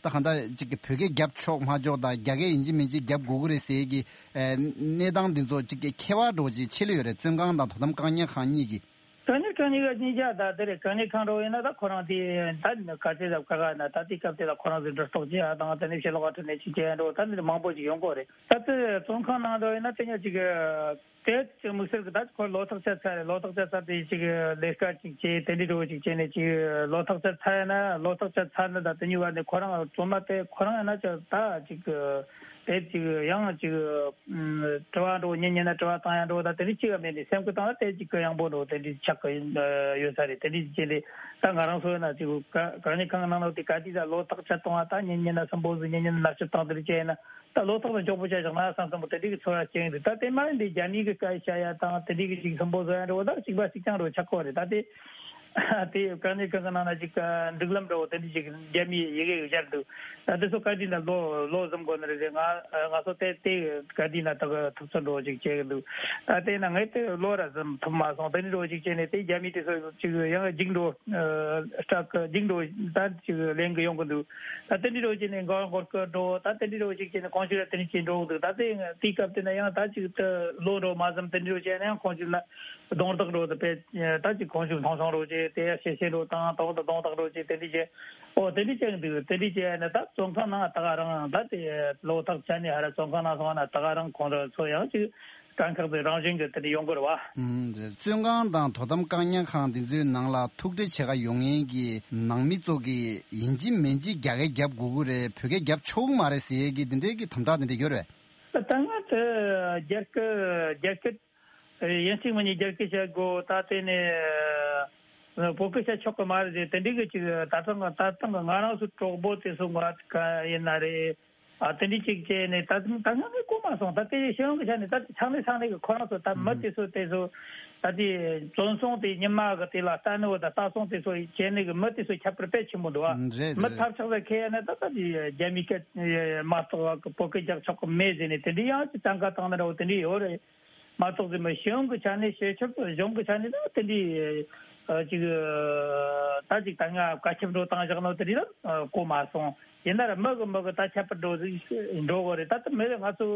ད་གང་ལྟར་ཅིག་གི་བོད་སྐད་རྒྱབ་ཆོག་མ་ཆོག་དང་རྒྱ་སྐད་ཡིན་གཅིག་མིན་གཅིག་རྒྱབ་དགོས་ཀྱི་རེད་ཟེར་གྱི་གནས་སྟངས་འདི་ཚོ་ཅིག་གི་ཁྱད་པར་འདྲ་བོ་ཅིག་ཕྱེ་ལེ་ཡོད་རེད། བཙོན་ཁང་དང་དོ་དམ་བཀག་ཉར་ཁང་གཉིས་ཀྱི། བཀག་ཉར་ཁང་གཉིས་ཀ་གཉིས་ཆ་ད་དེ་རེད། བཀག་ཉར་ཁང་འདྲ་བོ་ཡིན་ན་ད་ཁོ་རང་དེ་ད་ག་ཚོད་ཙམ་བཀག་ན་ད་དེ་སྐབས་དེ་ལ་ཁོ་རང་ཚོས་འགྲོ་གཏུག་བྱེད་ཡ་དང་དེ་ནས་ཕྱི་ལོགས་ཁྲིད་ནས་ཅིག་བྱེད་ཡ་འདྲ་བོ་ད་འདི་མང་པོ་ཅིག་ཡོང་གི་རེད། ད་ལྟ་བཙོན་ཁང་ནང་འགྲོ་ཡིན་ན་དེ་ཉག་ཅིག་དེ་ཅིག་དམིགས་བསལ་གྱི་ད་ཁོ་ལོ་ཐག་ཆོད་ཚར་རེད། ལོ་ཐག་ཆོད་ཚར་དེ་ཅིག་ལས་ཀ་ཅིག་བྱེད་དེ་འདྲའི་འགྲོ་ཅིག་བྱས་ནས་ཅིག་ལོ་ཐག་ཆོད་ཚར་ཡིན་ན་ལོ་ཐག་ཆོད་ཚར་ནི་ད་དེ་གཉིས་བར་ནས་ཁོ་རང་བཙོན་མ་དེ་ཁོ་རང་ཡིན་ན་ཅིག་ད་ཅིག་དེ་ཅིག་ཡང་ཅིག་དྲི་བ་འགྲོ་ཉན་ཉན་ན་དྲི་བ་བཏང་ཡ་འགྲོ་ད་དེ་འདྲའི་ཅིག་མེད་ནས་སེམས་ཁུར་བཏང་ན་དེ་ཅིག་གི་ཡང་པོ་འགྲོ་དེ་འདྲའི་ཆགས་ཀྱི་ཡོད་ས་རེད། དེ་འདྲའི་ཅིག་ལས་ད་ང་རང་ཚོ་ཡིན་ན་ཅིག་བཀག་ཉར་ཁང་ནང་ལོགས་དེ་ག་དུས་ད་ལོ་ཐག་ཆོད་གཏོང་བ་ད་ཉན་ཉན་ན་སུན་པོ་ཟིག་ཉན་ཉན་ན་མནར་གཅོད་བཏང་དེ་འདྲ་བྱས་ཡིན་ན། ད་ལོ་ཐོག་ལ་མགྱོགས་པོ་བྱས་བཞག་ན་བསམ་བསམ་པོ་དེ་འདྲའི་གི་ཚོར་བ་སྐྱེ་ཡི་འདུག་ད་དེ་མ་ཡིན་དེ་རྒྱ་མིའི་གི་སྐད་བཤད་ཡ་དང་དེ་འདྲའི་གི་ཅིག་སུན་པོ་བཟོ་ཡ་འདྲ་བོ་ད་གཅིག་པ་གཅིག་རྐྱང་རུ་ཆགས་ཀྱི་རེད། ད་དེ་དེ་བཀག་ཉར་ཁང་གི་ནང་ན་ཅིག་སྒྲིག་ལམ་འདྲ་བོ་དེ་འདྲའི་ཅིག་རྒྱ་མིའི་ཡི་གེ་བཞག་འདུག་ད་དེ་ཚོ་བཀའ་དྲིན་ལ་ལོ་ལོ་གཟིམ་དགོས་ནི་རེད། ང་ང་ཚོ་དེ་དེ་བཀའ་དྲིན་ལ་ད་གི་ཐུབ་ཚོད་འདྲ་བོ་ཅིག་བྱེད་གི་འདུག་ད་དེ་ན་ངས་དེ་ལོ་ར་གཟིམ་ཐུབ་མ་སོང་། དེ་འདྲའི་འདྲ་བོ་ཅིག་བྱས་ནས་དེ་རྒྱ་མི་དེ་ཚོ་ཅིག་ཡང་འཇིགས་འགྲོ་སྐྲག་གི་འཇིགས་འགྲོ་ད་ཅིག་ལེན་གི་ཡོང་གི་འདུག་ད་དེ་འདྲའི་འདྲ་བོ་བྱས་ནས་མགོ་སྐོར་གི་འགྲོ་ད་དེ་འདྲའི་འདྲ་བོ་ཅིག་བྱས་ནས་ཁོང་ཚོས་ལ་དེ་འདྲ་བྱས་འགྲོ་གི་འདུག་ད་དེ་དེའི་སྐབས་དེ་ན་ཡང་ད་ཅིག་ཏུ་ལོ་འགྲོ་མ་ཟིན་དེ་འདྲའི་འདྲ་བོ་བྱས་ན་ཡང་ཁོང་ཚོས་ལ་རྡུང་རྡེག་འགྲོ་དེ་དཔེ་ད་ཅིག་ཁོང་ཚོས་མཐོང་ཆུང་འགྲོ་བྱས་དེ་ཡ་ཤེས་ཤེས་འགྲོ་དང་དོག་ཏུ་རྡུང་རྡེག་འགྲོ་བྱས་དེ་འདྲ་བྱས་ཨོ་དེ་འདྲ་བྱས་འདུག་དེ་འདྲ་བྱས་ན་ད་བཙོན་ཁང་ནང་ད་ག་རང་ད་དེ་ལོ་ཐག་ཆོད་ནས་ཧ་ར་བཙོན་ཁང་ནང་སོང་ན་ད་ག་རང་ཁོང་ཚོ་ཚོ་ཡང་ཅིག་དཀའ་ཁག་དེ་རང་བཞིན་གྱི་དེ་འདྲ་ཡོང་གི་རེད་བ། ཨུམ། བཙོན་ཁང་དང་དོ་དམ་བཀག་ཉར་ཁང་འདི་ཚོའི་ནང་ལ་ཐུག་འཕྲད་བྱེད་ག་ཡོང་མཁན་གྱི་ནང་མི་ཚོ་གིས་ཡིན་གཅིག་མིན་གཅིག་རྒྱ་སྐད་རྒྱབ་དགོས་ཀྱི་རེད། བོད་སྐད་རྒྱབ་ཆོག་གི་མ་རེད་ཟེར་ཡས་ཀྱི་འདི་འདྲའི་གི་དམ་དྲག་འདི་འདྲ་ཡོད་རེད། ད་སྔ་དེ་རྒྱ་སྐད་རྒྱ་སྐད་ཡིན་གཅིག་མིན་གཅིག་རྒྱ་སྐད་བཤད་དགོས། ད་དེ་ནས་བོད་སྐད་བཤད་ཆོག་གི་མ་རེད་ཟེར་དེ་འདྲའི་གི་ཅིག་ད་ཐེངས་ད་ཐེངས་ང་རང་ཚོ་གྲོགས་པོ་དེ་ཚོ་ང་ཡིན་ན་རེད། ཨ་དེ་འདྲའི་ཅིག་བྱས་ནས་ད་ད་ང་ངས་གོ་མ་སོང་། ད་དེ་ཤེས་ཡོན་གྱི་ཆ་ནས་ད་ཚང་མས་ཚང་མས་གི་ཁོ་རང་ཚོ་ད་མི་དེ་ཚོ་དེ་ཚོ་ད་དེ་བཙོན་སྲུང་དེ་ཉི་མ་གི་དེ་ལ་ལྟ་ནི་བ་ད་ལྟ་སྲུང་དེ་ཚོ་བྱས་ནས་གི་མི་དེ་ཚོ་ཁྱད་པར་དཔེ་ཆེན་པོ་འདུག་ཨ། ཨུམ། རེད་མི་རེད། ཐབས་ཆག་ས་ཁེལ་ཡ་ནི་ད་ད་དེ་རྒྱ་མི་སྐད་མ་གཏོགས་བོད་སྐད་རྒྱག་ཆོག་གི་མེད་ཟེར་ནས་དེ་འདྲའི་ཡང་ཅིག་གཏན་འཁེལ་བཏང་ནི་འདྲ་བོ་དེ་འདྲའི་ཡོད་རེད། མ་གཏོགས་ཟེར་མི་ཤེས་ཡོན་གྱི་ཆ་ནས་བྱེད་ཆོག་གཞུང་གི་ཆ་ནས་ད་དེ་འདྲའི་ཅིག་ད་ཅིག་ད་ང་བཀའ་ཁྱབ་འགྲོ་བཏང་བཞག་ནོ་དེ་འདྲའི་ད་གོ་མ་སོང་། ཡིན་ན་ར་མི་གི་མི་གི་ད་ཁྱད་པར་འགྲོ་ཟིག་འགྲོ་དགོས་རེད། ད་ད་མི་རེ་ང་ཚོ་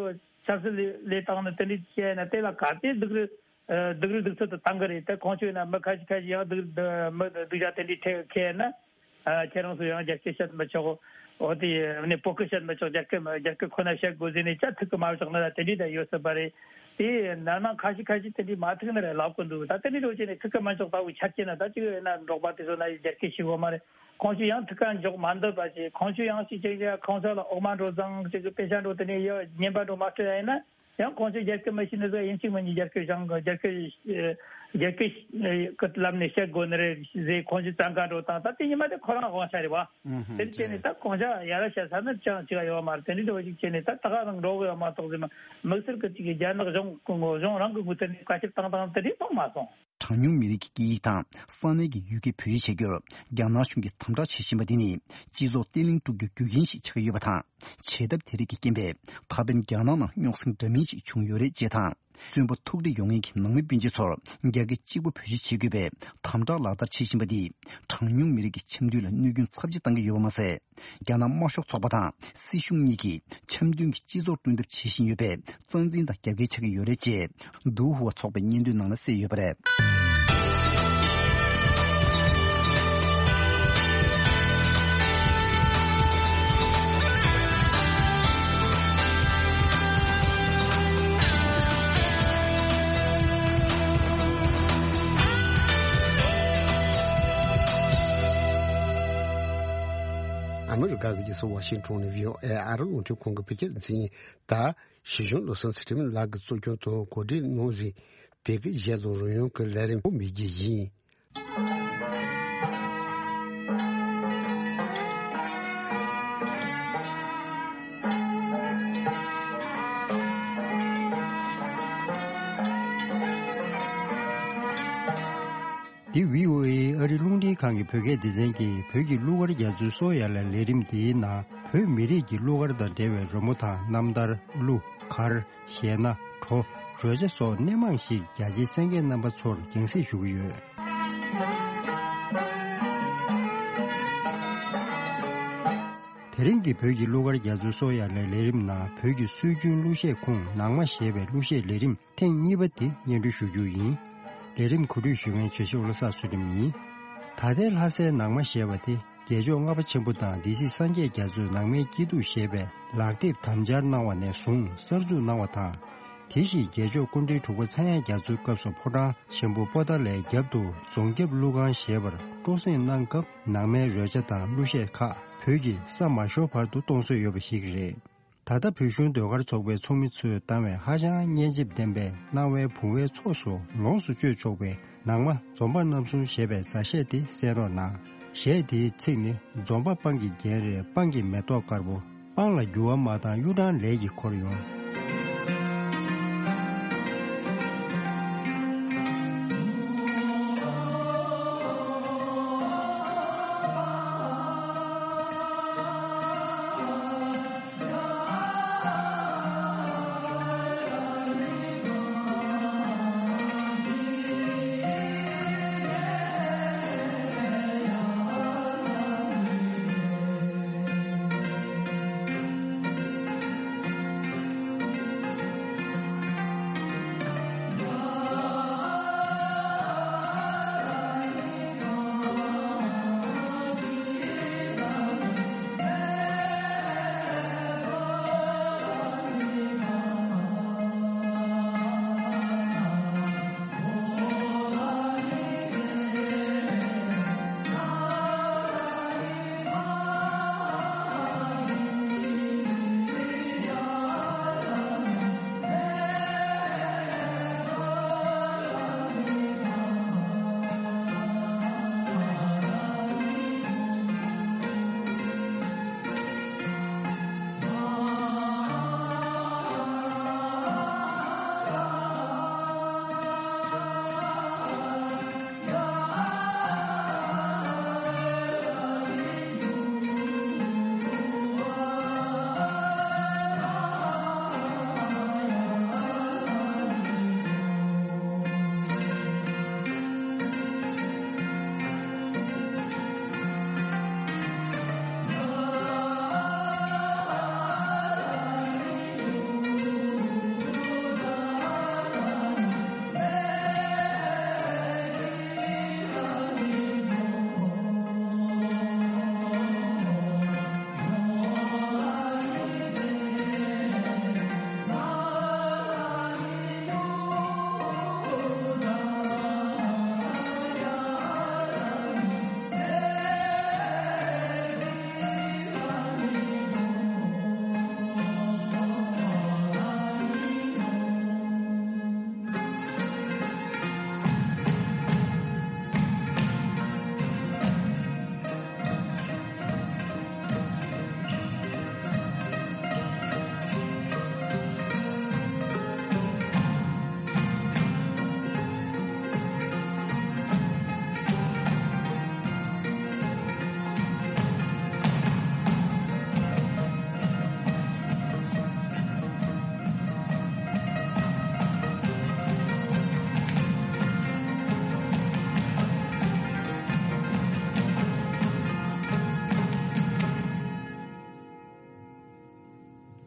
ཆབ་སྲིད་ལས་ལས་སྟངས་ནི་དེ་འདྲའི་བྱས་ན་དེ་ལ་ག་དེ་སྡུག་རུས་སྡུག་རུས་སྡུག་ཚོད་དུ་བཏང་གི་རེད། ད་ཁོང་ཚོས་ན་མི་ཁ་ཤས་ཁ་ཤས་ཡང་སྡུག་མི་སྡུག་ཅག་དེ་འདྲའི་ཁེལ་ན། ཨ་ཁྱེད་རང་ཚོ་ཡང་རྒྱ་སྐད་བཤད་མི་ཆོག་འོ་དེ་ནས་བོད་སྐད་བཤད་མི་ཆོག་རྒྱ་སྐད་རྒྱ་སྐད་ཁོ་ན་བཤད་དགོས་ཟེར་ནས་ཅ་ཐུག་གི་མ་བཞག་ན་ད་དེ་འདྲའི་ད་ཡོད་སྲིད་པ་རེད། དེ་ན་ན་ཁ་ཤས་ཁ་ཤས་དེ་འདྲའི་མ་ཐུག་ན་རེ་ལབ་གི་འདུག་ད་དེ་འདྲའི་འགྲོ་བྱས་ནས་ཐུག་གི་མ་ཆོག་ལྟ་བུ་ཆ་རྐྱེན་ན་ད་ཅིག་ཡོད་ན་འབྲོག་པ་དེ་ཚོ་ན་རྒྱ་སྐད་ཤེས་གོ་མ་རེད། ཁོང་ཚོས་ཡང་ཐུག་ག་འཇོག་མ་འདོད་པ་ཅིག་ཁོང་ཚོས་ཡང་ཅིག་ཅིག་ཁོང་ཚོ་ལ་འོག་མ་འགྲོ་ཙང་ཅིག་དཔེ་ཆ་འགྲོ་དེ་ནས་ཡོད་ཉན་པ་འགྲོ་མ་སྤྲད་ཡ་ཡིན་ན། ཡང་ཁོང་ཚོས་རྒྱ་སྐད་མི་ཤེས་ནི་ཚོ་ཡིན་གཅིག་མིན་གཉིས་རྒྱ་སྐད་སྦྱང་གི་རྒྱ་སྐད་རྒྱ་སྐད་ཀྱི་ལམ་ནས་བཤད་དགོས་ནི་རེད་ཟེར་ཁོང་ཚོས་བཙན་བཀའ་འགྲོ་དང་ད་དེ་ཉི་མ་དེ་ཁོ་རང་དབང་ཆ་རེད་བ། ཨུ་ཧུམ། དེ་བྱས་ནས་ད་གོང་ཆ་ཡ་ར་བཤད་ས་ནི་ཅང་ཅི་ག་ཡོད་མ་རེད། དེ་འདྲ་འདྲ་བོ་ཞིག་བྱས་ནས་ད་ད་ག་རང་འགྲོ་གི་ཡོད་མ་གཏོགས་ཟེར་མ་དམིགས་བསལ་གྱི་ཅིག་གི་རྒྱ་ནག་གཞུང་གི་ངོ་གཞུང་རང་གི་ངོས་ཐད་ནས་བཀའ་ཁྱབ་བཏང་སྟངས་དེ་འདྲ་མཐོང་མ་སོང་། གྲངས་ཉུང་མི་རིགས་ཀྱི་སྐད་ཡིག་དང་ས་གནས་ཀྱི་ཡུལ་སྐད་བེད་སྤྱོད་བྱེད་རྒྱུར་རྒྱ་ནག་གཞུང་གིས་དམ་དྲག་བྱེད་བཞིན་པ་འདི་ནི་སྤྱི་ཚོགས་བརྟན་ལྷིང་དཀྲུག་རྒྱུའི་རྒྱུ་རྐྱེན་ཞིག་ཆགས་ཀྱི་ཡོད་པ་དང་། བྱེད་ཐབས་དེ་རིགས་ཀྱི་རྐྱེན་པས་ད་ཕན་རྒྱ་ནག་ནང་རྙོག་ཟིང་འདྲ་མིན་ཞིག་བྱུང་ཡོད་རེད་ཅེས་དང་། བཙོན་པ་ཐུག་འཕྲད་ཡོང་མཁན་གྱི་ནང་མི་སྤུན་མཆེད་ཚོར་རྒྱ་སྐད་གཅིག་པོ་བེད་སྤྱོད་བྱེད་དགོས་པའི་དམ་དྲག་ལག་བསྟར་བྱེད་བཞིན་པ་འདིས་གྲངས་ཉུང་མི་རིགས་ཀྱི་འཆམ་མཐུན་ལ་གནོད་སྐྱོན་ཚབས་ཆེ་བཏང་གི་ཡོད་པ་མ་ཟད། རྒྱ་ནག་དམར་ཤོག་ཚོགས་པ་དང་སྲིད་གཞུང་གཉིས་ཀྱིས་འཆམ་མཐུན་གྱི་སྤྱི་ཚོགས་བསྐྲུན་ཐབས་བྱེད་བཞིན་ཡོད་པའི་རྩ་འཛིན་དང་རྒྱབ་འགལ་ཆགས་ཀྱི་ཡོད་རེད་ཅེས་ཏུའུ་ཧུའ་ཚོགས་པའི་སྙན་ཐོའི་ནང་ལ་གསལ་ཡོད་པ་རེད། ཨ་མི་རི་ཀ་གི་རྒྱལ་ས་ཝ་ཤིང་ཊོན་ནས་བྷི་ཨོ་ཨེ་ཨ་རི་རླུང་འཕྲིན་ཁང་གི་བོད་སྐད་སྡེ་ཚན། ད་ཞི་གཞོན་བློ་བཟང་ཚུལ་ཁྲིམས་ལགས་ཀྱིས་གཙོ་སྐྱོང་དུ་གོ་སྒྲིག་གནང་ཟིན་བོད་སྐད་ཡིག་ལོ་རོལ་དབྱངས་ཀྱི་ལས་རིམ་པོ་མི་བརྒྱུད་ཡིན། འདི་བྷི་ཨོ་ཨེ་ཨ་རི་རླུང་འཕྲིན་ཁང་གི་བོད་སྐད་སྡེ་ཚན་གྱིས་བོད་ཀྱི་གླུ་གར་རྒྱ་མཚོའི་སོ་ཡ་ལ་ལས་རིམ་འདིའི་ནང་བོད་མི་རིགས་ཀྱི་གླུ་གར་དང་འབྲེལ་བའི་རོལ་མོ་དང་རྣམ་ཐར། གླུ་གར། གཞས་སྣ། བྲོ། རོལ་ཆ་སོགས་སྣེ་མང་ཞིག་རྒྱ་ཆེའི་གསན་མཁན་རྣམ་པ་ཚོར་རྒྱང་སྲིང་ཞུ་གི་ཡོད། དེ་རིང་གི་བོད་ཀྱི་གླུ་གར་རྒྱ་མཚོའི་སོ་ཡ་ལའི་ལས་རིམ་ནང་བོད་ཀྱི་སྲོལ་རྒྱུན་གླུ་གཞས་ཁུངས་ནང་མ་ཞེས་པའི་གླུ་གཞས་ལས་རིམ་ཐེངས་གཉིས་པ་དེ་སྙན་སྒྲོན་ཞུ་རྒྱུ་ཡིན། ལས་རིམ་གོ་སྒྲིག་ཞུ་མཁན་བྱ་བཞི་བློ་བཟང་ཚུལ་ཁྲིམས་ཡིན། ད་ལྟའི་ལྷ་སའི་ནང་མ་ཞེས་པ་དེ་རྒྱལ་མཆོག་ལྔ་པ་ཆེན་པོ་དང་སྡེ་སྲིད་སངས་རྒྱས་རྒྱ་མཚོས་ནང་མའི་སྐྱིད་སྡུག་ཞེས་པའི་ལག་དེབ་དམ་སྦྱར་གནང་བ་ནས་བཟུང་གསར་འཛུགས་གནང་བ་དང་། དེ་བཞིན་རྒྱལ་མཆོག་སྐུ་ཕྲེང་དྲུག་པ་ཚངས་དབྱངས་རྒྱ་མཚོའི་སྐབས་སུ་ཕོ་བྲང་ཆེན་པོ་པོ་ཏཱ་ལའི་རྒྱབ་ཏུ་རྫོང་རྒྱབ་གླུ་ཁང་ཞེས་པར་སྤྲོ་གསེང་གནང་སྐབས་ནང་མའི་རོལ་ཆ་དང་གླུ་གཞས་ཁག་བོད་ཀྱི་ས་མ་ཤོར་བར་དུ་གཏོང་སྲོལ་ཡོད་པ་ཞིག་རེད། ད་ལྟ་བོད་གཞུང་ཟློས་གར་ཚོགས་པའི་ཚོགས་མི་ཚོས་བཏང་བའི་ཧ་ཅང་སྙན་འཇེབས་ལྡན་པའི་སྣང་བའི་བུང་བའི་ཚོགས་སུ་ལོངས་སུ་སྤྱོད་ཆོག་པའི་ནང་མ་འཛོམས་པ་རྣམ་གསུམ་ཞེས་པའི་མཛའ་གཞས་དེ་གསན་རོགས་གནང་། གཞས་དེའི་ཚིག་ནི། འཛོམས་པ་སྤང་གི་རྒྱན་རེད། སྤང་གི་མེ་ཏོག་དཀར་པོ། སྤང་ལ་འགྱུར་བ་མ་བཏང་གཡུ་སྦྲང་ལས་ཀྱིས་འཁོར་ཡོང་།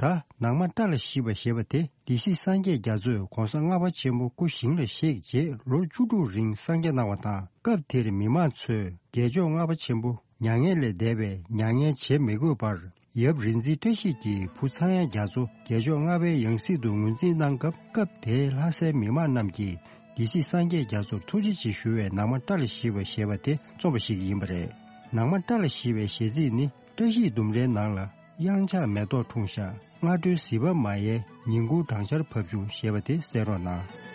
ད་ནང་མ་བཀྲ་ལ་ཤིས་པ་ཞེས་པ་དེ་སྡེ་སྲིད་སངས་རྒྱས་རྒྱ་མཚོས་གོང་ས་ལྔ་པ་ཆེན་པོ་སྐུ་ཞིང་ལ་གཤེགས་རྗེས་ལོ་བཅུ་དྲུག་རིང་གསང་རྒྱ་གནང་བ་དང་། སྐབས་དེར་མི་མང་ཚོས་རྒྱལ་མཆོག་ལྔ་པ་ཆེན་པོ་མྱ་ངན་ལས་འདས་པའི་མྱ་ངན་བྱེད་མི་དགོས་པར་ཡབ་རིག་འཛིན་བཀྲ་ཤིས་ཀྱི་བུ་ཚངས་དབྱངས་རྒྱ་མཚོ་རྒྱལ་མཆོག་ལྔ་པའི་ཡང་སྲིད་དུ་ངོས་འཛིན་གནང་སྐབས། སྐབས་དེའི་ལྷ་སའི་མི་མང་རྣམས་ཀྱིས་སྡེ་སྲིད་སངས་རྒྱས་རྒྱ་མཚོར་ཐུགས་རྗེ་ཆེ་ཞུ་བའི་ནང་མ་བཀྲ་ལ་ཤིས་པ་ཞེས་པ་དེ་རྩོམ་པ་ཞིག་ཡིན་པ་རེད། ནང་མ་བཀྲ་ལ་ཤིས་པའི་གཞས་ཚིག་ནི། བཀྲ་ཤིས་ལྡུམ་རའི་ནང་ལ། གཡང་ཆགས་མེ་ཏོག་འཁྲུངས་ཤག་སྔ་དྲོའི་ཟིལ་པ་མ་ཡལ། ཉིན་གུང་སྦྲང་ཆར་བབས་བྱུང་ཞེས་པ་དེ་གསན་རོགས་གནང་།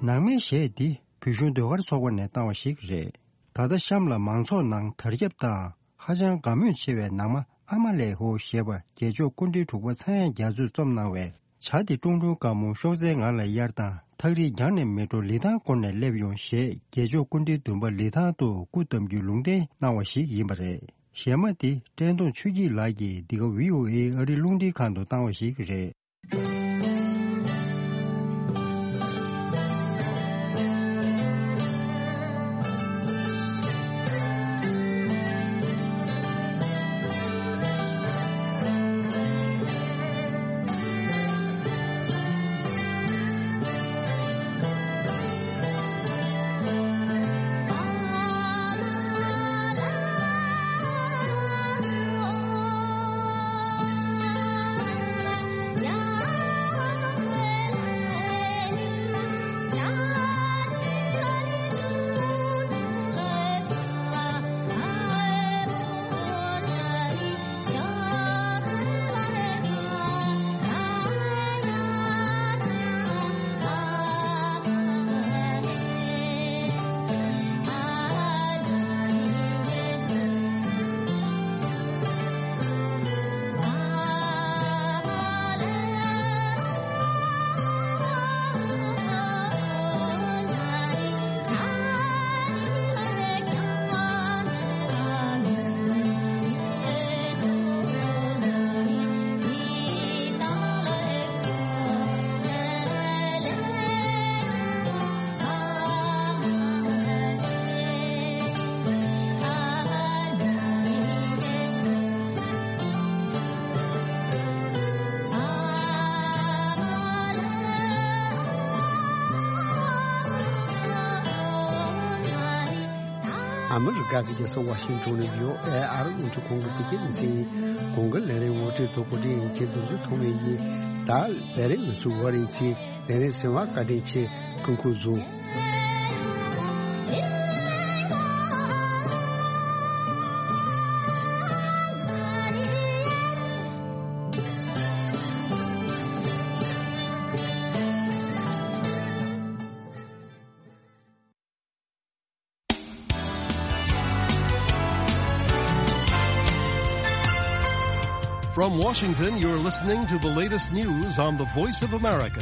ནང་མའི་གཞས་འདི་བོད་གཞུང་ཟློས་གར་ཚོགས་པ་ནས་བཏང་བ་ཞིག་རེད། ད་ལྟ་གཤམ་ལ་མང་ཚོགས་ནང་དར་ཁྱབ་དང་ཧ་ཅང་དགའ་མོས་ཆེ་བའི་ནང་མ་ཨ་མ་ལེ་ཧོ་ཞེས་པ་རྒྱལ་མཆོག་སྐུ་ཕྲེང་དྲུག་པ་ཚངས་དབྱངས་རྒྱ་མཚོས་རྩོམ་གནང་བའི། བྱ་དེ་ཀྲུང་ཀྲུང་དཀར་མོ་གཤོག་རྩལ་ངང་ལ་གཡར་དང་ཐག་རིང་རྒྱང་ནས་མི་འགྲོ་ལི་ཐང་བསྐོར་ནས་སླེབས་ཡོང་ཞེས་རྒྱལ་མཆོག་སྐུ་ཕྲེང་བདུན་པ་ལི་ཐང་དུ་སྐུ་བལྟམས་རྒྱུའི་ལུང་བསྟན་གནང་བ་ཞིག་ཡིན་པ་རེད། གཞས་མ་འདི་བཀྲས་མཐོང་ཆོས་སྐྱིད་ལགས་ཀྱིས་འདི་ག་བྷི་ཨོ་ཨེ་ཨ་རིའི་རླུང་འཕྲིན་ཁང་དུ་བཏང་བ་ཞིག་རེད། ཨ་མི་རི་ཀ་གི་རྒྱལ་ས་ཝ་ཤིང་ཏོན་ནས་བྷི་ཨོ་ཨེ་ཨ་རི་རླུང་འཕྲིན་ཁང་གི་བོད་སྐད་སྡེ་ཚན་གོང་གི་ལས་རིམ་ངོ་སྤྲོད་དང་གོ་སྒྲིག་ཡིན་མཁན་རྡོ་རྗེ་ཐོགས་མེད་ཡིན། ད་ལས་རིམ་ང་ཚོའི་ཝར་རིང་ཐིང་ལས་རིམ་གསན་པར་བཀའ་དྲིན་ཆེ། སྐུ་ཁམས་བཟང་། From Washington, you're listening to the latest news on the Voice of America.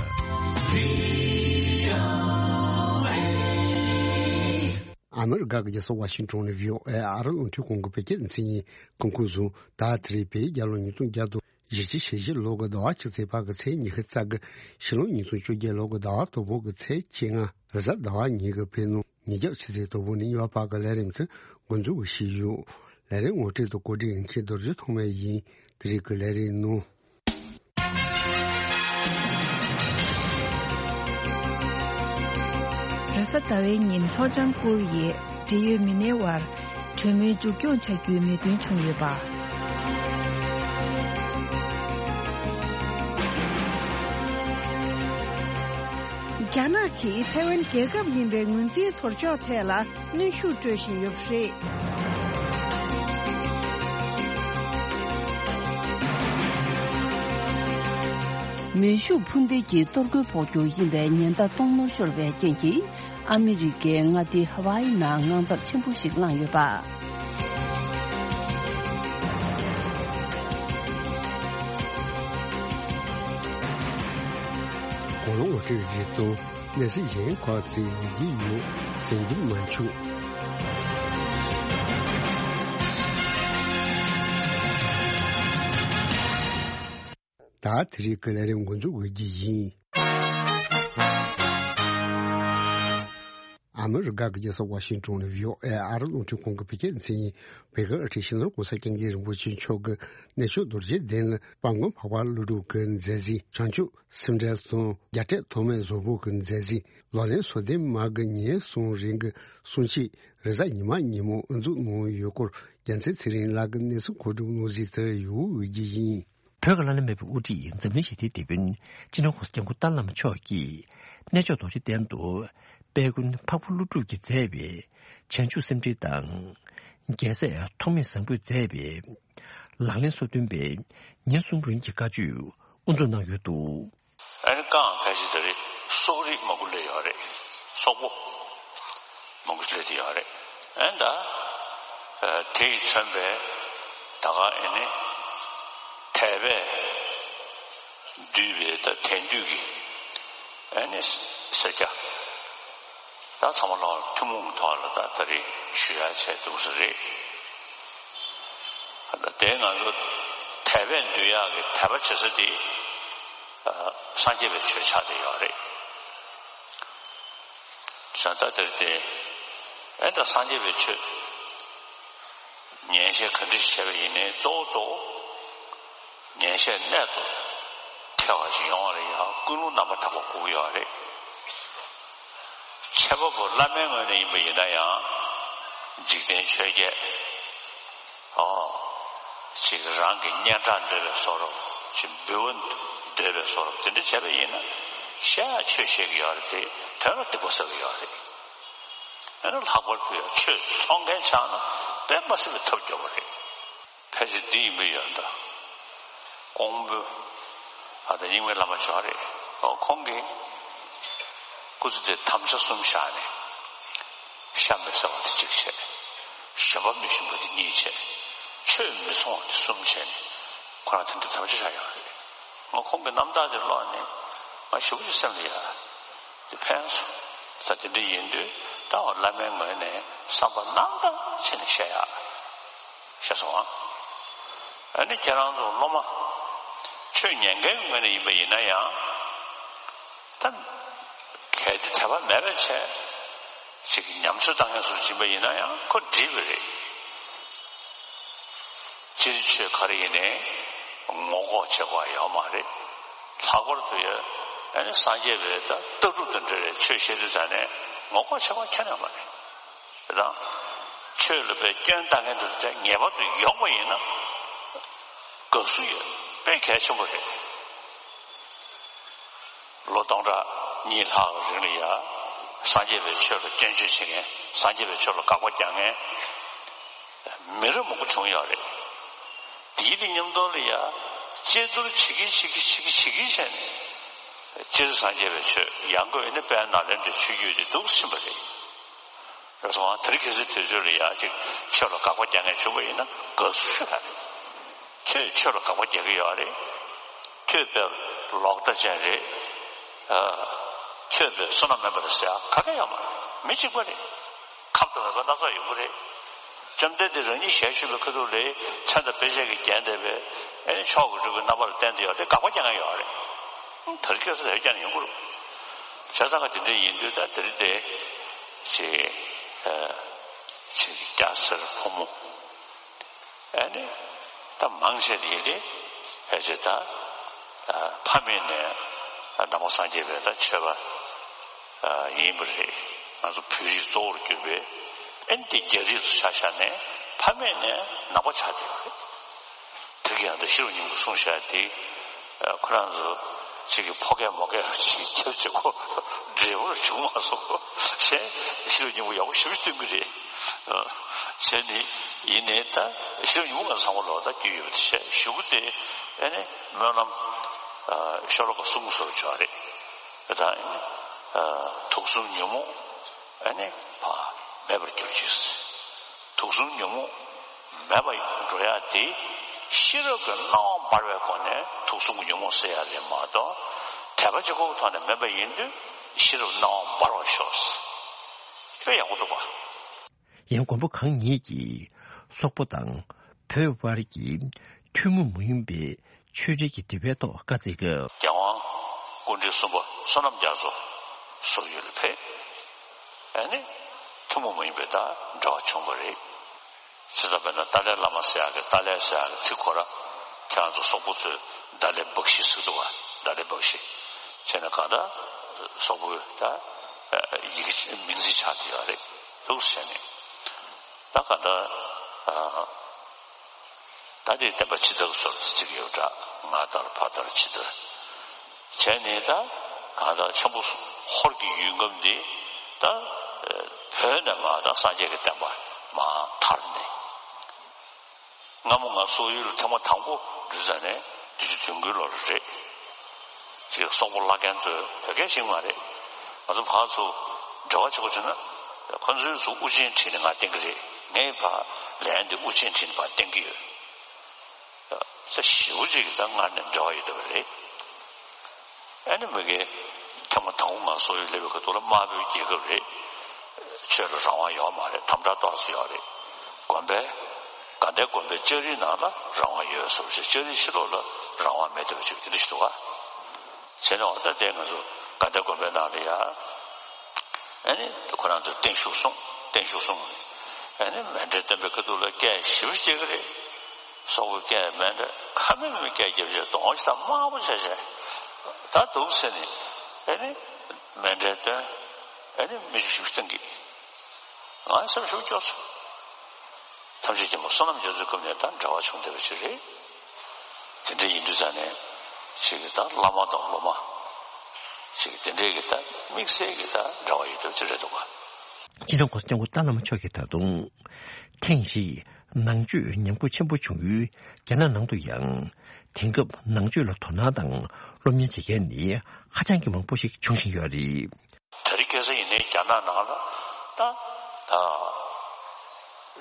ཨ་མི་རི་ཀ་གི་རྒྱལ་ས་ཝ་ཤིང་ཏོན་ནས་བྷི་ཨོ་ཨེ་ཨ་རི་རླུང་འཕྲིན་ཁང་གི་བོད་སྐད་སྡེ་ཚན་ཡིན། སྐུ་ཁམས་བཟང་། ད་དེ་རིང་བོད་རྒྱལ་ལོ་ཉིས་སྟོང་བརྒྱ་དང་བཞི་བཅུ་ཞེ་བཞི་ལོ་གི་ཟླ་བ་ཆུ་ཚོད་བར་གྱི་ཚེས་ཉི་ཤུ་རྩ་དགུ། ཕྱི་ལོ་ཉིས་སྟོང་བཅོ་བརྒྱད་ལོ་གི་ཟླ་བ་དང་པོ་གི་ཚེས་བཅོ་ལྔ། རེས་གཟའ་ཟླ་བ་ཉིན་གྱི་ཕྱི་ནང་ཉིན་རྒྱབ་ཆུ་ཚོད་དང་པོ་ནས་གཉིས་པ་བར་གྱི་ལས་རིམ་ཚོ་འགོ་འཛུགས་ཞུས་ཡོད། ལས་རིམ་ངོ་སྤྲོད་དང་གོ་སྒྲིག་ཡིན་མཁན་རྡོ་རྗེ་ཐོགས་མེད་ཡིན། དེ་རིང་གི་ལས་རིམ་ནང་། རེས་གཟའ་ཟླ་བའི་ཉིན་ལྷོ་བྱང་ཀོ་རི་ཡའི་འབྲེལ་ཡོད་མི་སྣའི་དབར་གྲོས་མོལ་མཇུག་སྐྱོང་བྱ་རྒྱུའི་མོས་མཐུན་བྱུང་ཡོད་པ། རྒྱ་ནག་གིས་ཐའེ་ཝན་རྒྱལ་ཁབ་ཡིན་པའི་ངོས་འཛིན་དོར་ཕྱོགས་ཐད་ལ་གནོན་ཤུགས་སྤྲོད་བཞིན་ཡོད་པ་རེད། མེ་ཤུགས་འཕུར་མདེལ་གྱི་གཏོར་རྒོལ་འཕོག་རྒྱུ་ཡིན་པའི་ཉེན་བརྡ་གཏོང་ནོར་ཤོར་བའི་རྐྱེན་གྱིས། ཨ་མི་རི་ཀའི་མངའ་སྡེ་ཧ་ཝཱ་ཨི་ནང་དངངས་འཚབ་ཆེན་པོ་ཞིག་ལངས་ཡོད་པ། གོ་ལོང་འོ་ཁྲིད་གཟིགས་དང་། གནས་ཚུལ་གཞན་ཁག་ཅིག་ཡོང་གི་ཡོད། གསན་རྒྱུ་མ་འཆུག། ད་དེ་རིང་གི་ལས་རིམ་འགོ་འཛུགས་འོས་ཀྱི་ཡིན། ཨ་མི་རི་ཀ་གི་རྒྱལ་ས་ཝ་ཤིང་ཏོན་ནས་བྷི་ཨོ་ཨེ་ཨ་རི་རླུང་འཕྲིན་ཁང་གི་བོད་སྐད་སྡེ་ཚན་ཡིན། བོད་ཀྱི་ཨ་ཁྲིད་སྤྱི་ནོར་གོང་ས་སྐྱབས་མགོན་རིན་པོ་ཆེ་མཆོག་གི་གནས་མཆོག་རྡོ་རྗེ་གདན་ལ་དཔལ་མགོན་འཕགས་པ་ཀླུ་སྒྲུབ་ཀྱི་མཛད་རྗེས། བྱང་ཆུབ་སེམས་འགྲེལ་དང་རྒྱ་སྐད་ཐོགས་མེད་བཟང་པོ་གི་མཛད་རྗེས། ལག་ལེན་སོ་བདུན་མ་གི་ཉིན་གསུམ་རིང་གི་གསུང་ཆོས་རེས་གཟའ་ཉི་མ་ཉིན་མོ་དབུ་འཛུགས་གནང་ཡོད་སྐོར་རྒྱལ་མཚན་ཚེ་རིང་ལགས་ཀྱི་གནས་ཚུལ་མཁོ་སྒྲུབ་གནང་གཟིགས་དེ་ཡོད་འོས་ཀྱི་ཡིན། བོད་ཀྱི་ལྷ་ལས་མེད་པའི་དབུ་ཁྲིད་འཛམ་གླིང་ཞི་བདེའི་དེད་དཔོན་སྤྱི་ནོར་གོང་ས་སྐྱབས་མགོན་ཏཱ་ལའི་བླ་མ་མཆོག་གིས་གནས་མཆོག་རྡོ་རྗེ་གདན་དུ་དཔལ་མགོན་འཕགས་པ་ཀླུ་སྒྲུབ་ཀྱིས་མཛད་པའི་བྱང་ཆུབ་སེམས་འགྲེལ་དང་། རྒྱལ་སྲས་ཐོགས་མེད་བཟང་པོས་མཛད་པའི་ལག་ལེན་སོ་བདུན་པའི་ཉིན་གསུམ་རིང་གི་བཀའ་ཆོས་དབུ་འཛུགས་གནང་ཡོད་འདུག། ཨ་ནི་རྐང་ཁ་ཤས་དེ་རེད། སོག་རིགས་མང་པོ་སླེབས་ཡོད་རེད། སོག་པོ་མང་པོ་སླེབས་ཏེ་ཡོད་རེད། ཨེ་ད་དེ་ཡིས་མཚོན་པའི་ད་ག་ཨེ་ནི་དད་པས་བསྡུས་པའི་ད་དད་འདུས་ཀྱི་ཨེ་ནི་སེར་སྐྱ་ད་ཚང་མ་ལ་ཐུན་མོང་གི་ཐོག་ལ་ད་ད་རེས་ཞུ་ཡ་བྱས་འདུག་ས་རེད། ད་དེ་ང་ཚོ་དད་པས་འདུལ་ཡག་གི་དད་པ་བྱེད་ས་དེ་སངས་རྒྱས་པའི་ཆོས་ཆགས་བསྡད་ཡོད་རེད། བྱ་ད་དེར་བརྟེན་ཨེ་ད་སངས་རྒྱས་པའི་ཆོས་ཉན་བཤད་ག་འདྲ་ཞིག་བྱས་པ་ཡིན་ནའི་གཙོ་བོ་གཙོ་བོ་ཉན་བཤད་གནད་དུ་ཐེ་བ་ཞིག་ཡོང་བ་ལ་ཡང་ཀུན་སློང་རྣམ་པར་དག་པ་དགོས་ཀྱི་ཡོད་རེད། འཆད་པ་པོ་བླ་མའི་ངོས་ནས་ཡིན་པ་ཡིན་ན་ཡང་འཇིག་རྟེན་ཆོས་བརྒྱད། ཨོ། ཅིག་རང་གི་སྙན་གྲགས་འདོད་པའི་བཟོ་འདྲ། ཅིག་འབུལ་བ་འདོད་པའི་བཟོ་འདྲ། དེ་འདྲ་བྱས་པ་ཡིན་ན་བཤད་ཡ་ཆོས་བཤད་ཀྱི་ཡོད་རེད་དེ་དོན་ལ་སྡིག་པ་བསགས་ཀྱི་ཡོད་རེད། ཨ་ནི་ལྷག་པར་དུ་ཡང་ཆོས་ཚོགས་མཁན་ཆགས་ན་དཔེ་མ་སྲིད་པའི་ཐབས་སྐྱོ་བོ་རེད། ཕལ་ཆེར་འདི་ཡིན་པ་ཡོད་འདུག་ཀོང་པོ། ཨ་ད་རྙིང་མའི་བླ་མ་ཅིག་ཡོད་རེད། ཨོ་ཁོང་གིས་སྐུ་ཚེ་འདིར་དམ་བཅའ་གསུམ་བཞག་ནས། ཤ་མི་ཟ་བ་དེ་གཅིག་བྱས། ཞོན་པ་མི་ཞུམ་པ་དེ་གཉིས་བྱས། ཆོས་མི་འཚོང་བ་དེ་གསུམ་བྱས་ནས་ཁོ་རང་དེ་འདྲ་དམ་བཅའ་བཞག་ཡོད་རེད། ང་ཁོང་གི་རྣམ་ཐར་དེ་ཀློག་ནས་ང་ཞེ་པོ་ཅིག་སེམས་ལ་ཡ་དེ་ཕན་སོང་། ད་དེ་འདྲ་ཡིན་དུས་ད་བླ་མའི་ངོས་ནས་བསམ་པ་རྣམ་དག་བྱས་ནས་བཤད་ཡག་བཤད་སོང་ཨ། ཨ་ནི་ཁྱེད་རང་ཚོ་སློབ་མ་ཆོས་ཉན་མཁན་ངོས་ནས་ཡིན་པ་ཡིན་ན་ཡང་ད་གལ་ཏེ་དད་པ་མེད་པ་བྱས་ཅིག་ཉམས་ཚོད་བཏང་མཁན་ཚོ་ཡིན་པ་ཡིན་ན་ཡང་ཁོ་འགྲིག་པ་རེད། སྤྱིར་ཆོས་ག་རེ་ཡིན་ནའི་ངོ་ལྐོག་བྱེད་དགོས་ཡོད་མ་རེད། ལྷག་པར་དུ་ཡ་ཨ་ནི་སངས་རྒྱས་པའི་ད་ལྟ་གྲུབ་དང་འབྲེལ་བའི་ཆོས་བཤད་དུས་ཙང་ནས་ངོ་ལྐོག་བྱེད་དགོས་ཁྱོན་ནས་མ་རེད། དེ་དང་ཆོས་ལ་དཔེ་སྐྱོན་བཏང་མཁན་དེ་ཚོ་ངེས་པར་དུ་ཡོང་བ་ཡིན་ན་དགའ་བསུ་ཡོད་དཔེ་གལ་ཆེན་པོ་རེད། ལོ་སྟོང་ཕྲག་གཉིས་ལྷག་རིང་ལ་ཡ་སངས་རྒྱས་པའི་ཆོས་ལ་སྐྱོན་བརྗོད་བྱེད་མཁན། སངས་རྒྱས་པའི་ཆོས་ལ་དགག་པ་རྒྱག་མཁན་མི་རབས་མང་པོ་བྱུང་ཡོད་རེད། དེའི་དེ་མཉམ་དུ་ལ་ཡ་དཔྱད་བསྡུར་བྱེད་ཀྱིན་བྱེད་ཀྱིན་བྱེད་ཀྱིན་བྱེད་ཀྱིན་བྱས་ནས་སྤྱིར་སངས་རྒྱས་པའི་ཆོས་ཡང་སྒོས་ནི་དཔལ་ནཱ་ལེནྡྲའི་ཆོས་བརྒྱུད་དེ་འདུག་ཕྱིན་པ་རེད། རེད་སོང་ཨ། དེ་རིང་ཁ་སང་དུས་ཚོད་ལ་ཡ་ཅིག་ཆོས་ལ་དགག་པ་རྒྱག་མཁན་བྱུང་བ་ཡིན་ན་དགའ་བསུ་ཞུ་ཡ་རེད། ཁྱོད་ཆོས་ལ་དགག་པ་རྒྱག་གི་ཡོད་རེད། ཁྱོད་དཔེ་ལོག་ལྟ་ཅན་རེད། ཨ། ཁྱོད་དཔེ་བསོད་ནམས་མེད་པ་རེད་ཟེར་ཡ་ག་གེ་ཡོད་མ་རེད། མི་གཅིག་པ་རེད། ཁམས་དང་མོས་པ་སྣ་ཚོགས་ཡོང་གི་རེད། བཅོམ་ལྡན་འདས་རང་ཉིད་ཞལ་བཞུགས་པའི་ཁ་ཐུག་ལ་མཚན་དང་དཔེ་བྱད་ཀྱིས་བརྒྱན་བསྡད་པའི་ཨེ་མཆོག་གི་སྤྲུལ་སྐུའི་རྣམ་པ་ལ་བསྟན་བསྡད་ཡོད་རེད། དགག་པ་རྒྱག་མཁན་ཡོད་རེད། དེ་རིང་ཁ་སང་དེ་རྒྱག་ནས་ཡོང་གི་རེད། བྱས་ཙང་ག་དེ་འདྲ་ཡིན་དུས་ད་དེ་རིང་དེ་ཅིག་ཨ་ཅིག་སྐྱ་སེར་ཕོ་མོ། ཨ་ནི་ད་མང་ཆེ་དེ་དེ་ཕལ་ཆེར་ད་ཨ་ཕ་མེས་ནས་ཨ་ནང་པ་སངས་རྒྱས་པའི་ད་ཆོས་པ་ཨ་ཡིན་པ་རེད། ང་ཚོ་བོད་རིགས་གཙོ་བོར་གྱུར་པའི་ཨ་ནི་དེ་རྒྱ་རིགས་ཚོ་ཆ་བཞག་ནས་ཕ་མེས་ནས་ནང་པ་ཆགས་བསྡད་པ་རེད། དེ་ག་ཡང་ད་ཤེས་རབ་སྙིང་པོ་གསུངས་བཞག་དེ་ཨ་ཁོ་རང་ཚོ་གཅིག་གི་ཕོ་སྐད་མོ་སྐད་ཅིག་ཁྱབ་བྱེད་ཁོ་འབྲས་བུ་བྱུང་མ་སོང་། ཞེས་ཤེས་རབ་སྙིང་པོ་ཡག་པོ་ཞེ་པོ་སྟོན་གྱི་རེད། བྱས་ནས་ཡིན་ནའི་ད་ཤེས་རབ་སྙིང་པོ་ང་ཚང་མ་ལོག་ལྟ་རྒྱུས་ཡོད་པ་དེ་བྱས་གཞུག་གུ་དེ་ཨ་ནི་སྨོན་ལམ་ཤོ་ལོ་ཀ་གསུམ་བཟོ་ཆོག་རེད། ད་ཨ་ནི་དུག་གསུམ་ཉོན་མོངས་ཨ་ནི་ཕར་མེད་པར་གྱུར་ཅིག་དུག་གསུམ་ཉོན་མོངས་མེད་པར་འགྲོ་ཡ་དེ་ཤེས་རབ་ཀྱི་སྣང་བ་འབར་བའི་སྒོ་ནས་དུག་གསུམ་གྱི་ཉོན་མོངས་སེལ་ཡ་རེད་མ་གཏོགས་དད་པ་གཅིག་པོའི་ཐོག་ནས་མེད་པ་ཡིན་དུས་ཤེས་རབ་སྣང་བ་འབར་བར་ཤོག་དཔེ་ཡག་པོ་འདུག་པ། ཡང་མགོན་པོ་གང་ཉིད་ཀྱིས་སོག་པོ་དང་བོད་དབར་གྱི་ཐུན་མོང་མ་ཡིན་པའི་ཆོས་འབྲེལ་གྱི་དེ་བའི་ཐོག་བཀའ་སྩལ་སྐབས། རྒྱལ་དབང་སྐུ་ཕྲེང་གསུམ་པ་བསོད་ནམས་རྒྱ་མཚོ་སོག་ཡུལ་ལ་ཕེབས། ཨ་ནི་ཐུན་མོང་མ་ཡིན་པའི་ད་འབྲེལ་བ་བྱུང་བ་རེད། བྱས་ཙང་དཔེར་ན་ཏཱ་ལའི་བླ་མ་ཟེར་ཡག་གི་ཏཱ་ལའི་ཟེར་ཡག་གི་ཚིག་ཁོ་ར་ཁྱེད་རང་ཚོ་སོག་པོ་ཚོས་ཏཱ་ལའི་བག་ཤི་ཟེར་འདུག་ག་ཏཱ་ལའི་བག་ཤི། བྱས་ན་གང་ལྟར་སོག་པོའི་ད་ཡི་གེ་མིང་ཚིག་ཆགས་བསྡད་ཡོད་རེད་འདུག་ཟེར་ནས། ད་གང་ལྟར་ད་དེ་བསྟན་པ་ཕྱི་དར་གྱི་བཟོ་འདྲ་ཅིག་ཡོད་འདྲ། སྔ་དར་ཕ་དར་ཕྱི་དར་བྱས་ནས་ད་གང་ལྟར་ཆེན་པོ་ཧོར་གྱི་ཡུལ་ཁམས་འདི་ད་བོད་ནས་མར་ད་སངས་རྒྱས་ཀྱི་བསྟན་པ་མར་དར་ནས་སྔ་མོ་ང་སོག་ཡུལ་ལ་ཐེངས་མ་དང་པོ་འགྲོ་ཙ་ནས་བདུན་ཅུ་དོན་དགུའི་ལོ་རེད། ཅིག་སོག་པོ་བླ་རྒན་ཚོས་བོད་སྐད་ཤེས་ཀྱི་མ་རེད། ང་ཚོ་ཕར་ཚུར་ འབྲེལ་བ་བྱེད་དགོས་བྱུང་ན། ཁོ་ཚོའི་ཚོ་དབུ་ཅན་ཁྲིད་ནས་ང་བསྟེན་གྱི་རེད། ངས་ཕར་ལན་དེ་དབུ་ཅན་ཁྲིད་ནས་ཕར་བསྟེན་གྱི་ཡོད། ས་ཞེ་པོ་ཅིག་གིས་ད་སྔར་ནས་འབྲེལ་བ་ཡོད་བསྡད་པ་རེད། ཨ་ནི་མི་སྒེར་ཐེངས་མ་དང་པོ་ང་སོག་པོའི་སླེབས་པའི་སྐབས་དུས་ལ་དམར་པོའི་རྒྱལ་ཁབ་རེད། ཆོས་ལ་རང་དབང་ཡོད་མ་རེད། དམ་དྲག་ཏོག་ཙམ་ཡོད་རེད། དགོན་པའི་དགའ་ལྡན་དགོན་པའི་ལྕགས་རིའི་ནང་ལ་རང་དབང་ཡོད་བཟོ་ཞིག་ལྕགས་རིའི་ཕྱི་ལོགས་ལ་རང་དབང་མེད་བསྡད་པ་ཅིག་དེ་འདྲ་ཞིག་འདུག་ག་བྱས་ནས་འོ་ད་དེ་ང་ཚོ་དགའ་ལྡན་དགོན་པའི་ནང་ལ་ཡ། ཨ་ནི་ཁོ་རང་ཚོས་བརྟན་བཞུགས་གསུངས། བརྟན་བཞུགས་གསུངས། ཨ་ནི་མཎྜལ་སྟོན་པའི་ཁ་ཐུག་ལ་སྐད་ཞེ་པོ་ཅིག་རྒྱག་གི་རེད། སོག་པོའི་སྐད་མཎྜལ་ཁ་མེད་མེད་སྐད་རྒྱབ་བྱས་གདོང་ཞིག་དང་དམར་པོ་བྱས་བྱས། ད་འདུག་ཟེར་ནས་ཨ་ནི་མཎྜལ་སྟོན། ཨ་ནི་མི་ཞིག་བཏང་གི། ང་སེམས་ཤུགས་སྐྱོ་སོང་། ཐམས་ཅད་མཁྱེན་པ་བསོད་ནམས་རྒྱ་མཚོའི་སྐབས་ནས་ད་འབྲེལ་བ་བྱུང་བསྡད་པ་ཅིག་རེད། དེ་འདྲ་ཡིན་དུས་ཙང་ནས་ཅིག་གི་ད་བླ་མ་དང་སློབ་མ་ཅིག་གི་དེ་འདྲའི་གི་ད་དམིགས་བསལ་གི་ད་འབྲེལ་བ་ཡོད་སྟབས་ཅིག་རེད་འདུག་ག་སྤྱི་ནོར་༸གོང་ས་༸སྐྱབས་མགོན་ཏཱ་བླ་མ་མཆོག་གིས་ད་དུང་ཐེངས་ཤིག་ནང་ཆོས་ཉམས་རྒུད་ཆེན་པོ་བྱུང་ཡུལ་རྒྱ་ནག་ནང་དུ་ཡང་དེང་སྐབས་ནང་ཆོས་ལ་དོ་སྣང་དང་སློབ་གཉེར་བྱེད་མཁན་ནི་ཧ་ཅང་གི་མང་པོ་ཞིག་འབྱུང་བཞིན་ཡོད་རེད། དེ་རིང་ཁ་སང་ཡིན་ནའི་རྒྱ་ནག་ནང་ལ་ད་ད་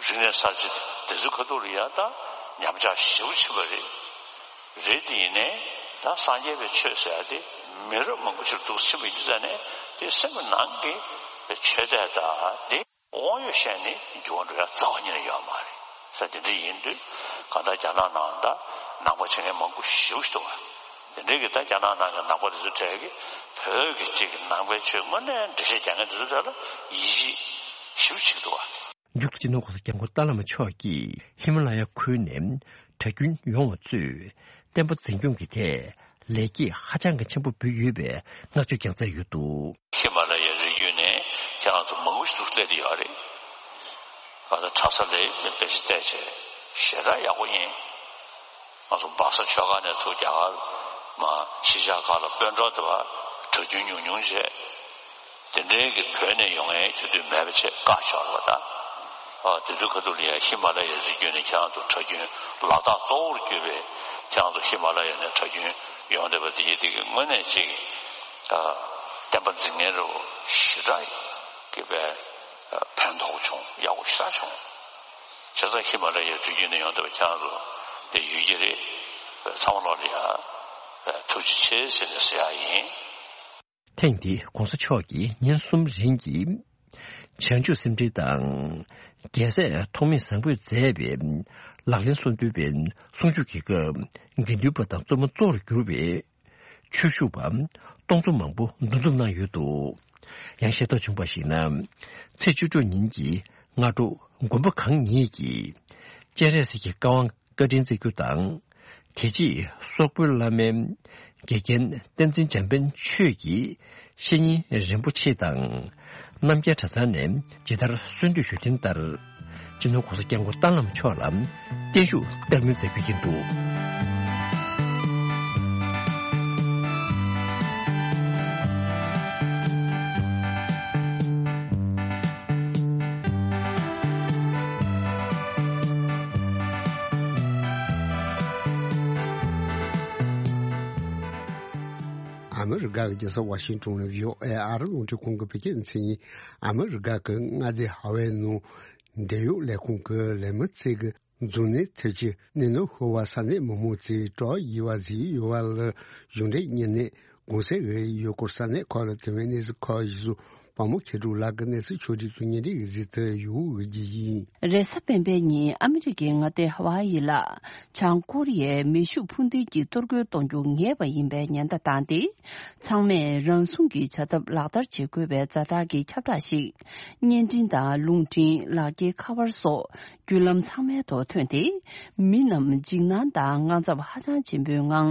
རིག་གནས་གསར་བརྗེ་དེ་ཚོའི་ཁ་ཐུག་ལ་ཡང་ད་ཉམས་ཆག་ཞེ་པོ་ཕྱིན་པ་རེད། རེད་དེ་ཡིན་ནའི་ད་སངས་རྒྱས་པའི་ཆོས་ཟེར་ཡ་དེ་མི་རབས་མང་པོ་ཅིག་འདུག་ཕྱིན་པ་ཡིན་དུས་ཙང་ནས་དེ་སེམས་ཀྱི་ནང་གི་ཆོས་དད་ད་དེ། དབང་ཡོད་བཤད་ནས་འགྱུར་བ་འགྲོ་ཡ་རྩ་བ་ཉིད་ནས་ཡོད་མ་རེད་ཟེར། དེ་འདྲ་ཡིན་དུས་གང་ལྟར་རྒྱ་ནག་ནང་ད་ནང་པ་བྱེད་མཁན་མང་པོ་ཞེ་པོ་ཞིག་འདུག་བ། དེ་འདྲའི་གི་ད་རྒྱ་ནག་ནང་གི་ནང་པ་དེ་ཚོ་གྲས་ཀྱིས་བོད་ཀྱི་གཅིག་གི་ནང་པའི་ཆོས་དངོས་གནས་འགྲེལ་བཤད་རྒྱག་མཁན་དེ་ཚོ་གྲས་ལ་ཡིད་ཆེས་ཞེ་པོ་བྱེད་ཀྱི་འདུག་བ། མཇུག་ཏུ་སྤྱི་ནོར་༸གོང་ས་༸སྐྱབས་མགོན་ཏཱ་བླ་མ་མཆོག་གིས་ཧི་མ་ལ་ཡ་ཁུལ་ནས་གྲྭ་རྒྱུན་ཡོང་བ་ཚོས་བསྟན་པ་འཛིན་སྐྱོང་གི་ཐད་ལེགས་སྐྱེས་ཧ་ཅང་གི་ཆེན་པོ་འབུལ་ཡོད་པའི་བསྔགས་བརྗོད་ཀྱང་མཛད་ཡོད་འདུག་ཧི་མ་ལ་ཡའི་རི་རྒྱུད་ནས་ཁྱེད་རང་ཚོ་མང་པོ་ཞིག་ཏུ་སླེབས་བསྡད་ཡོད་རེད། ང་ཚོ་གྲྭ་ས་ལས་དཔེ་ཆ་བལྟས་བྱས་ཞེ་དྲག་ཡག་པོ་ཡིན། ང་ཚོ་སྦག་ས་ཆོས་སྒར་ནས་ཚུར་རྒྱ་གར་མ་གཞིས་ཆགས་ཁག་ལ་དཔོན་གྲོགས་དེ་བ་གྲྭ་རྒྱུན་ཉུང་ཉུང་བྱས། དེ་འདྲའི་གི་བོད་ནས་ཡོང་མཁན་དེ་དུས་མེད་པ་བྱས་བཀག་ཆོག་རེད་པ་ད། ཨ་དེ་ཚོའི་ཁ་ཐུག་ལ་ཡ་ཧི་མ་ལ་ཡའི་རི་རྒྱུད་ནས་ཁྱེད་རང་ཚོ་གྲྭ་རྒྱུན་ལ་དྭགས་གཙོ་བོར་གྱུར་པའི་ཁྱེད་རང་ཚོ་ཧི་མ་ལ་ཡ་ནས་གྲྭ་རྒྱུན་ཡོང་བསྡད་པ་དེ་ཡིན་དེ་གི་དངོས་གནས་ཅིག་ཨ་བསྟན་པ་འཛིན་མཁན་རུ་ཞེ་དྲག་གི་པའི་ཕན་ཐོགས་བྱུང་ཡག་པོ་ཞེ་དྲག་བྱུང་། བྱས་ཙང་ཧི་མ་ལ་ཡའི་རི་རྒྱུད་ནས་ཡོང་བསྡད་པ་ཁྱེད་རང་ཚོ་དེ་ཡོད་ཀྱི་རེད། ཚང་མ་ལོག་ལ་ཡ་ཐུགས་རྗེ་ཆེ་ཟེར་ནས་ཟེར་ཡག་ཡིན། ཐེངས་འདིའི་༸གོང་ས་མཆོག་གིས་ཉིན་གསུམ་རིང་གི་བྱང་ཆུབ་སེམས་འགྲེལ་དང་། རྒྱལ་སྲས་ཐོགས་མེད་བཟང་པོས་མཛད་པའི་ལག་ལེན་གསུམ་འདུས་པའི་གསུང་ཆོས་ཀྱི་སྐབས་དགེ་འདུན་པ་དང་བཙུན་མོ་གཙོ་བོར་གྱུར་པའི་ཆོས་ཞུ་བ་སྟོང་ཚོ་མང་པོ་འདུ་འཛོམས་གནང་ཡོད་འདུག་ཡང་ཤེས་རྟོགས་བྱུང་བར་གཞིགས་ན། ཚེས་བཅུ་དྲུག་ཉིན་གྱི་སྔ་དྲོ་དགོན་པ་གང་ཉིད་ཀྱི་སྤྱན་རས་གཟིགས་ཀྱི་བཀའ་དབང་བཀའ་དྲིན་སྩལ་རྒྱུ་དང་། དེ་རྗེས་སོག་པོའི་བླ་མའི་དགེ་རྒན་བསྟན་འཛིན་འཇམ་དཔལ་ཆོས་ཀྱི་བཤེས་གཉེན་རིན་པོ་ཆེ་དང་། རྣམ་རྒྱལ་གྲྭ་ཚང་ནས་ཇི་ལྟར་གསོལ་འདེབས་ཞུས་དོན་ལྟར། སྤྱི་ནོར་༸གོང་ས་༸སྐྱབས་མགོན་ཏཱ་བླ་མ་མཆོག་ལ་བརྟན་བཞུགས་བསྟར་མོལ་མཛད་རྒྱུ་ཡིན་འདུག་ཨ་མི་རི་ཀ་གི་རྒྱལ་ས་ཝ་ཤིང་ཏོན་ནས་བྷི་ཨོ་ཨེ་ཨ་རི་རླུང་འཕྲིན་ཁང་གི་བོད་སྐད་སྡེ་ཚན་ཡིན། ཨ་མི་རི་ཀ་གི་མངའ་སྡེ་ཧ་ཝའི་ནང་འབྲེལ་ཡོད་ལས་ཁུངས་ཀྱི་ལས་མི་ཚོས་ཀྱི་འཛམ་གླིང་ཐེབས་ཀྱི་གནས་སྟངས་ཤོར་བ་ས་གནས་མི་མང་ཚོས་སྐྲག་ཡིད་བ་ཟེར་ཡོད་པ་ལ་གཞུང་འབྲེལ་གཉིས་ནས་གུང་སེང་གི་ཡུལ་སྐོར་ས་གནས་ཁག་ལ་དེ་བས་གནས་ཚུལ་ཁག་ཞིག་སུ་བ་མོ་མཁས་གྲུབ་ལགས་ཀྱིས་གནས་ཚུལ་ཕྱོགས་སྒྲིག་དང་བརྙན་འཕྲིན་གྱི་གཟིགས་དུ་ཡོད་རྒྱུ་ཡིན། རེས་གཟའ་སྤེན་པའི་ཉིན་ཨ་མི་རི་ཀའི་མངའ་སྡེ་ཧ་ཝཱ་ཡི་ལ་བྱང་ཀོ་རི་ཡས་མེ་ཤུགས་འཕུར་མདེལ་གྱི་གཏོར་རྒོལ་གཏོང་རྒྱུ་ངེས་པ་ཡིན་པའི་ཉེན་བརྡ་བཏང་སྟེ། ཚང་མས་རང་སྲུང་གི་བྱ་ཐབས་ལག་བསྟར་བྱེད་དགོས་པའི་ཛ་དྲག་གི་ཁྱབ་བསྒྲགས་ཤིག་བརྙན་འཕྲིན་དང་རླུང་འཕྲིན། ལག་འཁྱེར་ཁ་པར་སོགས་བརྒྱུད་ལམ་ཚང་མའི་ཐོག་ཐོན་ཏེ། མི་རྣམས་འཇིགས་སྣང་དང་དངངས་འཚབ་ཧ་ཅང་ཆེན་པོའི་ངང་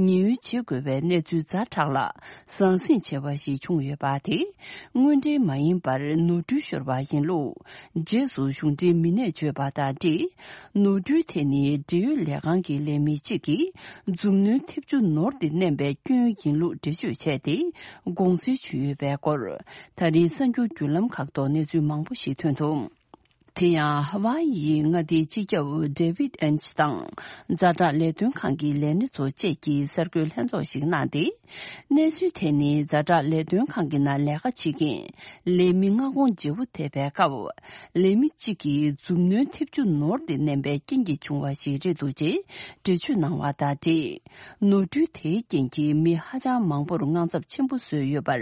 ཉེན་གཡོལ་བྱེད་དགོས་པའི་གནས་ཚུལ་ཛ་དྲག་ལ་ཟང་ཟིང་ཆེ་བ་ཞིག་བྱུང་ཡོད་པ་དེ། དངོས་འབྲེལ་མ་ཡིན་པར་ནོར་འཁྲུལ་ཤོར་བ་ཡིན་ལུགས་རྗེས་སུ་གཞུང་འབྲེལ་མི་སྣས་བརྗོད་པ་དང་འབྲེལ། ནོར་འཁྲུལ་དེ་ནི་འབྲེལ་ཡོད་ལས་ཁང་གི་ལས་མི་གཅིག་གིས་མཛུབ་གནོན་ཐེབས་ཆུ་ནོར་དེ་མནན་པའི་སྐྱོན་ཡིན་ལུགས་འགྲེལ་བརྗོད་བྱས་ཏེ་དགོངས་སེལ་ཞུས་ཡོད་པའི་སྐོར། ད་རིང་གསར་འགྱུར་བརྒྱུད་ལམ་ཁག་ཐོག་གནས་ཚུལ་མང་པོ་ཞིག་ཐོན་འདུག་དེ་ཡང་ཧ་ཝཱ་ཡིའི་མངའ་སྡེའི་སྤྱི་ཁྱབ་ཌེ་ཝིད་ཨེན་ཆི་དང་ཛ་དྲག་ལས་དོན་ཁང་གི་ལས་སྣེ་ཚོ་བཅས་ཀྱིས་གསར་འགོད་ལྷན་ཚོགས་ཤིག་གནང་སྟེ། གནས་ཚུལ་དེ་ནི་ཛ་དྲག་ལས་དོན་ཁང་གི་ནང་ལས་ཀ་བྱེད་མཁན་ལས་མི་མངའ་ཁོངས་བརྗེ་པོ་ཐེབས་པའི་སྐབས། ལས་མི་གཅིག་གིས་མཛུབ་གནོན་ཐེབས་རྒྱུ་ནོར་ཏེ་མནན་པའི་རྐྱེན་གྱིས་བྱུང་བ་ཞིག་རེད་འདུག་ཅེས་འགྲེལ་བརྗོད་གནང་བ་དང་འབྲེལ། ནོར་འཁྲུལ་དེའི་རྐྱེན་གྱིས་མི་ཧ་ཅང་མང་པོར་དངངས་འཚབ་ཆེན་པོ་བཟོས་ཡོད་པར་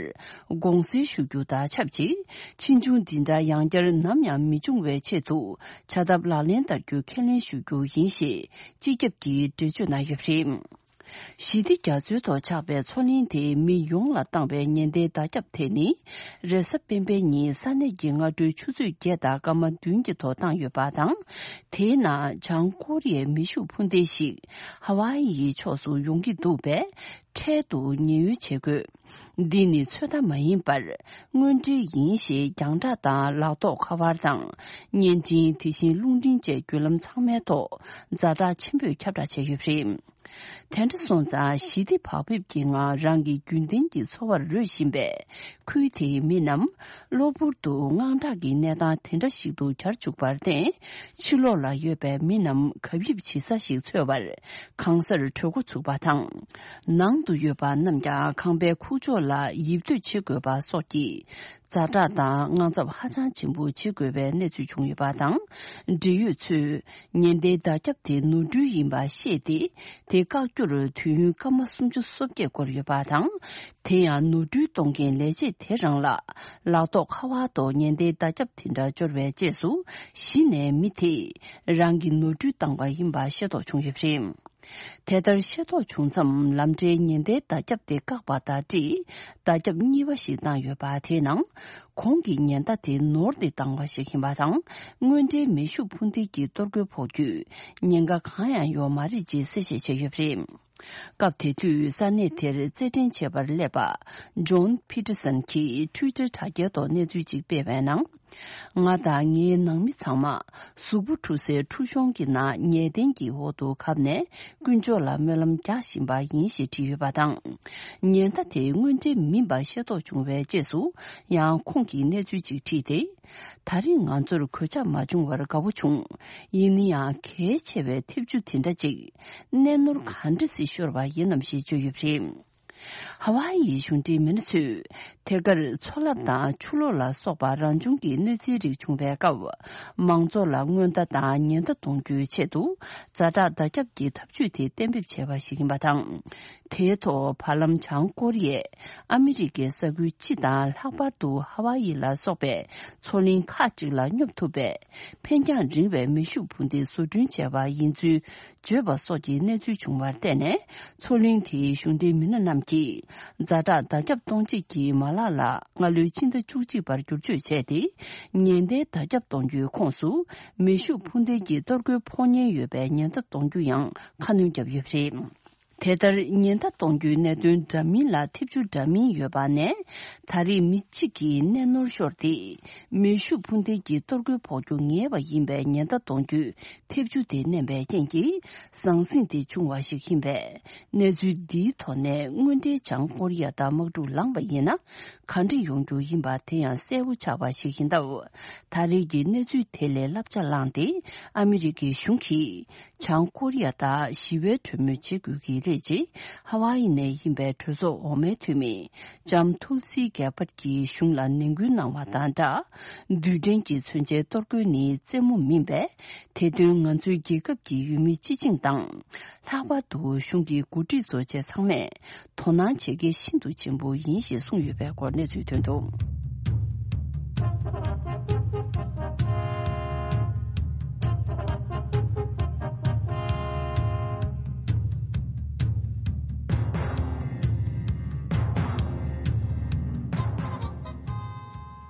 དགོངས་སེལ་ཞུ་རྒྱུ་དང་ཆབས་ཅིག་ཕྱིས་འབྱུང་འདི་འདྲ་ཡང་བསྐྱར་ནམ་ཡང་མི་འབྱུང་བའི་ཆེད་དུ་བྱ་ཐབས་ལག་ལེན་བསྟར་རྒྱུ་ཁས་ལེན་ཞུ་རྒྱུ་ཡིན་ཞེས་སྤྱི་ཁྱབ་ཀྱིས་འགྲེལ་བརྗོད་གནང་ཡོད་པ་རེད། ཞི་བདེ་རྒྱ་མཚོའི་ཐོག་ཆགས་པའི་མཚོ་གླིང་དེ་མི་ཡོངས་ལ་བཏང་བའི་ཉེན་བརྡའི་བརྡ་ཁྱབ་དེ་ནི། རེས་གཟའ་སྤེན་པའི་ཉིན་ས་གནས་ཀྱི་སྔ་དྲོའི་ཆུ་ཚོད་བརྒྱད་དང་སྐར་མ་བདུན་གྱི་ཐོག་བཏང་ཡོད་པ་དང་། དེའི་ནང་བྱང་ཀོ་རི་ཡའི་མེ་ཤུགས་འཕུར་མདེལ་ཞིག་ཧ་ཝཱ་ཡིའི་ཕྱོགས་སུ་ཡོང་གི་འདུག་པས། འཕྲལ་དུ་ཉེན་གཡོལ་བྱེད་དགོས། འདི་ནི་ཚོད་ལྟ་མ་ཡིན་པར་དངོས་འབྲེལ་ཡིན་ཞེས་རྒྱང་བསྒྲགས་དང་ལག་ཐོགས་ཁ་པར་དང་བརྙན་འཕྲིན། དེ་བཞིན་རླུང་འཕྲིན་བཅས་བརྒྱུད་ལམ་ཚང་མའི་ཐོག་ཛ་དྲག་ཆེན་པོས་ཁྱབ་བསྒྲགས་བྱས་ཡོད་པ་རེད། དེ་འདྲ་སོང་ཙང་ཞི་བདེ་བག་ཕེབས་ཀྱི་ངང་རང་གི་རྒྱུན་ལྡན་གྱི་འཚོ་བར་རོལ་བཞིན་པའི་ཁུལ་དེའི་མི་རྣམས་གློ་བུར་དུ་དངངས་སྐྲག་གི་གནས་སྟངས་དེ་འདྲ་ཞིག་ཏུ་གྱར་བཅུག་པར་བརྟེན། ཕྱི་ལོགས་ལ་ཡོད་པའི་མི་རྣམས་གབ་ཡིབ་བྱེད་ས་ཞིག་འཚོལ་བར་གང་སར་བྲོས་འགོ་ཚུགས་པ་དང་། ནང་དུ་ཡོད་པ་རྣམས་ཀྱང་ཁང་པའི་ཁུག་ཀྱོག་ལ་ཡིབ་སྡོད་བྱེད་དགོས་པ་སོགས་ཀྱི་ཛ་དྲག་དང་དངངས་འཚབ་ཧ་ཅང་ཆེན་པོ་བྱེད་དགོས་པའི་གནས་ཚུལ་བྱུང་ཡོད་པ་དང་། འབྲེལ་ཡོད་ཚོས་ཉེན་བརྡའི་བརྡ་ཁྱབ་དེ་ནོར་འཁྲུལ་ཡིན་པ་ཤེས་ཏེ། དེ་བཀག་རྒྱུར་དུས་ཡུན་སྐར་མ་སུམ་ཅུ་སོ་བརྒྱད་འགོར་ཡོད་པ་དང་། དེ་ཡང་ནོར་འཁྲུལ་གཏོང་མཁན་ལས་བྱེད་དེ་རང་ལ་ལག་ཐོགས་ཁ་པར་ཐོག་ཉེན་བརྡའི་བརྡ་ཁྱབ་དེ་འདྲ་འབྱོར་བའི་རྗེས་སུ། གཞི་ནས་མི་དེས་རང་གི་ནོར་འཁྲུལ་བཏང་བ་ཡིན་པ་ཤེས་རྟོགས་བྱུང་ཡོད་པ་རེད། དེ་ལྟར་ཤེས་རྟོགས་བྱུང་མཚམས། ལམ་འཕྲལ་ཉེན་བརྡའི་བརྡ་ཁྱབ་དེ་བཀག་པ་དང་འབྲེལ། བརྡ་ཁྱབ་གཉིས་པ་ཞིག་བཏང་ཡོད་པ་དེའི་ནང་། གོང་གི་ཉེན་བརྡ་དེ་ནོར་ཏེ་བཏང་བ་ཞིག་ཡིན་པ་དང་། དངོས་འབྲེལ་མེ་ཤུགས་འཕུར་མདེལ་གྱི་གཏོར་རྒོལ་ཕོག་རྒྱུའི་ཉེན་ཁ་གང་ཡང་ཡོད་མ་རེད་ཅེས་གསལ་བཤད་བྱས་ཡོད་པ་རེད། སྐབས་དེ་དུས་ས་གནས་དེར་རྩེད་འགྲན་བྱེད་པར་སླེབས་པ། ཇོན་ཕི་ཏི་སན་གྱིས་ཊུའི་ཊར་དྲ་རྒྱའི་ཐོག་གནས་ཚུལ་ཅིག་སྤེལ་བའི་ནང་། ང་དང་ངའི་ནང་མི་ཚང་མ་གཟུགས་པོ་འཁྲུ་སའི་འཁྲུ་གཤོང་གི་ནང་ཉལ་གདན་གྱི་འོག་ཏུ་གབ་ནས་དཀོན་མཆོག་ལ་སྨོན་ལམ་རྒྱག་བཞིན་པ་ཡིན་ཞེས་བྲིས་ཡོད་པ་དང་། ཉེན་བརྡ་དེ་དངོས་འབྲེལ་མིན་པ་ཤེས་རྟོགས་བྱུང་བའི་རྗེས་སུ་ཡང་ཁོང་གིས་གནས་ཚུལ་ཅིག་བྲིས་ཏེ། ད་རེས་ང་ཚོར་གོད་ཆག་མ་བྱུང་བར་དགའ་པོ་བྱུང་། ཡིན་ན་ཡང་གལ་ཆེ་བའི་ཐེབས་ཆུ་དེ་འདྲ་ཅིག་གནས་ནོར་ག་འདྲ་སེ་ཤོར་བ་ཡིན་ནམ་ཞེས་བརྗོད་ཡོད་པ་རེད། ཧ་ཝཱ་ཡིའི་གཞུང་འབྲེལ་མི་སྣ་ཚོས་དེ་གར་མཚོ་རླབས་དང་ཆུ་ལོག་ལ་སོགས་པ་རང་བྱུང་གི་གནོད་འཚེའི་རིགས་བྱུང་བའི་སྐབས། མང་ཚོགས་ལ་སྔོན་བརྡ་དང་ཉེན་བརྡ་གཏོང་རྒྱུའི་ཆེད་དུ་ཛ་དྲག་བརྡ་ཁྱབ་ཀྱི་ཐབས་ཇུས་དེ་གཏན་འབེབས་བྱས་པ་ཞིག་ཡིན་པ་དང་། དེའི་ཐོག་བར་ལམ་བྱང་ཀོ་རི་ཡས་ཨ་མི་རི་ཀའི་ས་ཁུལ་སྤྱི་དང་ལྷག་པར་དུ་ཧ་ཝཱ་ཡི་ལ་སོགས་པའི་མཚོ་གླིང་ཁག་ཅིག་ལ་སྙོབ་ཐུབ་པའི་འཕེན་རྒྱང་རིང་བའི་མེ་ཤུགས་འཕུར་མདེལ་བཟོ་སྐྲུན་བྱས་པ་ཡིན་ཚུལ་བརྗོད་པ་སོགས་ཀྱི་གནས་ཚུལ་བྱུང་བར་བརྟེན་ནས། མཚོ་གླིང་དེའི་གཞུང་འབྲེལ་མི་སྣ་རྣམས་ཀྱིས་ཛ་དྲག་བརྡ་ཁྱབ་གཏོང་བྱེད་ཀྱི་མ་ལག་ལ་སྔ་ལོའི་ཕྱི་ཟླ་བཅུ་གཅིག་པར་བསྒྱུར་བཅོས་བྱས་ཏེ། ཉེན་བརྡའི་བརྡ་ཁྱབ་གཏོང་རྒྱུའི་ཁོངས་སུ་མེ་ཤུགས་འཕུར་མདེལ་གྱི་གཏོར་རྒོལ་ཕོག་ཉེན་ཡོད་པའི་ཉེན་བརྡ་གཏོང་རྒྱུ་ཡང་ཁ་སྣོན་བརྒྱབ་ཡོད་པ་རེད། དེ་ལྟར་ཉེན་བརྡ་གཏོང་རྒྱུའི་གནད་དོན་འདྲ་མིན་ལ་ཐེབས་ཆུ་འདྲ་མིན་ཡོད་པ་ནས། ད་རེས་མི་གཅིག་གིས་གནས་ནོར་ཤོར་ཏེ། མེ་ཤུགས་འཕུར་མདེལ་གྱི་གཏོར་རྒོལ་ཕོག་རྒྱུ་ངེས་པ་ཡིན་པའི་ཉེན་བརྡ་གཏོང་རྒྱུའི་ཐེབས་ཆུ་དེ་མནན་པའི་རྐྱེན་གྱིས་ཟང་ཟིང་དེ་བྱུང་བ་ཞིག་ཡིན་པས། གནས་ཚུལ་འདིའི་ཐོག་ནས་དངོས་འབྲེལ་བྱང་ཀོ་རི་ཡ་དང་དམག་འཁྲུག་ལངས་པ་ཡིན་ན། ག་འདྲ་ཡོང་རྒྱུ་ཡིན་པ་དེ་ཡང་གསལ་པོ་ཆགས་པ་ཞིག་ཡིན་སྟབས། ད་རེས་ཀྱི་གནས་ཚུལ་དེ་ལས་བསླབ་བྱ་བླངས་ཏེ། ཨ་མི་རི་ཀའི་གཞུང་གིས། བྱང་ཀོ་རི་ཡ་དང་ཞི་བའི་གྲོས་མོལ་བྱེད་དགོས་ཀྱི་རེད་ཅེས། ཧ་ཝཱ་ཡི་ནས་ཡིན་པའི་གྲོས་ཚོགས་འོག་མའི་འཐུས་མི་ལྕམ་ཐུལ་སི་གེ་པར་གྱིས་གཞུང་ལ་ནན་སྐུལ་གནང་བ་དང་སྦྲགས། རྡུལ་ཕྲན་གྱི་མཚོན་ཆའི་གཏོར་རྒོལ་ནི་རྩེད་མོ་མིན་པས། དེ་དོན་ང་ཚོའི་རྒྱལ་ཁབ་ཀྱི་ཡུལ་མི་སྤྱི་བྱིངས་དང་། ལྷག་པར་དུ་གཞུང་གི་འགོ་ཁྲིད་ཚོ་བཅས་ཚང་མས་དོ་སྣང་བྱེད་གལ་ཤིན་ཏུ་ཆེན་པོ་ཡིན་ཞེས་གསུངས་ཡོད་པའི་སྐོར་གནས་ཚུལ་ཐོན་འདུག།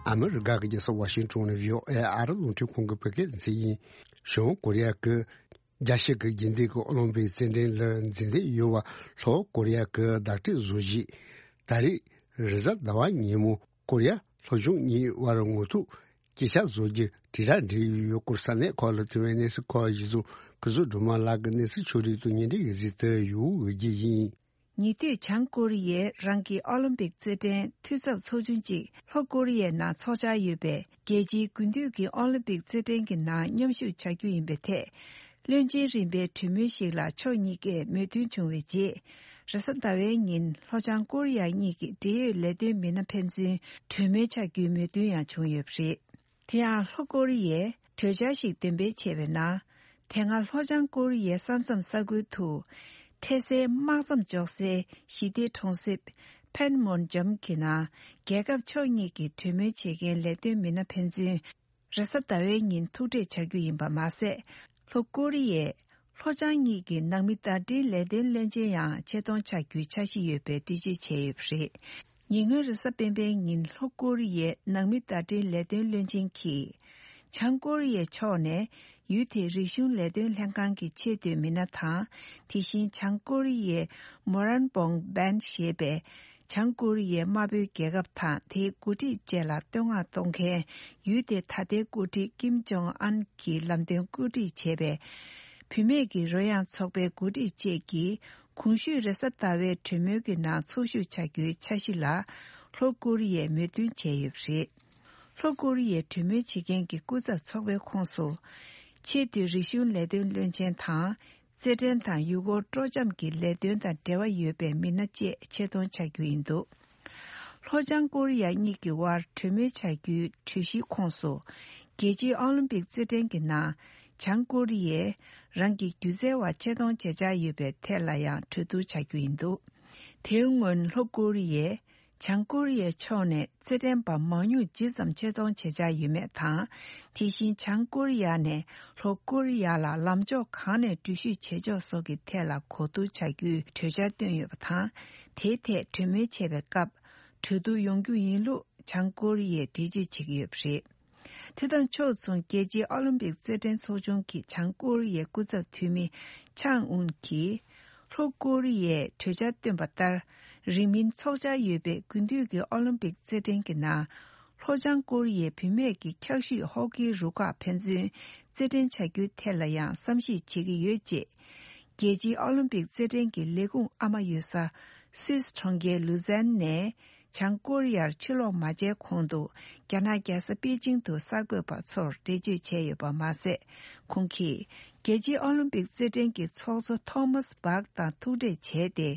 ཨ་མི་རི་ཀ་གི་རྒྱལ་ས་ཝ་ཤིང་ཊོན་ནས་བྷི་ཨོ་ཨེ་ཨ་རི་རླུང་འཕྲིན་ཁང་གི་བོད་སྐད་སྡེ་ཚན་ཡིན། བྱང་ཀོ་རི་ཡ་གི་རྒྱལ་སྤྱི་གི་རྒྱུན་ལྡན་གྱི་ཨོ་ལིམ་པིག་རྩེད་འགྲན་ལ་འཛིན་བདེ་ཡོད་པ་ལྷོ་ཀོ་རི་ཡ་གི་བརྡ་སྤྲོད་བཟོ་གཞིས་ད་རེས་རེས་གཟའ་ཟླ་བ་ཉིན་མོ་ཀོ་རི་ཡ་ལྷོ་ཕྱོགས་གཉིས་བར་ངོ་ཐུག་སྐད་ཆ་བཟོ་རྒྱུ་དྲིལ་བསྒྲགས་འབྲེལ་ཡོད་སྐོར་ས་གནས་ཁག་ལ་ཐོན་པའི་གནས་ཚུལ་ཁག་གཞི་བཟུང་གུ་ཟུ་སྒྲོལ་མ་ལགས་ཀྱིས་གནས་ཚུལ་ཕྱོགས་སྒྲིག་ཏུ་སྙན་སྒྲོན་ཡིག་ཟིག་ཏུ་ཡོད་འོས་ཀྱི་ཡིན། ཉེ་དུས་བྱང་ཀོ་རི་ཡས་རང་གི་ཨོ་ལིམ་པིག་རྩེད་འགྲན་འཐུས་ཚབ་ཚོགས་ཆུང་གཅིག་ལྷོ་ཀོ་རི་ཡའི་ནང་འཚོགས་འཆར་ཡོད་པའི་རྒྱལ་སྤྱིའི་དགུན་དུས་ཀྱི་ཨོ་ལིམ་པིག་རྩེད་འགྲན་གྱི་ནང་མཉམ་ཞུགས་བྱ་རྒྱུ་ཡིན་པའི་ཐད། བློན་ཆེན་རིམ་པའི་གྲོས་མོལ་ཞིག་ལ་ཕྱོགས་གཉིས་ཀས་མོས་མཐུན་བྱུང་བའི་རྗེས། རེས་གཟའ་ཟླ་བའི་ཉིན་ལྷོ་བྱང་ཀོ་རི་ཡ་གཉིས་ཀྱི་འབྲེལ་ཡོད་ལས་དོན་མི་སྣ་ཕན་ཚུན་གྲོས་མོལ་བྱ་རྒྱུའི་མོས་མཐུན་ཡང་བྱུང་ཡོད་པ་རེད། དེ་ཡང་ལྷོ་ཀོ་རི་ཡས་གྲོས་འཆར་ཞིག་འདོན་སྤེལ་བྱས་པའི་ནང་། དེ་སྔ་ལྷོ་བྱང་ཀོ་རི་ཡའི་ས་མཚམས་ས་ཁུལ་དུ། འཕྲལ་སེལ་དམག་མཚམས་འཇོག་སའི་ཞི་བདེ་གྲོང་གསེབ་ཕན་མོན་ཇམ་གྱི་ནང་རྒྱལ་ཁབ་ཕྱོགས་གཉིས་ཀྱི་གྲོས་མོལ་བྱེད་མཁན་ལས་དོན་མི་སྣ་ཕན་ཚུན། རེས་གཟའ་ཟླ་བའི་ཉིན་ཐུག་འཕྲད་བྱ་རྒྱུ་ཡིན་པ་མ་ཟད། ལྷོ་ཀོ་རི་ཡས་ལྷོ་བྱང་གཉིས་ཀྱི་ནང་མི་བརྡ་འཕྲིན་ལས་དོན་བློན་ཆེན་ཡང་ཆེད་གཏོང་བྱ་རྒྱུའི་འཆར་གཞི་ཡོད་པའི་འགྲེལ་བརྗོད་བྱས་ཡོད་པ་རེད། ཉེ་སྔོན་རེས་གཟའ་སྤེན་པའི་ཉིན་ལྷོ་ཀོ་རི་ཡའི་ནང་མི་བརྡ་འཕྲིན་ལས་དོན་བློན་ཆེན་གྱིས། བྱང་ཀོ་རི་ཡའི་ཕྱོགས་ནས་ཡུལ་དེའི་རིག་གཞུང་ལས་དོན་ལྷན་ཁང་གི་ཆེས་མཐོའི་མི་སྣ་དང་། དེ་བཞིན་བྱང་ཀོ་རི་ཡའི་མོ་རན་བོང་བན་ཞེས་པའི་བྱང་ཀོ་རི་ཡའི་དམར་པོའི་རྒྱལ་ཁབ་དང་དེའི་འགོ་ཁྲིད་བཅས་ལ་བསྟོད་བསྔགས་གཏོང་མཁན་ཡུལ་དེའི་ད་ལྟའི་འགོ་ཁྲིད་ཀིམ་ཇོང་ཨན་གྱི་ལམ་སྟོན་བཀོད་སྒྲིག་བྱས་པའི་བུད་མེད་ཀྱི་རོལ་དབྱངས་ཚོགས་པའི་འགོ་ཁྲིད་བཅས་ཀྱིས། གོང་ཞུས་རེས་གཟའ་ཟླ་བའི་གྲོས་མོལ་གྱི་ནང་ཚོགས་ཞུགས་བྱ་རྒྱུའི་འཆར་གཞི་ལ་ལྷོ་ཀོ་རི་ཡས་མོས་མཐུན་བྱས་ཡོད་པ་རེད། ལྷོ་ཀོ་རི་ཡའི་གྲོས་མོལ་བྱེད་མཁན་གྱི་སྐུ་ཚབ་ཚོགས་པའི་ཁོངས་སུ། ཆེས་མཐོའི་རིག་གཞུང་ལས་དོན་བློན་ཆེན་དང་། རྩེད་འགྲན་དང་ཡུལ་སྐོར་སྤྲོ་འཆམ་གྱི་ལས་དོན་དང་འབྲེལ་བ་ཡོད་པའི་མི་སྣ་བཅས་ཆེད་གཏོང་བྱ་རྒྱུ་ཡིན་འདུག་ལྷོ་བྱང་ཀོ་རི་ཡ་གཉིས་ཀྱི་དབར་གྲོས་མོལ་བྱ་རྒྱུའི་གྲོས་གཞིའི་ཁོངས་སུ། རྒྱལ་སྤྱིའི་ཨོ་ལིམ་པིག་རྩེད་འགྲན་གྱི་ནང་། བྱང་ཀོ་རི་ཡས་རང་གི་སྒྱུ་རྩལ་བ་ཆེད་གཏོང་བྱེད་འཆར་ཡོད་པའི་ཐད་ལ་ཡང་གྲོས་བསྡུར་བྱ་རྒྱུ་ཡིན་འདུག་དེའི་སྔོན་ལྷོ་ཀོ་རི་ཡས་བྱང་ཀོ་རི་ཡའི་ཕྱོགས་ནས་རྩེད་འགྲན་པ་མང་ཉུང་ཇི་ཙམ་ཆེད་གཏོང་བྱེད་འཆར་ཡོད་མེད་དང་། དེ་བཞིན་བྱང་ཀོ་རི་ཡ་ནས་ལྷོ་ཀོ་རི་ཡ་ལ་ལམ་ཕྱོགས་གང་ནས་འགྲུལ་བཞུད་བྱེད་ཕྱོགས་སོགས་ཀྱི་ཐད་ལ་གོ་བསྡུར་བྱ་རྒྱུའི་གྲོས་འཆར་བཏོན་ཡོད་པ་དང་། དེའི་ཐད་གྲོས་མོལ་བྱེད་པའི་སྐབས། གྲོས་བསྡུར་ཡོང་རྒྱུ་ཡིན་ལུགས་བྱང་ཀོ་རི་ཡས་འགྲེལ་བརྗོད་བྱེད་ཀྱི་ཡོད་པ་རེད། དེ་དང་ཕྱོགས་མཚུངས་རྒྱལ་སྤྱིའི་ཨོ་ལིམ་པིག་རྩེད་འགྲན་ཚོགས་ཆུང་གི་བྱང་ཀོ་རི་ཡའི་སྐུ་ཚབ་འཐུས་མི་ཆང་ཨུན་གྱིས། ལྷོ་ཀོ་རི་ཡས་གྲོས་འཆར་བཏོན་པ་ལྟར། རིང་མིན་འཚོགས་འཆར་ཡོད་པའི་དགུན་དུས་ཀྱི་ཨོ་ལིམ་པིག་རྩེད་འགྲན་གྱི་ནང་། ལྷོ་བྱང་ཀོ་རི་ཡའི་བུད་མེད་ཀྱི་འཁྱག་ཤུད་ཧོ་ཀིའི་རུ་ཁག་ཕན་ཚུན་རྩེད་འགྲན་བྱ་རྒྱུའི་ཐད་ལ་ཡང་བསམ་གཞིག་བྱེད་ཀྱི་ཡོད་ཅེས། རྒྱལ་སྤྱིའི་ཨོ་ལིམ་པིག་རྩེད་འགྲན་གྱི་ལས་ཁུངས་ཨ་མ་ཡོད་ས་སུད་སི་གྲོང་ཁྱེར་ལུ་ཛན་ནས་བྱང་ཀོ་རི་ཡར་ཕྱིར་ལོག་མ་བྱས་གོང་དུ། རྒྱ་ནག་རྒྱལ་ས་པེ་ཅིང་དུ་གསར་འགོད་པ་ཚོར་འགྲེལ་བརྗོད་བྱས་ཡོད་པ་མ་ཟད། ཁོང་གིས་རྒྱལ་སྤྱིའི་ཨོ་ལིམ་པིག་རྩེད་འགྲན་གྱི་ཚོགས་གཙོ་ཐོ་མཱས་བྷག་དང་ཐུག་འཕྲད་བྱས་ཏེ།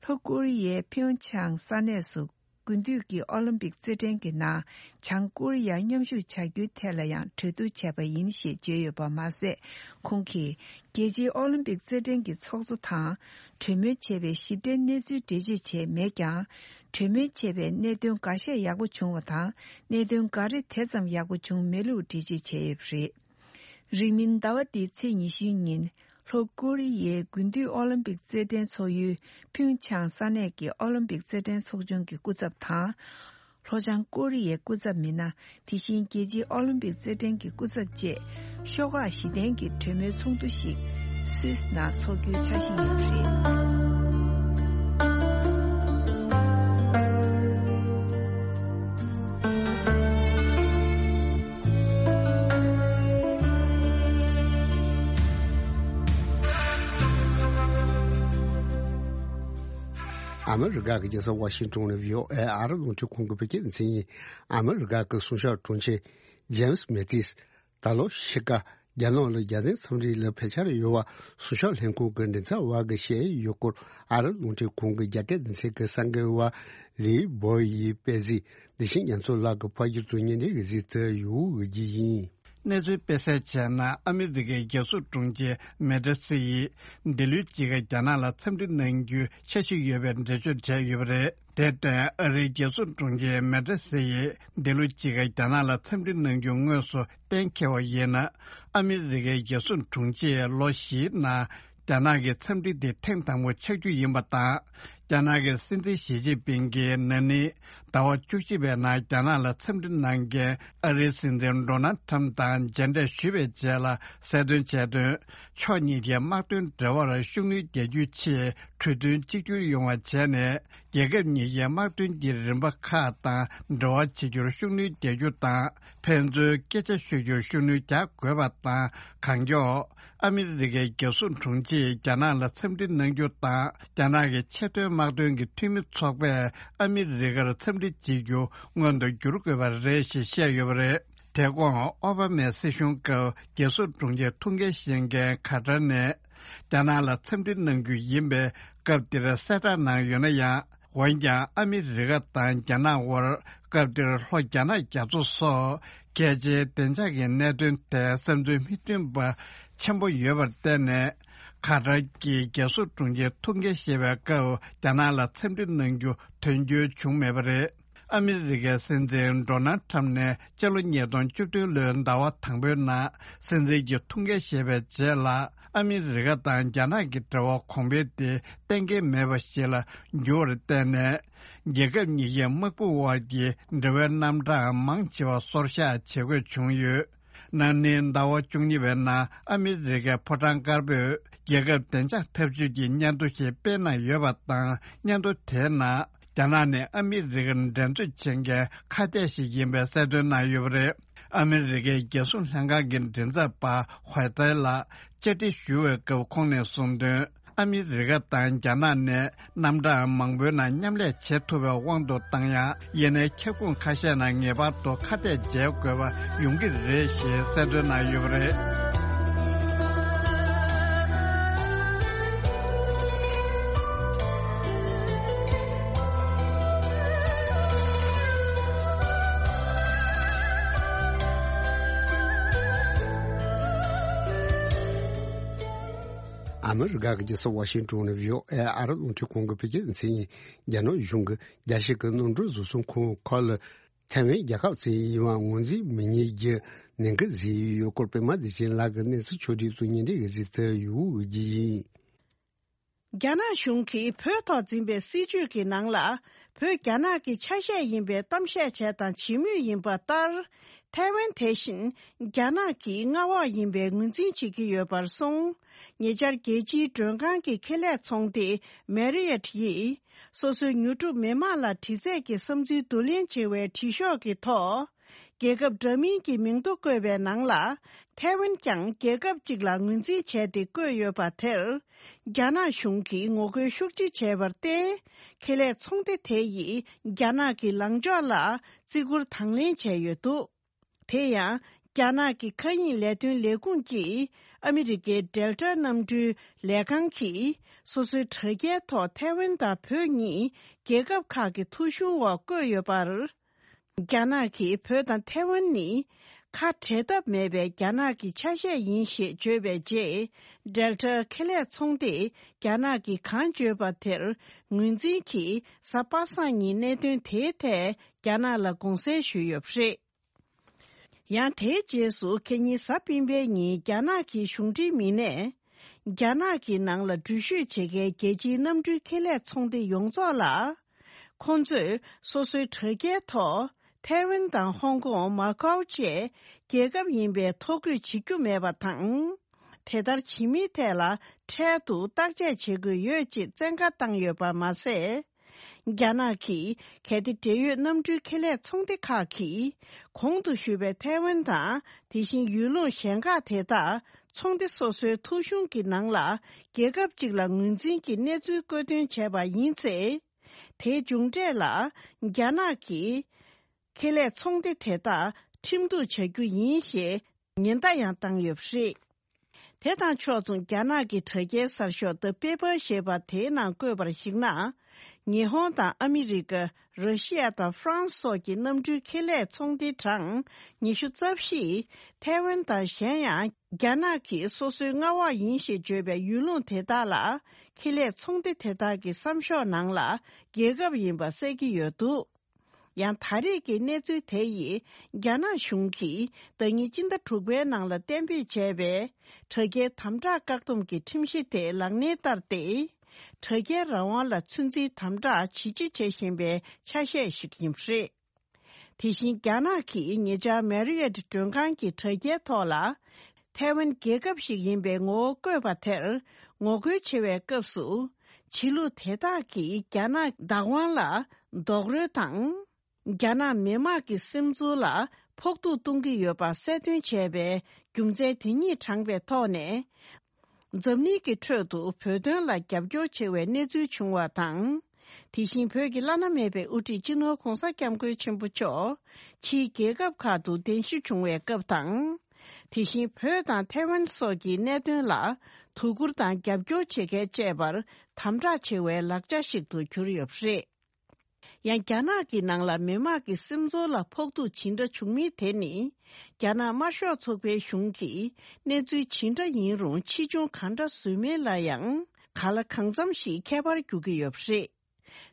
ལྷོ་ཀོ་རི་ཡའི་ཕིའུ་ཆང་ས་གནས་སུ། དགུན་དུས་ཀྱི་ཨོ་ལིམ་པིག་རྩེད་འགྲན་གྱི་ནང་བྱང་ཀོ་རི་ཡ་མཉམ་ཞུགས་བྱ་རྒྱུའི་ཐད་ལ་ཡང་གྲོས་བསྡུར་བྱས་པ་ཡིན་ཞེས་བརྗོད་ཡོད་པ་མ་ཟད། ཁོང་གིས་རྒྱལ་སྤྱིའི་ཨོ་ལིམ་པིག་རྩེད་འགྲན་གྱི་ཚོགས་གཙོ་དང་གྲོས་མོལ་བྱས་པའི་ཞིབ་ཕྲའི་གནས་ཚུལ་འགྲེལ་བརྗོད་བྱས་མེད་ཀྱང་། གྲོས་མོལ་བྱས་པའི་གནད་དོན་འགའ་ཤས་ཡག་པོ་བྱུང་བ་དང་། གནད་དོན་འགའ་རེ་དེ་ཙམ་ཡག་པོ་བྱུང་མེད་ལུགས་འགྲེལ་བརྗོད་བྱས་ཡོད་པ་རེད། རིང་མིན་ཟླ་བ་འདིའི་ཚེས་ཉི་ཤུའི་ཉིན། ལྷོ་ཀོ་རི་ཡའི་དགུན་དུས་ཨོ་ལིམ་པིག་རྩེད་འགྲན་ཚོགས་ཡུལ་ཕིའུ་ཆང་ས་གནས་ཀྱི་ཨོ་ལིམ་པིག་རྩེད་འགྲན་ཚོགས་ཆུང་གི་སྐུ་ཚབ་དང་། ལྷོ་བྱང་ཀོ་རི་ཡའི་སྐུ་ཚབ་མི་སྣ། དེ་བཞིན་རྒྱལ་སྤྱིའི་ཨོ་ལིམ་པིག་རྩེད་འགྲན་གྱི་སྐུ་ཚབ་བཅས་ཤོག་ཁག་བཞི་ལྡན་གྱི་གྲོས་མོལ་ཚོགས་འདུ་ཞིག་སུད་སི་ནང་འཚོགས་རྒྱུའི་འཆར་གཞི་ཡོད་པ་རེད། ཨ་མི་རི་ཀ་གི་རྒྱལ་ས་ཝ་ཤིང་ཏོན་ནས་བྷི་ཨོ་ཨེ་ཨ་རི་རླུང་འཕྲིན་ཁང་གི་བོད་སྐད་སྡེ་ཚན་ཡིན། ཨ་མི་རི་ཀ་གི་སྲུང་སྐྱོབ་དྲུང་ཆེ་ཇེམ་སི་མེ་ཏིས་ད་ལོ་ཕྱི་ཟླ་རྒྱ་ནག་ལ་རྒྱལ་བསྟན་འཚམས་འདྲི་ལ་ཕེབས་འཆར་ཡོད་པ་སྲུང་སྐྱོབ་ལྷན་ཁང་གི་མགྲིན་ཚབ་པ་གིས་བཤད་ཡོད་སྐོར་ཨ་རི་རླུང་འཕྲིན་ཁང་གི་རྒྱ་སྐད་སྡེ་ཚན་གྱི་གསར་འགོད་པ་ལི་བོ་ཡིས་སྤེལ་གཟིགས། འདི་བཞིན་རྒྱ་མཚོ་ལགས་ཀྱིས་ཕབ་སྒྱུར་དང་སྙན་སྒྲོན་གྱིས་གཟིགས་ཏེ་ཡོང་གི་ཡིན། གནས་ཚུལ་སྤེལ་གསལ་བྱས་ན། ཨ་མི་རི་ཀའི་རྒྱལ་སྲུང་དྲུང་ཆེ་མེ་ཏྲེ་སི་ཡིས་འདི་ལོའི་དཔྱིད་ཀ་རྒྱ་ནག་ལ་འཚམས་འདྲི་གནང་རྒྱུའི་འཆར་གཞི་ཡོད་པའི་འགྲེལ་བརྗོད་བྱས་ཡོད་པ་རེད། དེར་བརྟེན། ཨ་རིའི་རྒྱལ་སྲུང་དྲུང་ཆེ་མེ་ཏྲེ་སི་ཡིས་འདི་ལོའི་དཔྱིད་ཀ་རྒྱ་ནག་ལ་འཚམས་འདྲི་གནང་རྒྱུ་དངོས་སུ་གཏན་འཁེལ་བ་ཡིན་ན། ཨ་མི་རི་ཀའི་རྒྱལ་སྲུང་དྲུང་ཆེས་ལོ་བཞིའི་ནང་རྒྱ་ནག་གི་འཚམས་འདྲི་དེ་ཐེངས་དང་པོ་ཆགས་རྒྱུ་ཡིན་པ་དང་། རྒྱ་ནག་གི་སྲིད་འཛིན་ཞི་ཅིན་ཕིང་གིས་ན་ནིང་ ཟླ་བ་བཅུ་གཅིག་པའི་ནང་རྒྱ་ནག་ལ་འཚམས་འདྲི་གནང་མཁན་ཨ་རིའི་སྲིད་འཛིན་ཌོ་ནལ་ཁྲམ་དང་མཇལ་འཕྲད་ཞུས་པའི་རྗེས་ལ་གསལ་སྟོན་བྱས་དོན། ཕྱོགས་གཉིས་ཀྱི་དམག་དོན་འབྲེལ་བར་ཤུགས་སྣོན་རྒྱག་རྒྱུའི་ཆེད་གྲོས་མཐུན་གཅིག་གྱུར་ཡོང་བ་བྱས་ནས། རྒྱལ་ཁབ་གཉིས་ཀྱི་དམག་དོན་གྱི་རིམ་པ་ཁག་དང་འབྲེལ་བ་བྱེད་རྒྱུར་ཤུགས་སྣོན་རྒྱག་རྒྱུ་དང་། ཕན་ཚུན་སྐད་ཆ་ཤོད་རྒྱུར་ཤུགས་སྣོན་རྒྱག་དགོས་པ་དང་། གང་མགྱོགས་ཨ་མི་རི་ཀའི་རྒྱལ་སྲུང་དྲུང་ཆེས་རྒྱ་ནག་ལ་འཚམས་འདྲི་གནང་རྒྱུ་དང་། རྒྱ་ནག་གི་ཆེས་མཐོའི་དམག་དོན་གྱི་འཐུས་མི་ཚོགས་པས་ཨ་མི་རི་ཀར་འཚམས་འདྲི་བྱེད་རྒྱུ་སྔོན་དུ་འགྱུར་དགོས་པ་རེད་ཞེས་བཤད་ཡོད་པ་རེད། དེ་གོང་ཨོ་བྷ་མའི་སྲིད་གཞུང་སྐབས་རྒྱལ་སྲུང་དྲུང་ཆེ་ཐུགས་འགན་བཞེས་མཁན་ཁ་ཏར་ནས། རྒྱ་ནག་ལ་འཚམས་འདྲི་གནང་རྒྱུ་ཡིན་པའི་སྐབས་འདིར་གསལ་བསྒྲགས་གནང་ཡོད་ན་ཡང་། འོན་ཀྱང་ཨ་མི་རི་ཀ་དང་རྒྱ་ནག་དབར་སྐབས་འདིར་ལྷོ་རྒྱ་ནག་རྒྱ་མཚོ་སོགས་གལ་ཆེའི་བདེ་འཇགས་ཀྱི་གནད་དོན་ཐད་བསམ་ཚུལ་མི་མཐུན་པ་ཆེན་པོ་ཡོད་པར་བརྟེན་ནས། ཁ་ཏར་གྱིས་རྒྱལ་སྲུང་དྲུང་ཆེ་ཐུགས་འགན་བཞེས་པའི་སྐབས་རྒྱ་ནག་ལ་འཚམས་འདྲི་གནང་རྒྱུ་དོན་འཁྱོལ་བྱུང་མེད་པ་རེད། ཨ་མི་རི་ཀའི་སྲིད་འཛིན་ཌོ་ནལ་ཁྲམ་ནས་སྤྱི་ལོ་ཉིས་སྟོང་བཅུ་བདུན་ལོའི་ཟླ་བ་དང་པོའི་ནང་སྲིད་འཛིན་གྱི་ཐུགས་འགན་བཞེས་པའི་རྗེས་ལ། ཨ་མི་རི་ཀ་དང་རྒྱ་ནག་གི་འབྲེལ་བ་གོང་འཕེལ་དེ་གཏན་འཁེལ་མེད་པ་ཞིག་ལ་འགྱུར་བར་བརྟེན་ནས། རྒྱལ་ཁབ་གཉིས་ཀྱི་དམག་དཔུང་དབར་གྱི་འབྲེལ་བའི་རྣམ་གྲངས་མང་ཆེ་བ་སོར་བཞག་བྱེད་དགོས་བྱུང་ཡོད། ན་ནིང་ཟླ་བ་བཅུ་གཉིས་པའི་ནང་ཨ་མི་རི་ཀའི་ཕོ་བྲང་དཀར་པོས་རྒྱལ་ཁབ་བདེ་འཇགས་འཐབ་ཇུས་ཀྱི་སྙན་ཐོ་ཞིག་སྤེལ་གནང་ཡོད་པ་དང་། སྙན་ཐོ་དེའི་ནང་རྒྱ་ནག་ནས་ཨ་མི་རི་ཀར་འགྲན་རྩོད་བྱེད་མཁན་ཁ་གཏད་ཞིག་ཡིན་པའི་གསལ་སྟོན་གནང་ཡོད་པ་རེད། ཨ་མི་རི་ཀའི་རྒྱལ་སྲུང་ལྷན་ཁང་གི་མགྲིན་ཚབ་པ་ཧོའེ་ཏེ་ལ་བཅར་འདྲི་ཞུ་བའི་སྐབས་ཁོང་ནས་གསུངས་དོན། ཨ་མི་རི་ཀ་དང་རྒྱ་ནག་ནས་རྣམ་གྲངས་མང་པོའི་ནང་མཉམ་ལས་བྱེད་ཐུབ་པའི་དབང་དུ་བཏང་ཡང་། ཡིན་ནའི་ཁྱབ་ཁོངས་ཁ་ཤས་ནང་ངེས་པར་དུ་ཁ་གཏད་འཇལ་དགོས་པ་ཡོང་གི་རེད་ཞེས་གསལ་སྟོན་གནང་ཡོད་པ་རེད། ཨ་མི་རི་ཀ་གི་རྒྱལ་ས་ཝ་ཤིང་ཏོན་ནས་བྷི་ཨོ་ཨེ་ཨ་རི་རླུང་འཕྲིན་ཁང་གི་བོད་སྐད་སྡེ་ཚན་ཡིན། རྒྱ་ནག་གཞུང་གིས་རྒྱལ་སྤྱི་གི་གནམ་གྲུ་བཟོ་ཚོང་ཁང་ཁག་ལ་ཐའེ་ཝན་རྒྱལ་ཁབ་ཅིག་ཡིན་པ་ངོས་འཛིན་མི་ཉན་རྒྱུ་ནན་སྐུལ་བཟོས་ཡོད་སྐོར་པད་མ་བདེ་ཆེན་ལགས་ཀྱིས་གནས་ཚུལ་ཕྱོགས་བསྒྲིགས་སུ་ཉན་འདྲི་གི་གཟིགས་ཐོ་ཡུ་གུ་བརྒྱུད་ཡིན། རྒྱ་ནག་གཞུང་གིས་བོད་ཐོག་འཛིན་པའི་སྲིད་བྱུས་ཀྱི་ནང་ལ། བོད་རྒྱ་ནག་གི་ཆ་ཤས་ཡིན་པའི་གཏམ་བཤད་བྱས་དང་བྱེད་མུས་ཡིན་པ་ལྟར། ཐའེ་ཝན་དེ་བཞིན་རྒྱ་ནག་གི་མངའ་འོག་ཡིན་པའི་ངོས་འཛིན་བྱེད་ཀྱི་ཡོད་པར་སོང་། ཉེ་ཆར་རྒྱལ་སྤྱིའི་མགྲོན་ཁང་གི་ཁེ་ལས་ཚོང་སྡེ་མེ་རི་ཡོད་ཡིས། སོ་སོའི་ཉོ་སྒྲུབ་མི་དམངས་ལ་དྲི་རྩད་ཀྱི་བསམ་ཚུལ་བསྡུ་ལེན་བྱེད་པའི་དྲི་ཤོག་གི་ཐོག་རྒྱལ་ཁབ་འདྲ་མིན་གྱི་མིང་ཐོ་བཀོད་པའི་ནང་ལ། ཐའེ་ཝན་ཀྱང་རྒྱལ་ཁབ་ཅིག་ལ་ངོས་འཛིན་བྱས་ཏེ་བཀོད་ཡོད་པ་དེར། རྒྱ་ནག་གཞུང་གིས་ངོ་རྒོལ་ཤུགས་ཆེ་བྱས་པར་བརྟེན། ཁེ་ལས་ཚོང་སྡེ་དེ་ཡིས་རྒྱ་ནག་གི་ལངས་ཕྱོགས་ལ་བརྩི་བཀུར་དང་ལེན་བྱས་ཡོད་འདུག་དེ་ཡང་། རྒྱ་ནག་གི་མཁའ་དབྱིངས་ལས་དོན་ལས་ཁུངས་ཀྱིས་ཨ་མི་རི་ཀའི་ཌེལ་ཊ་གནམ་གྲུའི་ལས་ཁང་གིས་སོ་སོའི་དྲ་རྒྱའི་ཐོག་ཐའེ་ཝན་དང་བོད་གཉིས་རྒྱལ་ཁབ་ཁག་གི་ཐོ་གཞུང་འོག་བཀོད་ཡོད་པར། རྒྱ་ནག་གིས་བོད་དང་ཐའེ་ཝན་ནི་ཁ་བྲལ་ཐབས་མེད་པའི་རྒྱ་ནག་གི་ཆ་ཤས་ཡིན་ཞེས་བརྗོད་པའི་རྗེས། ཌེལ་ཊ་ཁེ་ལས་ཚོང་སྡེས་རྒྱ་ནག་གིས་གང་བརྗོད་པ་དེར་ངོས་འཛིན་གྱིས། གཟའ་པ་སངས་ཉིན་གནད་དོན་དེའི་ཐད་རྒྱ་ནག་ལ་དགོངས་སེལ་ཞུས་ཡོད་པ་རེད། ཡང་། དེའི་རྗེས་སུ་ཁ་ཉིན་གཟའ་སྤེན་པའི་ཉིན་རྒྱ་ནག་གི་གཞུང་འབྲེལ་མི་སྣས། རྒྱ་ནག་གི་ནང་ལ་འགྲུལ་བཞུད་བྱེད་མཁན་རྒྱལ་སྤྱིའི་གནམ་གྲུའི་ཁེ་ལས་ཚོང་སྡེ་ཡོངས་རྫོགས་ལ། ཁོང་ཚོས་སོ་སོའི་དྲ་རྒྱའི་ཐོག་ཐའེ་ཝན་དང་ཧོང་ཀོང་། མ་ཀའོ་བཅས་རྒྱལ་ཁབ་ཡིན་པའི་ཐོ་འགོད་བྱེད་རྒྱུ་མེད་པ་དང་། དེ་ལྟར་བྱེད་མིན་ཐད་ལ་འཕྲལ་དུ་བརྟག་དཔྱད་བྱེད་དགོས་ཡོད་ཅེས་བཙན་བཀའ་བཏང་ཡོད་པ་མ་ཟད། རྒྱ་ནག་གིས་གལ་ཏེ་འབྲེལ་ཡོད་གནམ་གྲུའི་ཁེ་ལས་ཚོང་སྡེ་ཁག་གིས་གོང་དུ་ཞུས་པའི་ཐའེ་ཝན་དང་། དེ་བཞིན་ཡུལ་ལུང་གཞན་ཁག་དེ་དག་ཚོང་སྡེ་སོ་སོའི་ཐོ་གཞུང་གི་ནང་ལ་རྒྱལ་ཁབ་ཅིག་ལ་ངོས་འཛིན་གྱི་གནས་ཚུལ་བཀོད་དོན་བྱས་པ་ཡིན་ཚེ། དེའི་མཇུག་འབྲས་ལ་རྒྱ་ནག་གིས་ཁེ་ལས་ཚོང་སྡེ་དེ་དག་ཁྲིམས་གཏུག་བྱ་རྒྱུ་ཡིན་ཞེས་ཉེན་བརྡ་ཡང་བཏང་ཡོད་པ་རེད། དེ་དང་ཕྱོགས་མཚུངས། རྒྱ་ནག་གི་དྲ་རྒྱའི་གསར་ཤོག་The Paper ཞེས་པ་དེའི་ནང་བཀོད་པར་གཞིགས་ན། ཉི་ཧོང་དང་ཨ་མི་རི་ཀ། ར་ཤི་ཡ་དང་ཧྥ་རན་སི་སོགས་ཀྱི་གནམ་གྲུའི་ཁེ་ལས་ཚོང་སྡེ་གྲངས་ཉི་ཤུ་རྩ་བཞིས། ཐའེ་ཝན་དང་གཞན་ཡང་རྒྱ་ནག་གིས་སོ་སོའི་མངའ་འོག་ཡིན་ཞེས་བརྗོད་པའི་ཡུལ་ལུང་དེ་དག་ལ་ཁེ་ལས་ཚོང་སྡེ་དེ་དག་གི་བསམ་ཤོག་ནང་ལ་རྒྱལ་ཁབ་ཡིན་པ་གསལ་གྱི་ཡོད་འདུག་ཡང་ད་རེས་ཀྱི་གནས་ཚུལ་དེ་ཡིས་རྒྱ་ནག་གཞུང་གིས་ཟླ་ཉིན་སྤྱི་ཟླ་དྲུག་པའི་ནང་ལ་གཏན་འབེབས་བྱས་པའི་དྲ་རྒྱའི་དམ་དྲག་བཀག་སྡོམ་གྱི་ཁྲིམས་གཞི་དེ་ལག་ལེན་བསྟར་ཏེ། དྲ་རྒྱའི་རང་དབང་ལ་ཚོད་འཛིན་དམ་དྲག་ཇེ་ཆེ་བྱེད་བཞིན་པའི་ཆ་ཤས་ཤིག་ཡིན་པ་རེད། དེ་བཞིན་རྒྱ་ནག་གིས་ཉེ་ཆར་མེ་རི་ཡོད་མགྲོན་ཁང་གི་དྲ་རྒྱའི་ཐོག་ལ། ཐའེ་ཝན་རྒྱལ་ཁབ་ཞིག་ཡིན་པའི་ངོ་བོ་བཀོད་པ་དེར་ངོ་རྒོལ་བྱེད་པའི་སྐབས་སུ། ཕྱི་ལུགས་དེ་དག་གིས་རྒྱ་ནག་བདག་དབང་ལ་རྡོག་རོལ་དང་། རྒྱ་ནག་མི་དམངས་ཀྱི་སེམས་ཚོར་ལ་ཕོག་ཐུག་གཏོང་གི་ཡོད་པ་གསལ་སྟོན་བྱས་པའི་རྒྱུ་མཚན་དེ་ཉིད་དྲངས་པའི་ཐོག་ནས། འཛམ་གླིང་གི་ཁྲོད་དུ་བོད་དོན་ལ་རྒྱབ་སྐྱོར་ཆེ་བའི་གནས་ཚུལ་བྱུང་བ་དང་། དེ་བཞིན་བོད་ཀྱི་བླ་ན་མེད་པའི་དབུ་ཁྲིད་སྤྱི་ནོར་༧གོང་ས་༧སྐྱབས་མགོན་ཆེན་པོ་མཆོག་ཕྱིའི་རྒྱལ་ཁབ་ཁག་ཏུ་གདན་ཞུ་བྱུང་བའི་སྐབས་དང་། དེ་བཞིན་བོད་དང་ཐའེ་ཝན་སོགས་ཀྱི་གནད་དོན་ལ་དོ་ཁུར་དང་རྒྱབ་སྐྱོར་བྱེད་མཁན་བཅས་པར་དམ་དྲག་ཆེ་བའི་ལག་ཆ་ཞིག་ཏུ་གྱུར་ཡོད་པ་རེད། ཡང་རྒྱ་ནག་གི་ནང་ལ་མི་དམངས་ཀྱི་སེམས་ཚོར་ལ་ཕོག་ཐུག་ཇི་འདྲ་བྱུང་མིན་དེ་ནི། རྒྱ་ནག་དམར་ཤོག་ཚོགས་པའི་གཞུང་གིས་གནས་ཚུལ་ཇི་འདྲ་ཡིན་རུང་ཕྱིས་འབྱུང་གང་འདྲ་བཟོས་མིན་ལ་ཡང་གང་ལ་གང་འཚམ་ཞིག་ཁྱད་པར་འགྱུར་གྱི་ཡོད་པ་རེད།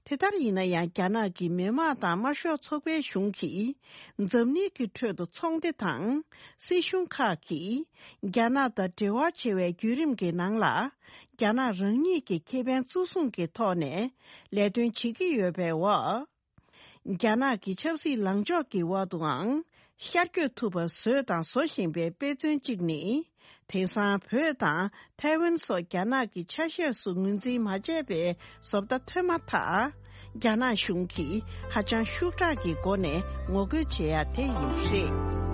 དེ་ལྟར་ཡིན་ན་ཡང་རྒྱ་ནག་གི་མི་དམངས་དང་དམར་ཤོག་ཚོགས་པའི་གཞུང་གིས་འཛམ་གླིང་གི་ཁྲོད་དུ་ཚོགས་སྡེ་དང་སྲིད་གཞུང་ཁག་གིས་རྒྱ་ནག་དང་འབྲེལ་བ་ཆེ་བའི་བརྒྱུད་རིམ་གྱི་ནང་ལ། རྒྱ་ནག་རང་ཉིད་ཀྱི་ཁེ་ཕན་གཙོ་བཟུང་གི་ཐོག་ནས་ལས་དོན་བྱེད་ཀྱི་ཡོད་པའི་འོག་རྒྱ་ནག་གི་ཆབ་སྲིད་ལངས་ཕྱོགས་ཀྱི་འོག་ཏུའང་ཤར་བསྐྱོད་ཐུབ་པ་བཟོས་དང་བཟོ་བཞིན་པའི་དཔེ་མཚོན་གཅིག་ནི། དེང་སང་བོད་དང་ཐའེ་ཝན་སོགས་རྒྱ་ནག་གི་ཆ་ཤས་སུ་ངོས་འཛིན་མ་བྱས་པའི་བཟོ་ལྟ་ཐོན་མ་ཐག་རྒྱ་ནག་གཞུང་གིས་ཧ་ཅང་ཤུགས་དྲག་གི་སྒོ་ནས་ངོ་རྒོལ་བྱེད་ཡ་དེ་ཡིན་པ་རེད།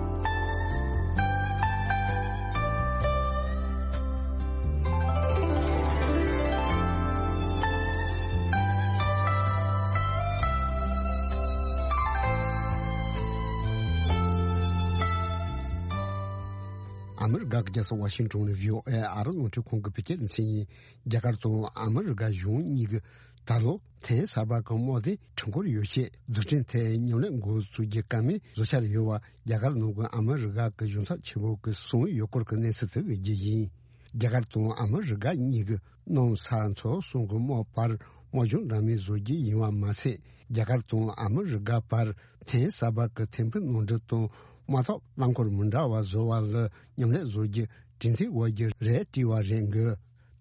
ཨ་མི་རི་ཀ་གི་རྒྱལ་ས་ཝ་ཤིང་ཏོན་ནས་བྷི་ཨོ་ཨེ་ཨ་རི་རླུང་འཕྲིན་ཁང་གི་བོད་སྐད་སྡེ་ཚན་ཡིན། རྒྱ་གར་དང་ཨ་མི་རི་ཀ་གཞུང་གཉིས་ཀྱིས་ད་ལོ་ཐེངས་གསར་པ་གི་དམག་དོན་གྲོས་འགོར་ཡོ་བྱད་རྫུན་འཕྲིན་ཐད་མཉམ་ལས་འགོ་འཛུགས་རྒྱུ་བཀའ་མོལ་བཟོ་འཆར་ཡོད་པ་རྒྱ་གར་ནང་གི་ཨ་མི་རི་ཀ་གི་གཞུང་ཚབ་ཆེན་མོ་གིས་གསུངས་ཡོད་སྐོར་གྱི་གནས་ཚུལ་དེ་སྤེལ་རྒྱུ་ཡིན། རྒྱ་གར་དང་ཨ་མི་རི་ཀ་གཉིས་ཀྱིས་གནམ་ས་མཚོ་གསུམ་གྱི་དམག་བར་དམག་སྦྱོང་འདྲ་མིན་བཟོ་རྒྱུ་ཡིན་པ་མ་ཟད། རྒྱ་གར་དང་ཨ་མི་རི་ཀ་བར་ཐེངས་གསར་པ་གི་ཐེམ་སྤུ་ནང་འདྲེན་དང་དམག་འཐབ་རླངས་འཁོར་མི་འདྲ་བ་བཟོ་བ་ལ་མཉམ་ལས་བཟོ་རྒྱུ་གྲོས་མཐུན་འོག་གི་རེད་བྲིས་པ་རེད་འདུག་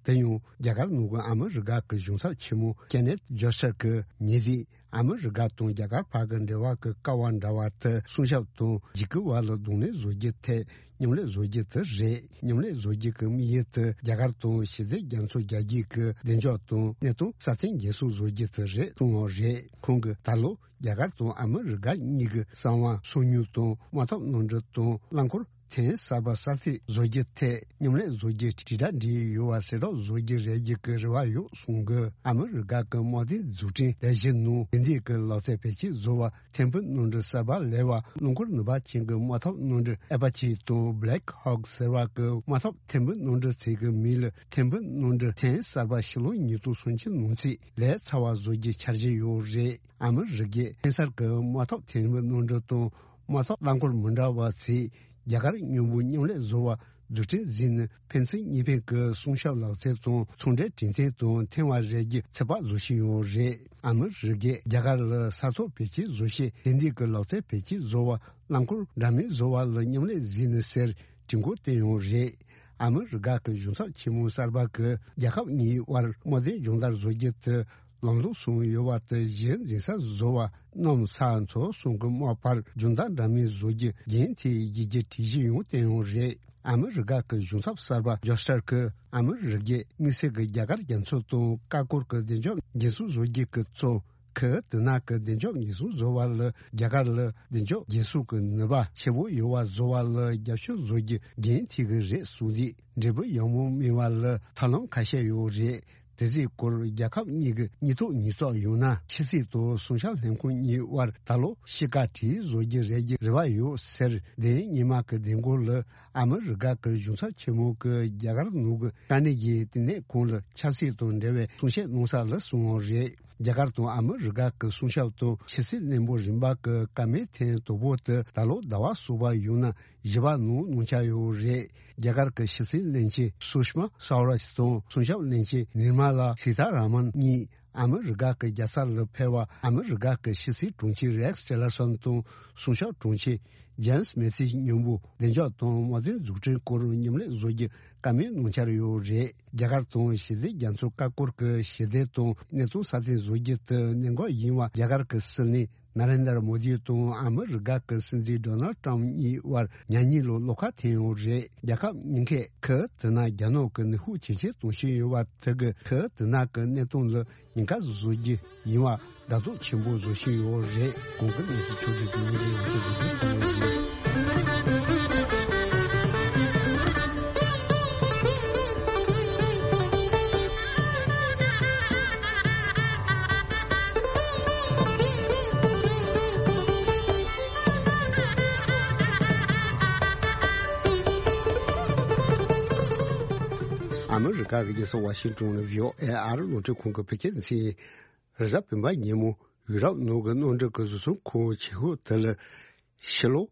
དེ་ཡང་རྒྱ་གར་ནང་གི་ཨ་མི་རི་ཀ་གི་གཞུང་ཚབ་ཆེན་མོ་ཀེ་ནེཐ་ཇོ་སར་གྱིས་ཉེ་དུས་ཨ་མི་རི་ཀ་དང་རྒྱ་གར་བར་གྱི་འབྲེལ་བ་གྱི་ཀ་བ་འདྲ་བ་དེ་སྲུང་སྐྱོབ་དང་འཇིགས་སྐུལ་བར་ལ་གདོང་ལེན་བཟོ་རྒྱུ་ཐད་མཉམ་ལས་བཟོ་རྒྱུ་དེ་རེད། མཉམ་ལས་བཟོ་རྒྱུ་གི་དམིགས་ཡུལ་དེ་རྒྱ་གར་དང་ཞི་བདེ་རྒྱ་མཚོ་རྒྱ་སྐྱེད་ཀྱི་བདེ་འཇགས་དང་གནས་སྟངས་སྲ་བརྟན་འགན་སྲུང་བཟོ་རྒྱུ་དེ་རེད་གསུངས་པ་རེད། ཁོང་གིས་ད་ལོ་རྒྱ་གར་དང་ཨ་མི་རི་ཀ་གཉིས་ཀྱི་གསང་བ་སོ་ཉུལ་དང་དམག་འཐབ་མནའ་འབྲེལ་དང་རླངས་འཁོར་ཐེངས་གསར་པ་གསར་གཏོད་བཟོ་རྒྱུ་ཐད་མཉམ་ལས་བཟོ་རྒྱུ་དྲིལ་བསྒྲགས་འབྲེལ་ཡོད་པ་གསལ་བསྒྲགས་བཟོ་རྒྱུ་རེད་རྒྱུ་གི་རེ་བ་ཡོད་གསུངས་དགོས། ཨ་མི་རི་ཀ་གི་དམག་དོན་རྫུན་འཕྲིན་ལས་གཞི་ནང་དེ་འདྲའི་གི་ལག་རྩལ་བེད་སྤྱོད་བཟོ་བ་ཐེམ་སྤུ་མནའ་འབྲེལ་གསར་པ་ལས་པ་རླངས་འཁོར་ནུས་པ་ཅན་གྱི་དམག་འཐབ་མནའ་འབྲེལ་ཨེ་པ་ཆེ་དང་Black Hawk་ཟེར་བ་གི་དམག་འཐབ་ཐེམ་སྤུ་མནའ་འབྲེལ་ཚིག་གི་མིང་ལ་ཐེམ་སྤུ་མནའ་འབྲེལ་ཐེངས་གསར་པ་ཕྱི་ལོ་ཉིས་སྟོང་སུམ་ཅུ་ནང་ཚུད་ལས་ཚར་བ་བཟོ་རྒྱུའི་འཆར་གཞི་ཡོད་རེད། ཨ་མི་རི་ཀས་ཐེངས་གསར་གྱི་དམག་འཐབ་ཐེམ་སྤུ་མནའ་འབྲེལ་དང་དམག་འཐབ་རླངས་འཁོར་མི་འདྲ་བ་ཚོས་རྒྱ་གར་མཉམ་པོ་མཉམ་ལས་བཟོ་བ་རྫུན་འཕྲིན་ཟིན་ནས་ཕན་ཚུན་གཉིས་ཕན་གྱི་སྲུང་སྐྱོབ་ལག་རྩལ་དང་ཚོང་འབྲེལ་གྲོས་མཐུན་དང་མཐུན་པ་རེད་རྒྱུ་ཚོད་དཔག་བཟོ་བཞིན་ཡོད་རེད། ཨ་མི་རི་ཀས་རྒྱ་གར་ལ་ས་ཐོག་བེད་སྤྱོད་བཟོ་ཆེད་དེ་འདྲའི་གི་ལག་རྩལ་བེད་སྤྱོད་བཟོ་བ་རླངས་འཁོར་འདྲ་མིན་བཟོ་བ་ལ་མཉམ་ལས་ཟིན་ནས་ཟེར་གྲོས་འགོ་བཏོན་ཡོད་རེད། ཨ་མི་རི་ཀ་གི་གཞུང་ཚབ་ཆེན་མོ་གསར་པ་གིས་རྒྱལ་ཁབ་གཉིས་དབར་དམག་དོན་སྦྱོང་བརྡར་བཟོ་རྒྱུ་དེ་ལམ་ལྷོང་སོང་ཡོད་པ་དེ་གཞི་འཛིན་ས་བཟོ་བ་གནམ་ས་མཚོ་གསུམ་གྱི་དམག་བར་སྦྱོང་བརྡར་འདྲ་མིན་བཟོ་རྒྱུ་རྒྱུན་མཐུད་ཡོད་རྒྱུ་གི་གྲོས་གཞི་ཡང་བཏོན་ཡོད་རེད། ཨ་མི་རི་ཀ་གི་གཞུང་ཚབ་གསར་པ་ཇོ་སར་གྱིས་ཨ་མི་རི་ཀས་དམིགས་བསལ་གྱི་རྒྱ་གར་རྒྱ་མཚོ་དང་ཀ་ཀོར་གྱི་བདེ་འཇགས་འགན་སྲུང་བཟོ་རྒྱུ་གི་གཙོ་གི་དེ་ནང་གི་བདེ་འཇགས་འགན་སྲུང་བཟོ་བ་ལ་རྒྱ་གར་ལ་བདེ་འཇགས་འགན་སྲུང་གི་ནུས་པ་ཆེ་བོ་ཡོད་པ་བཟོ་བ་ལ་རྒྱབ་སྐྱོར་བཟོ་རྒྱུ་རྒྱུན་མཐུད་ཀྱི་རེད་གསུངས་རྗེས་འབྲས་བུ་ཡག་མོ་སྨིན་པ་ལ་ཐབས་ལམ་ཁ་ཤས་ཡོད་རེད། དེ་ཚོའི་སྐོར་རྒྱལ་ཁབ་གཉིས་ཀྱི་གཉིས་ཐོག་ཉིས་ཐོག་ཡང་ན་ཕྱི་སྲིད་དང་སྲུང་སྐྱོབ་ལྷན་ཁང་གཉིས་དབར་ད་ལོ་ཕྱི་བཀའ་དྲིས་བཟོ་རྒྱུ་རེད་རྒྱུ་རེ་བ་ཡོད་ཟེར། དེ་ཉི་མ་གི་བདེ་འགོད་ལ་ཨ་མི་རི་ཀ་གི་གཞུང་ཚབ་ཆེན་མོ་གིས་རྒྱ་གར་ནང་གི་དཀའ་གནད་ཀྱི་བསྟི་གནས་ཁང་ལ་ཆབ་སྲིད་དང་འབྲེལ་བའི་གསུང་བཤད་གནང་ས་ལ་གསུངས་པ་རེད། རྒྱ་གར་དང་ཨ་མི་རི་ཀ་གི་སྲུང་སྐྱོབ་དང་ཕྱི་སྲིད་བློན་པོ་རིམ་པ་གི་བཀའ་མོལ་ཐེངས་དང་པོ་དེ་ད་ལོ་ཟླ་བ་གསུམ་པ་ཡང་ན་བཞི་པ་ནང་གནང་འཆར་ཡོད་རེད། རྒྱ་གར་གྱི་ཕྱི་སྲིད་བློན་ཆེན་སུ་ཤྨ་སྭ་ཝ་རཱཇ་དང་སྲུང་སྐྱོབ་བློན་ཆེན་ནིར་མ་ལ་སི་ཐ་ར་མན་གཉིས་ ཨ་མི་རི་ཀ་གི་རྒྱལ་ས་ལ་ཕེབས་པ། ཨ་མི་རི་ཀ་གི་ཕྱི་སྲིད་དྲུང་ཆེ་རེག་སི་ཊི་ལར་སོན་དང་། སྲུང་སྐྱོབ་དྲུང་ཆེ་ཇེམ་སི་མེ་ཐིས་མཉམ་པོ་བདེ་འཇགས་དང་དམག་དོན་འཛུགས་སྐྲུན་སྐོར་མཉམ་ལས་བཟོ་རྒྱུ་བཀའ་མོལ་གནང་འཆར་ཡོད་རེད། རྒྱ་གར་དང་ཞི་བདེ་རྒྱ་མཚོ་ཁ་སྐོར་གྱི་ཞི་བདེ་དང་གནས་སྟངས་སྲ་བརྟན་བཟོ་རྒྱུ་དེ་གནད་འགག་ཡིན་པ་རྒྱ་གར་གྱི་སྲིད་བློན་ན་རེན་དར་མོ་དི་དང་ཨ་མི་རི་ཀ་གི་སྲིད་འཛིན་ཌོ་ནལ་ཊམ་གཉིས་དབར་ཉག་གཉིས་ལོ་བློ་ཁ་འཐེན་ཡོད་རེད། རྒྱལ་ཁབ་གཉིས་ཀས་ཁུལ་དེ་ན་རྒྱ་ནག་གི་ནུས་ཤུགས་ཇེ་ཆེར་གཏོང་བཞིན་ཡོད་པ་དེ་གིས་ཁུལ་དེ་ན་གི་གནས་སྟངས་ལ་ཉེན་ཁ་བཟོ་རྒྱུ་ཡིན་པ་དགའ་སྡུག་ཆེན་པོ་བཟོ་བཞིན་ཡོད་རེད། གོང་གི་གནས་ཚུལ་ཕྱོགས་སྒྲིག་གི་ཉིན་རེའི་ཡང་ཆེད་དུ་གསུངས་ཡོད། ཨ་མི་རི་ཀ་གི་རྒྱལ་ས་ཝ་ཤིང་ཏོན་ནས་བྷི་ཨོ་ཨེ་ཨ་རི་རླུང་འཕྲིན་ཁང་གི་བོད་སྐད་སྡེ་ཚན། རེས་གཟའ་སྤེན་པ་ཉིན་མོ་ཡུ་རོབ་ནང་གི་མནའ་འབྲེལ་གྱི་བཟོ་ཚོང་ཁང་ཆེ་ཤོས་དེ་ལ་ཕྱི་ལོ་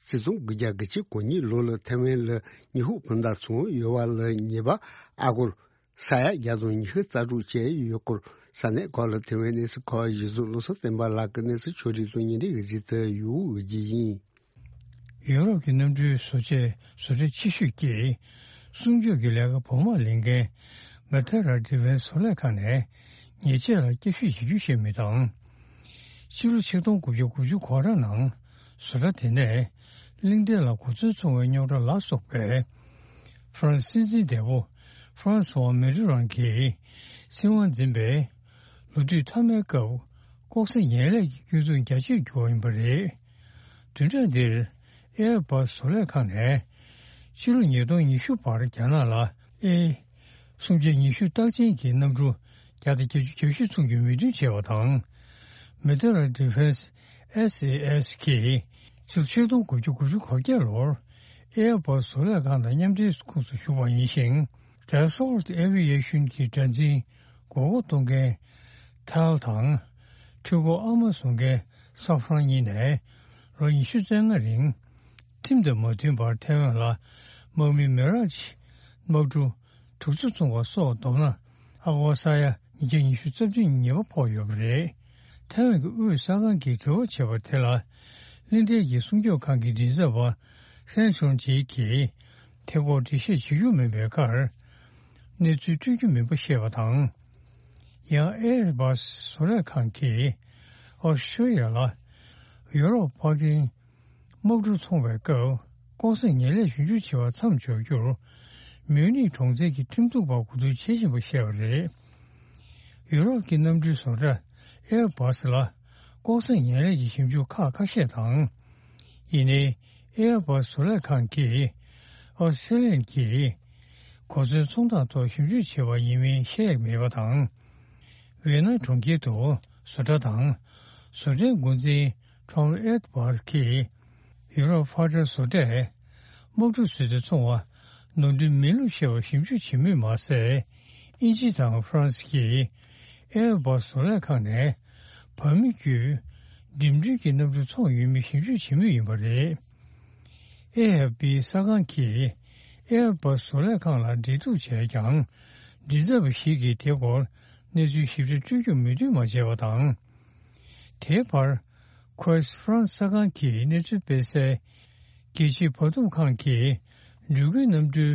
ཆིག་སྟོང་དགུ་བརྒྱ་དགུ་བཅུ་གོ་གཉིས་ལོ་ལ་ཐའེ་ཝན་ལ་ཉི་ཧོང་སྤུན་ཟླ་ཚང་ཡོད་པ་ལ་ཉེས་པ་ཨ་སྒོར་ས་ཡ་བརྒྱ་དང་ཉི་ཤུ་རྩ་དྲུག་བཅད་ཡོད་སྐོར། ས་གནས་ཁག་ལ་ཐའེ་ཝན་གནས་ཚུལ་ཁང་གཞི་བཟུང་བློ་བཟང་བསྟན་པ་ལགས་ཀྱི་གནས་ཚུལ་ཕྱོགས་སྒྲིག་དང་ཉིན་རེའི་གཟིགས་དེབ་ཡོད་འོས་ཀྱི་ཡིན། ཡུ་རོབ་ཀྱི་གནམ་གྲུའི་བཟོ་ཆས་བཟོ་གྲྭ་ཆེ་ཤོས་ཀྱིས་གསུང་ཆོས་ཀྱི་ལས་ཀ་བོགས་མ་ལེན་མཁན་མེ་ཐེ་ར་ཌི་ཕེན་སི་བཟོ་ལས་ཁང་ནས་ཉེས་ཆད་ལ་བསྐྱར་ཞིབ་བྱེད་རྒྱུ་ཞིག་མེད་དང་། ཕྱི་ལོ་ཆིག་སྟོང་དགུ་བརྒྱ་དགུ་བཅུ་གོ་གྲངས་ནང་བཟོ་གྲྭ་དེ་ནས་གླིང་ཕྲན་ལ་གོ་མཚོན་འཚོང་བའི་རྙོག་དྲ་ལ་སོགས་པའི་ཧྥ་རན་སི་སྲིད་འཛིན་འདས་པོ་ཧྥ་རན་སི་ཝ་མེ་ཏི་རོན་གྱིས་སྲིད་དབང་འཛིན་པའི་ལོ་དུས་མཐའ་མའི་སྐབས་ལྐོག་ཟ་ངན་ལས་ཀྱི་སྐྱོན་འཛུགས་རྒྱ་ཆེར་གྱུར་བ་ཡིན་པ་རེད། བདུན་ཕྲག་འདིར་ཨེར་བྷ་སི་བཟོ་ལས་ཁང་ནས་ཕྱི་ལོ་ཉིས་སྟོང་ཉི་ཤུ་བར་རྒྱ་ནག་ལ་ཨེ་སུམ་བརྒྱ་ཉི་ཤུ་རྟགས་ཅན་གྱི་གནམ་གྲུ་བརྒྱ་དང་བརྒྱད་ཅུ་གྱ་བཞི་ཚོང་རྒྱུའི་མོས་མཐུན་བྱས་པ་དང་། མེ་ཐེ་ར་ཌི་ཕེན་སི་ཨེས་ཨེ་ཨེས་གིས་ཕྱི་ལོ་ཆིག་སྟོང་དགུ་བརྒྱ་དགུ་བཅུ་གོ་བརྒྱད་ལོར་ཨེར་བྷ་སི་བཟོ་ལས་ཁང་དང་མཉམ་འབྲེལ་ཁོངས་སུ་ཞུགས་པ་ཡིན་ཞིང་། ཌ་སོལ་ཊི་ཨེ་ཝི་ཨེ་ཤན་གྱི་སྒྲ་འཛིན་མགོ་སྐོར་གཏོང་མཁན་ཐལ་དང་། འཕྲུལ་འཁོར་ཨ་མ་བཟོ་མཁན་ས་ཧྥ་རན་གཉིས་ནས་ལོ་ཉི་ཤུ་རྩ་ལྔ་རིང་ཁྲིམས་དང་མ་མཐུན་པར་ཐའེ་ཝན་ལ་དམག་མི་མི་ར་ཇི་དམག་གྲུ་དྲུག་ཅུ་བཙོང་བ་སོགས་བསྡོམས་ན་ཨ་སྒོར་ས་ཡ་ཉིས་བརྒྱ་ཉི་ཤུ་རྩ་བདུན་ཉེས་པ་ཕོག་ཡོད་པ་རེད། ཐའེ་ཝན་གྱི་དབུས་གསར་ཁང་གིས་དྲི་བ་བྱས་པ་དེ་ལ་གླིང་ཕྲན་གྱི་སྲུང་སྐྱོབ་ཁང་གི་མགྲིན་ཚབ་པ་ཧྲན་ཆོན་ཅེ་གིས་དེ་སྐོར་འགྲེལ་བཤད་བྱེད་རྒྱུ་མེད་པའི་ཁར་གནས་ཚུལ་སྤྲོད་རྒྱུ་མིན་པ་བཤད་པ་དང་། ཡང་ཨེར་བྷ་སི་བཟོ་ལས་ཁང་གིས་ཨོ་སི་ཀྲི་ཡ་ལ་ཡུ་རོབ་ཕར་འགྲེང་དམག་གྲུ་འཚོང་བའི་སྐབས་ལྐོག་ཟ་ངན་ལས་ཞིབ་འཇུག་བྱེད་པ་མཚམས་འཇོག་རྒྱུར་མིའུ་ནིག་གྲོང་ཁྱེར་གྱི་ཁྲིམས་གཏུག་པ་གོ་བསྡུར་བྱེད་བཞིན་པ་བཤད་པ་རེད། ཡུ་རོབ་ཀྱི་གནམ་གྲུའི་བཟོ་གྲྭ་ཨེར་བྷ་སི་ལ་ལྐོག་ཟ་ངན་ལས་ཀྱི་ཞིབ་འཇུག་ཁག་ཁ་ཤས་དང་། ཡིན་ནའི་ཨེར་བྷ་སི་བཟོ་ལས་ཁང་གིས་ཨོ་སི་ཀྲི་ལི་ཡན་གྱིས་གོ་མཚོན་ཚོང་རྟགས་ཐོག་ཞིབ་འཇུག་བྱས་པ་ཡིན་མིན་བཤད་ཡག་མེད་པ་དང་། ཝེ་ན་གྲོང་ཁྱེར་དུ་བཟོ་གྲྭ་དང་བཟོ་གྲྭའི་འགོ་འཛིན་ཁྲོམ་ཨེར་བྷ་སི་གིས་ཡུ་རོབ་ཕར་འགྲེང་བཟོ་གྲྭས་དམག་གྲུ་བཟོས་ཏེ་འཚོང་བ་ནོར་འཁྲུལ་མིན་ལུགས་བཤད་པར་ཞིབ་འཇུག་བྱེད་མུས་མ་ཟད། དབྱིན་ཇི་དང་ཧྥ་རན་སི་གིས་ཨེར་བྷ་སི་བཟོ་ལས་ཁང་ནས་བར་མི་བརྒྱུད་འགྲིམ་འགྲུལ་གྱི་གནམ་གྲུ་འཚོང་ཡོད་མེད་ཞིབ་འཇུག་བྱེད་མུས་ཡིན་པ་རེད། ཨེ་ཨེཕ་པི་གསར་ཁང་གིས་ཨེར་བྷ་སི་བཟོ་ལས་ཁང་ལ་འབྲེལ་གཏུག་བྱས་ཀྱང་། མགྲིན་ཚབ་པ་ཞིག་གིས་དེའི་སྐོར་གནས་ཚུལ་ཞིབ་ཕྲ་སྤྲོད་རྒྱུར་མོས་མཐུན་མ་བྱས་པ་དང་། དེའི་བར། ཁོས་ཧྥ་རན་སི་གསར་ཁང་གིས་གནས་ཚུལ་སྤེལ་གསལ། རྒྱལ་སྤྱིའི་བར་འདུམ་ཁང་གིས་འགྲུལ་སྐྱེལ་གནམ་གྲུའི་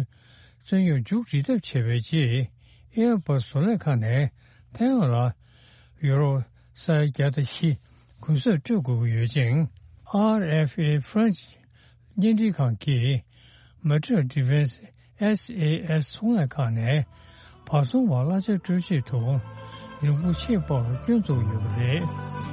རྩོད་རྙོག་མཇུག་སྒྲིལ་ཐབས་བྱས་པའི་རྗེས། ཨེར་བྷ་སི་བཟོ་ལས་ཁང་ནས་ཐའེ་ཝན་ལ་ཡུ་རོ་ས་ཡ་བརྒྱ་དང་བཞི་གུན་གསབ་སྤྲོད་དགོས་ཀྱི་ཡོད་ཅིང་། ཨར་ཨེཕ་ཨེ་ཧྥ་རན་སི་བརྙན་འཕྲིན་ཁང་གིས་མ་ཏྲ་ཌི་ཕེན་སི་ཨེས་ཨེ་ཨེས་ཚོང་ལས་ཁང་ནས་བར་ཚོང་བར་གླ་ཆ་སྤྲོད་ཆེད་དུ་རིན་གོང་ཆེས་དཔའ་བར་སྐྱོན་བཙུགས་ཡོད་པ་རེད།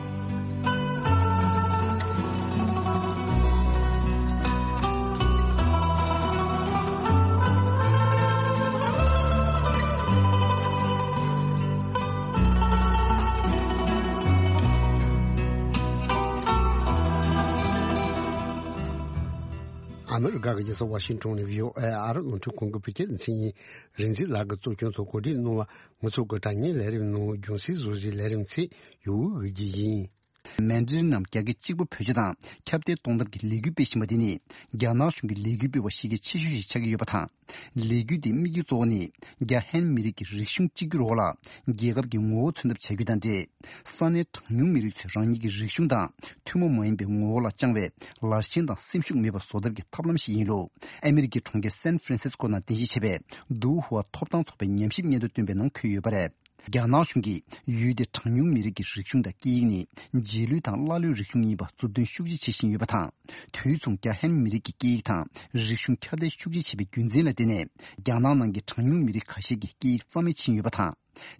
ཨ་མི་རི་ཀ་གི་རྒྱལ་ས་ཝ་ཤིང་ཏོན་ནས་བྷི་ཨོ་ཨེ་ཨ་རི་རླུང་འཕྲིན་ཁང་གི་བོད་སྐད་སྡེ་ཚན་ཡིན། རིག་འཛིན་ལགས་ཀྱིས་གཙོ་སྐྱོང་དུ་གོ་སྒྲིག་གནང་བ། ང་ཚོ་གི་དྲ་བརྙན་ལས་རིམ་ནང་རྒྱང་སྲིང་བཟོ་གཞིའི་ལས་རིམ་ཚིག་ཡོད་འོས་ཀྱི་ཡིན། མན་ཌ་རིན་ནམ་རྒྱ་སྐད་གཅིག་པ་བེད་སྤྱོད་དང་ཁྱབ་གདལ་གཏོང་ཐབས་ཀྱི་ལས་འགུལ་སྤེལ་བཞིན་པ་འདི་ནི། རྒྱ་ནག་གཞུང་གི་ལས་འགུལ་སྤེལ་བ་གཞི་རྒྱ་ཆེ་ཤོས་ཤིག་ཆགས་ཀྱི་ཡོད་པ་དང་། ལས་འགུལ་འདིའི་དམིགས་ཡུལ་གཙོ་བོ་ནི། རྒྱ་ཧན་མི་རིགས་ཀྱི་རིག་གཞུང་གཅིག་གྱུར་འོག་ལ། རྒྱལ་ཁབ་ཀྱི་ངོ་བོ་མཚོན་ཐབས་བྱ་རྒྱུ་དང་འབྲེལ། ས་གནས་གྲངས་ཉུང་མི་རིགས་ཚོས་རང་ཉིད་ཀྱི་རིག་གཞུང་དང་ཐུན་མོང་མ་ཡིན་པའི་ངོ་བོ་ལ་བཅངས་པའི་ལར་ཞེན་དང་སེམས་ཤུགས་མེད་པར་བཟོ་ཐབས་ཀྱི་ཐབས་ལམ་ཞིག་ཡིན་ལུགས། ཨ་མི་རི་ཀའི་གྲོང་ཁྱེར་སན་ཧྥ་རན་སིས་ཀོ་ནང་རྟེན་གཞི་བྱས་པའི་ཏུའུ་ཧུའ་ཐོབ་ཐང་ཚོགས་པའི་ཉམས་ཞིབ་སྙན་ཐོ་བཏོན་པའི་ནང་འཁོད་ཡོད་པ་རེད། རྒྱ་ནག་གཞུང་གིས་ཡུལ་དེའི་གྲངས་ཉུང་མི་རིགས་ཀྱི་རིག་གཞུང་དང་སྐད་ཡིག་ནི་རྗེས་ལུས་དང་ཀླ་ཀློའི་རིག་གཞུང་ཡིན་པ་མཛུབ་སྟོན་ཤུགས་ཆེ་བྱེད་བཞིན་ཡོད་པ་དང་། དུས་མཚུངས་རྒྱ་ཧན་མི་རིགས་ཀྱི་སྐད་ཡིག་དང་རིག་གཞུང་ཁྱབ་གདལ་ཤུགས་ཆེ་བྱེད་པའི་རྒྱུ་མཚན་ལ་བརྟེན་ནས། རྒྱ་ནག་ནང་གི་གྲངས་ཉུང་མི་རིགས་ཁ་ཤས་ཀྱི་སྐད་ཡིག་རྩ་མེད་ཕྱིན་ཡོད་པ་དང་།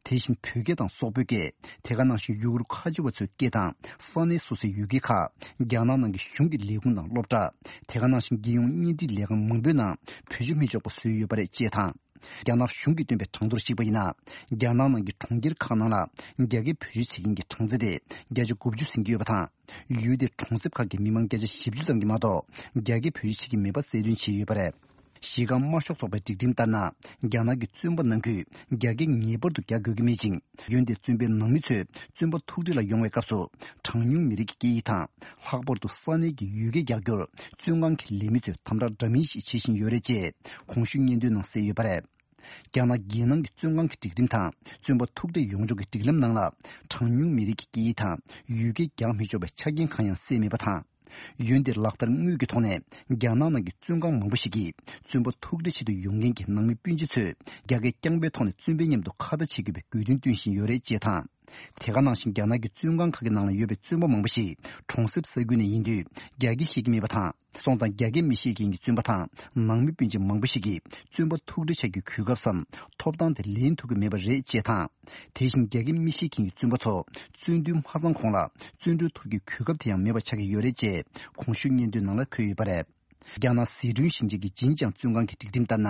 དེ་བཞིན་བོད་སྐད་དང་སོག་པོའི་སྐད། དེ་ག་ནང་བཞིན་ཡུ་གུར་ཁ་ཆེ་བ་ཚོའི་སྐད་དང་ས་གནས་སོ་སོའི་ཡུལ་སྐད་ཁག་རྒྱ་ནག་ནང་གི་གཞུང་གི་ལས་ཁུངས་དང་སློབ་གྲྭ། དེ་ག་ནང་བཞིན་རྒྱལ་ཡོངས་བརྙན་འཕྲིན་ལས་ཁང་མང་པོའི་ནང་བེད་སྤྱོད་མི་ཆོག་པ་བཟོས་ཡོད་པ་རེད་ཅེས་དང་། རྒྱ་ནག་གཞུང་གིས་བཏོན་པའི་གྲངས་ཐོར་གཞིགས་པ་ཡིན་ན། རྒྱ་ནག་ནང་གི་གྲོང་ཁྱེར་ཁག་ནང་ལ་རྒྱ་སྐད་བེད་སྤྱོད་བྱེད་མཁན་གྱི་གྲངས་ཚད་དེ་བརྒྱ་ཆ་དགུ་བཅུ་ཟིན་གྱི་ཡོད་པ་དང་། ཡུལ་དེའི་གྲོང་གསེབ་ཁག་གི་མི་མང་བརྒྱ་ཆ་བཞི་བཅུ་ཙམ་གྱིས་མ་གཏོགས་རྒྱ་སྐད་བེད་སྤྱོད་བྱེད་ཀྱི་མེད་པ་གསལ་སྟོན་བྱས་ཡོད་པ་རེད། གཞིས་ཀ་དམར་ཤོག་ཚོགས་པའི་སྒྲིག་ཁྲིམས་ལྟར་ན། རྒྱ་ནག་གི་བཙོན་པ་ནང་ཁུལ་རྒྱ་སྐད་ངེས་པར་དུ་རྒྱག་དགོས་ཀྱི་མེད་ཅིང་། འོན་ཏེ་བཙོན་པའི་ནང་མི་ཚོས་བཙོན་པ་ཐུག་འཕྲད་ལ་ཡོང་བའི་སྐབས་སུ། གྲངས་ཉུང་མི་རིགས་ཀྱི་སྐད་ཡིག་དང་། ལྷག་པར་དུ་ས་གནས་ཀྱི་ཡུལ་སྐད་རྒྱག་རྒྱུར། བཙོན་ཁང་གི་ལས་མི་ཚོས་དམ་དྲག་འདྲ་མིན་ཞིག་བྱེད་བཞིན་ཡོད་རེད་ཅེས། གོང་ཞུས་སྙན་ཐོའི་ནང་གསལ་ཡོད་པ་རེད། རྒྱ་ནག་རྒྱལ་ནང་གི་བཙོན་ཁང་གི་སྒྲིག་ཁྲིམས་དང་། བཙོན་པ་ཐུག་འཕྲད་ཡོང་ཕྱོགས་ཀྱི་སྒྲིག་ལམ་ནང་ལ། གྲངས་ཉུང་མི་རིགས་ཀྱི་སྐད་ཡིག་དང་ཡུལ་སྐད་རྒྱག་མི་ཆོག་པའི་ཆ་རྐྱེན་གང་ཡང་གསལ་མེད་པ་དང་། འོན་ཏེ་ལག་བསྟར་དངོས་ཀྱི་ཐོག་ནས་རྒྱ་ནག་ནང་གི་བཙོན་ཁང་མང་པོ་ཞིག་གིས་བཙོན་པ་ཐུག་འཕྲད་ཆེད་དུ་ཡོང་མཁན་གྱི་ནང་མི་སྤུན་མཆེད་ཚོས་རྒྱ་སྐད་རྐྱང་པའི་ཐོག་ནས་བཙོན་པའི་མཉམ་དུ་ཁ་བརྡ་བྱེད་དགོས་པའི་དགོས་འདུན་བཏོན་བཞིན་ཡོད་རེད་ཅེས་དང་། དེ་ག་ནང་བཞིན་རྒྱ་ནག་གི་བཙོན་ཁང་ཁག་གི་ནང་ལ་ཡོད་པའི་བཙོན་པ་མང་པོ་ཞིག་གྲོང་གསེབ་ས་ཁུལ་ནས་ཡིན་དུས་རྒྱ་སྐད་ཤེས་ཀྱི་མེད་པ་དང་། སོང་ཙང་རྒྱ་སྐད་མི་ཤེས་མཁན་གྱི་བཙོན་པ་དང་ནང་མི་སྤུན་མཆེད་མང་པོ་ཞིག་གིས་བཙོན་པ་ཐུག་འཕྲད་བྱ་རྒྱུའི་གོ་སྐབས་སམ་ཐོབ་ཐང་དེ་ལེན་ཐུབ་ཀྱི་མེད་པ་རེད་ཅེས་དང་། དེ་བཞིན་རྒྱ་སྐད་མི་ཤེས་མཁན་གྱི་བཙོན་པ་ཚོ་བཙོན་དུས་མ་ཚང་གོང་ལ་བཙོན་གྲོལ་ཐོབ་རྒྱུའི་གོ་སྐབས་དེ་ཡང་མེད་པ་ཆགས་ཀྱི་ཡོད་རེད་ཅེས་གོང་ཞུས་སྙན་ཐོའི་ནང་ལ་འཁོད་ཡོད་པ་རེད། རྒྱ་ནག་ཟི་ཁྲོན་ཞིང་ཆེན་གྱི་ཅིན་ཅང་བཙོན་ཁང་གི་སྒྲིག་ཁྲིམས་ལྟར་ན།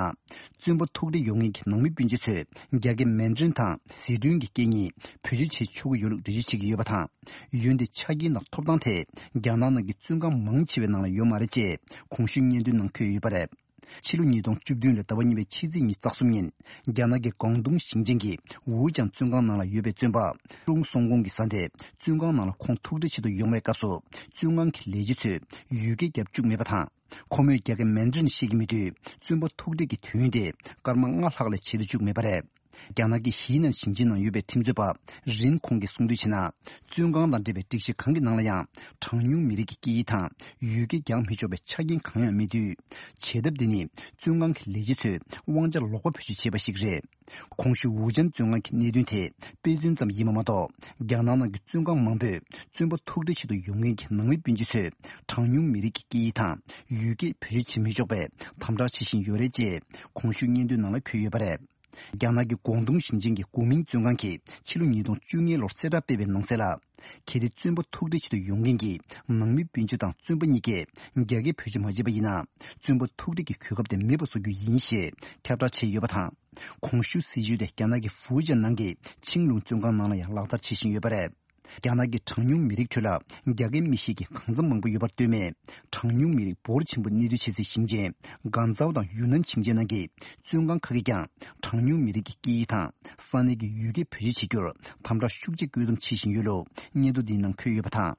བཙོན་པ་ཐུག་འཕྲད་ཡོང་མཁན་གྱི་ནང་མི་སྤུན་མཆེད་ཚོས་རྒྱ་སྐད་མན་ཌ་རིན་དང་ཟི་ཁྲོན་གྱི་སྐད་གཉིས་བེད་སྤྱོད་བྱེད་ཆོག་གི་ཡོད་ལུགས་འགྲེལ་བརྗོད་བྱེད་ཀྱི་ཡོད་པ་དང་། འོན་ཏེ་ཆ་རྐྱེན་དང་ཐོབ་ཐང་དེ་རྒྱ་ནག་ནང་གི་བཙོན་ཁང་མང་ཆེ་བའི་ནང་ལ་ཡོད་མ་རེད་ཅེས་གོང་ཞུས་སྙན་ཐོའི་ནང་འཁོད་ཡོད་པ་རེད། ཕྱི་ལོ་ཉིས་སྟོང་བཅུ་བདུན་ལོའི་ཟླ་བ་གཉིས་པའི་ཕྱི་ཚེས་ཉི་ཤུ་རྩ་གསུམ་ཉིན། རྒྱ་ནག་གི་ཀོང་ཏུང་ཞིང་ཆེན་གྱི་ཝུའུ་ཅང་བཙོན་ཁང་ནང་ལ་ཡོད་པའི་བཙོན་པ་ཀྲུང་སུང་ཀུང་གི་བཟའ་ཟླས་བཙོན་ཁང་ནང་ལ་ཁོང་ཐུག་འཕྲད་ཆེད་དུ་ཡོང་བའི་སྐབས་སུ། བཙོན་ཁང་གི་ལས་བྱེད་ཚོས་ཡུལ་སྐད་རྒྱབ་བཅུག་མེད་པ་དང་། ཁོ་མོས་རྒྱ་སྐད་མན་ཌ་རིན་ཤེས་ཀྱི་མེད་དུས། བཙོན་པ་ཐུག་འཕྲད་ཀྱི་དུས་ཡུན་དེ་སྐར་མ་ལྔ་ལྷག་ལས་ཆེ་རུ་བཅུག་མེད་པ་རེད། རྒྱ་ནག་གི་ཧི་ནན་ཞིང་ཆེན་ནང་ཡོད་པའི་ཁྲིམས་རྩོད་པ་རིན་ཁོང་གིས་གསུངས་དོན་བྱས་ན། བཙོན་ཁང་དང་འབྲེལ་བའི་སྒྲིག་གཞི་གང་གི་ནང་ལ་ཡང་གྲངས་ཉུང་མི་རིགས་ཀྱི་སྐད་ཡིག་དང་ཡུལ་སྐད་རྒྱག་མི་ཆོག་པའི་ཆ་རྐྱེན་གང་ཡང་མེད་དུས། བྱེད་ཐབས་འདི་ནི་བཙོན་ཁང་གི་ལས་བྱེད་ཚོས་དབང་ཆ་ལོག་པ་བེད་སྤྱོད་བྱས་པ་ཞིག་རེད། གོང་ཞུས་ཝུའུ་ཅན་བཙོན་ཁང་གི་གནད་དོན་དེ་དཔེ་མཚོན་ཙམ་ཡིན་པ་མ་གཏོགས། རྒྱ་ནག་ནང་གི་བཙོན་ཁང་མང་པོས་བཙོན་པ་ཐུག་འཕྲད་ཆེད་དུ་ཡོང་མཁན་གྱི་ནང་མི་སྤུན་མཆེད་ཚོས་གྲངས་ཉུང་མི་རིགས་ཀྱི་སྐད་ཡིག་དང་ཡུལ་སྐད་བེད་སྤྱོད་བྱེད་མི་ཆོག་པའི་དམ་དྲག་བྱེད་བཞིན་ཡོད་རེད་ཅེས་གོང་ཞུས་སྙན་ཐོའི་ནང་ལ་འཁོད་ཡོད་པ་རེད། རྒྱ་ནག་གི་ཀོང་ཏུང་ཞིང་ཆེན་གྱི་གོ་མིང་བཙོན་ཁང་གིས་ཕྱི་ལོ་ཉིས་སྟོང་བཅུ་གཉིས་ལོར་གསལ་བསྒྲགས་སྤེལ་བའི་ནང་གསལ་ལ། གལ་ཏེ་བཙོན་པ་ཐུག་འཕྲད་ཆེད་དུ་ཡོང་མཁན་གྱི་ནང་མི་སྤུན་མཆེད་དང་བཙོན་པ་གཉིས་ཀས་རྒྱ་སྐད་བེད་སྤྱོད་མ་བྱས་པ་ཡིན་ན། བཙོན་པ་ཐུག་འཕྲད་ཀྱི་གོ་སྐབས་དེ་མེད་པ་བཟོ་རྒྱུ་ཡིན་ཞེས་ཁྱབ་བསྒྲགས་བྱས་ཡོད་པ་དང་། གོང་ཞུས་སྲིད་བྱུས་དེ་རྒྱ་ནག་གི་ཧྥུའུ་ཅན་ནང་གི་ཆིང་ལུང་བཙོན་ཁང་ནང་ལ་ཡང་ལག་བསྟར་བྱེད་བཞིན་ཡོད་པ་རེད། རྒྱ་ནག་གི་གྲངས་ཉུང་མི་རིགས་ཁྲོད་ལ་རྒྱ་སྐད་མི་ཤེས་མཁན་གང་འཚམ་མང་པོ་ཡོད་པར་ལྟོས་མེད། གྲངས་ཉུང་མི་རིགས་འབོར་ཆེན་པོ་གནས་སྡོད་བྱེད་སའི་ཞིང་ཆེན་གན་ཚའོ་དང་ཡུན་ནན་ཞིང་ཆེན་ནང་གི་བཙོན་ཁང་ཁག་གིས་ཀྱང་གྲངས་ཉུང་མི་རིགས་ཀྱི་སྐད་ཡིག་དང་ས་གནས་ཀྱི་ཡུལ་སྐད་བེད་སྤྱོད་བྱེད་རྒྱུར་དམ་དྲག་ཤུགས་ཆེ་བཀོད་འདོམས་བྱེད་བཞིན་ཡོད་ལུགས་སྙན་ཐོ་འདིའི་ནང་འཁོད་ཡོད་པ་དང་།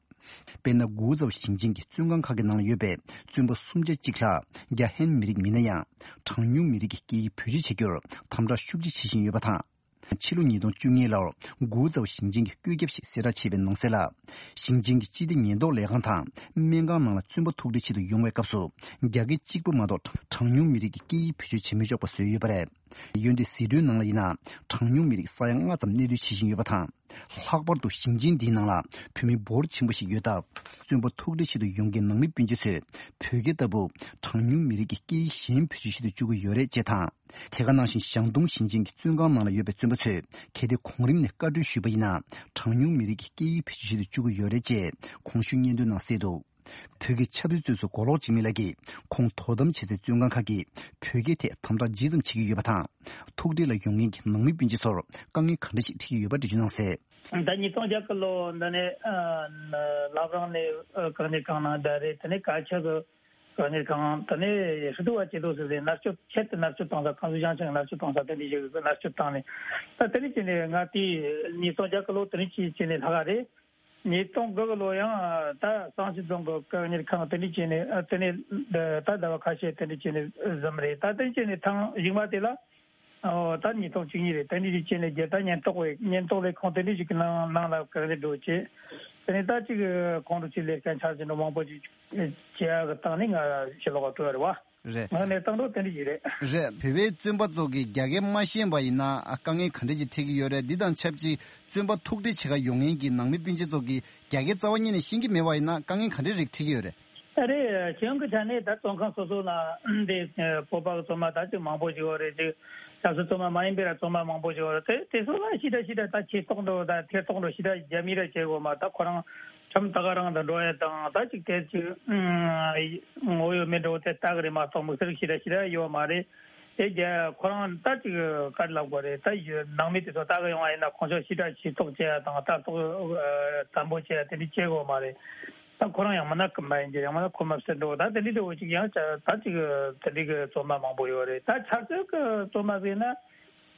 དཔེར་ན། གུའུ་ཙའོ་ཞིང་ཆེན་གྱི་བཙོན་ཁང་ཁག་གི་ནང་ལ་ཡོད་པའི་བཙོན་པ་སུམ་བརྒྱ་གཅིག་ལྷག་རྒྱ་ཧན་མི་རིགས་མིན་ན་ཡང་། གྲངས་ཉུང་མི་རིགས་ཀྱི་སྐད་ཡིག་བེད་སྤྱོད་བྱེད་རྒྱུར་དམ་དྲག་ཤུགས་ཆེ་བྱེད་བཞིན་ཡོད་པ་དང་། ཕྱི་ལོ་ཉིས་སྟོང་བཅུ་གཉིས་ལོར་གུའུ་ཙའོ་ཞིང་ཆེན་གྱི་བཀོད་ཁྱབ་ཞིག་གསལ་བསྒྲགས་བྱས་པའི་ནང་གསལ་ལ། ཞིང་ཆེན་གྱི་སྤྱི་བདེ་ཉེན་རྟོག་ལས་ཁང་དང་སྨན་ཁང་ནང་ལ་བཙོན་པ་ཐུག་འཕྲད་ཆེད་དུ་ཡོང་བའི་སྐབས་སུ། རྒྱ་སྐད་གཅིག་པུ་མ་གཏོགས་གྲངས་ཉུང་མི་རིགས་ཀྱི་སྐད་ཡིག་བེད་སྤྱོད་བྱེད་མི་ཆོག་པ་བཟོས་ཡོད་པ་རེད། འོན་ཏེ་ཟི་ཁྲོན་ནང་ལ་ཡིན་ན། གྲངས་ཉུང་མི་རིགས་ས་ཡ་ལྔ་ཙམ་གནས་སྡོད་བྱེད་བཞིན་ཡོད་པ་དང་། ལྷག་པར་དུ་ཞིང་ཆེན་འདིའི་ནང་ལ་བོད་མི་འབོར་ཆེན་པོ་ཞིག་ཡོད་སྟབས། བཙོན་པ་ཐུག་འཕྲད་ཆེད་དུ་ཡོང་མཁན་ནང་མི་སྤུན་མཆེད་ཚོས་བོད་སྐད་ལྟ་བུ་གྲངས་ཉུང་མི་རིགས་ཀྱི་སྐད་ཡིག་གཞན་བེད་སྤྱོད་བྱེད་དུ་བཅུག་གི་ཡོད་རེད་ཅེས་དང་། དེ་ག་ནང་བཞིན་ཞང་ཏུང་ཞིང་ཆེན་གྱི་བཙོན་ཁང་ནང་ལ་ཡོད་པའི་བཙོན་པ་ཚོས་གལ་ཏེ་གོང་རིམ་ནས་བཀའ་འཁྲོལ་ཞུས་པ་ཡིན་ན། གྲངས་ཉུང་མི་རིགས་ཀྱི་སྐད་ཡིག་བེད་སྤྱོད་བྱེད་དུ་བཅུག་གི་ཡོད་རེད་ཅེས་གོང་ཞུས་སྙན་ཐོའི་ནང་གསལ་འདུག་བོད་ཀྱི་ཆབ་སྲིད་བཙོན་ཟུར་མགོ་ལོག་འཇིགས་མེད་ལགས་ཀྱིས་ཁོང་དོ་དམ་བྱེད་སའི་བཙོན་ཁང་ཁག་གིས་བོད་སྐད་ཐད་དམ་དྲག་ཇི་ཙམ་བྱེད་ཀྱི་ཡོད་པ་དང་། ཐུག་འཕྲད་ལ་ཡོང་མཁན་གྱི་ནང་མི་སྤུན་མཆེད་ཚོར་དཀའ་ངལ་ག་འདྲ་ཞིག་འཕྲད་ཀྱི་ཡོད་པ་འགྲེལ་བརྗོད་གནང་གསལ། ད་ཉིས་སྟོང་བརྒྱད་ལོ་འདི་ནས་ཨ་བླ་བྲང་ནས་ཨ་གང་ནས་གང་ན་བསྡད་རེད། དེ་ནས་ག་ཆ་གི་གང་ནས་གང་དེ་ནས་ཧྲི་ཏུ་བ་ཆེ་དོ་ཟེར་ཏེ་མནར་གཅོད་ཆེད་དུ་མནར་གཅོད་བཏང་ས། ཁམས་གསུམ་ཞིང་ཆེན་མནར་གཅོད་བཏང་ས་དེ་འདྲ་ཞིག་མནར་གཅོད་བཏང་ནས། ད་དེ་ནས་བྱས་ནས་ང་དེ་ཉིས་སྟོང་བརྒྱད་ལོ་དེ་ནས་བྱས་བྱས་ནས་ལྷག་ག་རེད། ཉིས་སྟོང་དགུ་གི་ལོ་ཡང་ད་གཙང་ཆུ་རྫོང་གི་བཀག་ཉར་ཁང་དེ་འདྲ་བྱས་ནས་དེ་ནས་ད་ཟླ་བ་ཁ་ཤས་དེ་འདྲ་བྱས་ནས་བཟུང་རེད། ད་དེ་བྱས་ནས་ཐེངས་གཞུག་མ་དེ་ལ། ཨོ་ད་ཉིས་སྟོང་བཅུ་གཉིས་རེད། དེ་འདྲ་ཞིག་བྱས་ནས་རྒྱལ་ད་ཉེན་རྟོག་པའི་ཉེན་རྟོག་ལས་ཁུངས་དེ་འདྲ་ཞིག་གི་ནང་ནང་ལ་བཀག་ཉར་འགྲོ་བྱས། དེ་ནས་ད་ཅིག་ཁོང་ཁྲོ་ཆེ་ལས་ཀ་འཆར་གཞི་འགྲོ་མང་པོ་ཞིག་བྱེད་ཡག་གི་སྟེང་ནས་ང་ཕྱི་ལོགས་ལ་བྲོས་རེད་བ། རེད། ང་ནས་བཏང་འགྲོ་དེ་འདྲ་ཞིག་རེད། རེད། བོད་པའི་བཙོན་པ་ཚོ་གིས་རྒྱ་སྐད་མ་ཤེས་པ་ཡིན་ན་དཀའ་ངལ་ག་འདྲ་ཅིག་འཕྲད་ཀྱི་ཡོད་རེད། འདི་དང་ཆབས་ཅིག་བཙོན་པ་ཐུག་འཕྲད་བྱེད་ག་ཡོང་མཁན་གྱི་ནང་མི་སྤུན་མཆེད་ཚོ་གིས་རྒྱ་སྐད་རྩ་བ་ཉིད་ནས་ཤེས་ཀྱི་མེད་པ་ཡིན་ན་དཀའ་ངལ་ག་འདྲ་རིགས་འཕྲད་ཀྱི་ཡོད་རེད། ཨ་རེད། གཞུང་གི་ཆ་ནས་ད་བཙོན་ཁང་སོ་སོ་ལ་འདི་བོད་པ་གི་བཙོན་མ་ད་ཅིག་མང་པོ་ཞིག་ཡོད་རེད། ཅིག་ཆབ་སྲིད་བཙོན་མ་མ་ཡིན་པའི་ར་བཙོན་མ་མང་པོ་ཞིག་ཡོད་རེད། དེ་དེ་ཚོ་ལ་ཞེ་དྲག་ཞེ་དྲག་ད་ཆེ་མཐོང་འགྲོ་ད་ཐེ་གཏོགས་འགྲོ་ཞེ་དྲག་རྒྱ་མི་ར་བྱེད་དགོས་མ། ད་ཁོ་རང་ཁྲིམས་ད་ག་རང་དུ་འགྲོ་ཡ་དང་ད་ཅིག་དེ་ཅིག་ངོ་ཡོད་མེད་འགྲོ་དེ་ལྟ་གི་རེད་མ་གཏོགས་དམིགས་བསལ་ཞེ་དྲག་ཞེ་དྲག་ཡོད་མ་རེད། དེ་རྒྱ་ཁོ་རང་ད་ཅིག་ག་རེ་ལབ་དགོས་རེད། ད་ནང་མི་དེ་ཚོ་ལྟ་གི་ཡོང་བ་ཡིན་ན་ཁོང་ཚོ་ཞེ་དྲག་ཞེ་ཐོག་བྱེད་ཡ་དང་ལྟ་རྟོག་དམ་པོ་བྱེད་ཡ་དེ་འདྲ་བྱེད་དགོས་མ་རེད། ད་ཁོ་རང་ཡང་མིན་ན་ཁོ་མ་ཡིན་གྱི་ཡང་མིན་ན་ཁོ་མ་ཟེར་འགྲོ། ད་དེ་འདྲ་འདྲ་བོ་ཅིག་ཡང་ད་ཅིག་དེ་འདྲ་གི་བཙོན་མ་མང་པོ་ཡོད་རེད། ད་ཆབ་སྲིད་ཀྱི་བཙོན་མ་ཟེར་ན་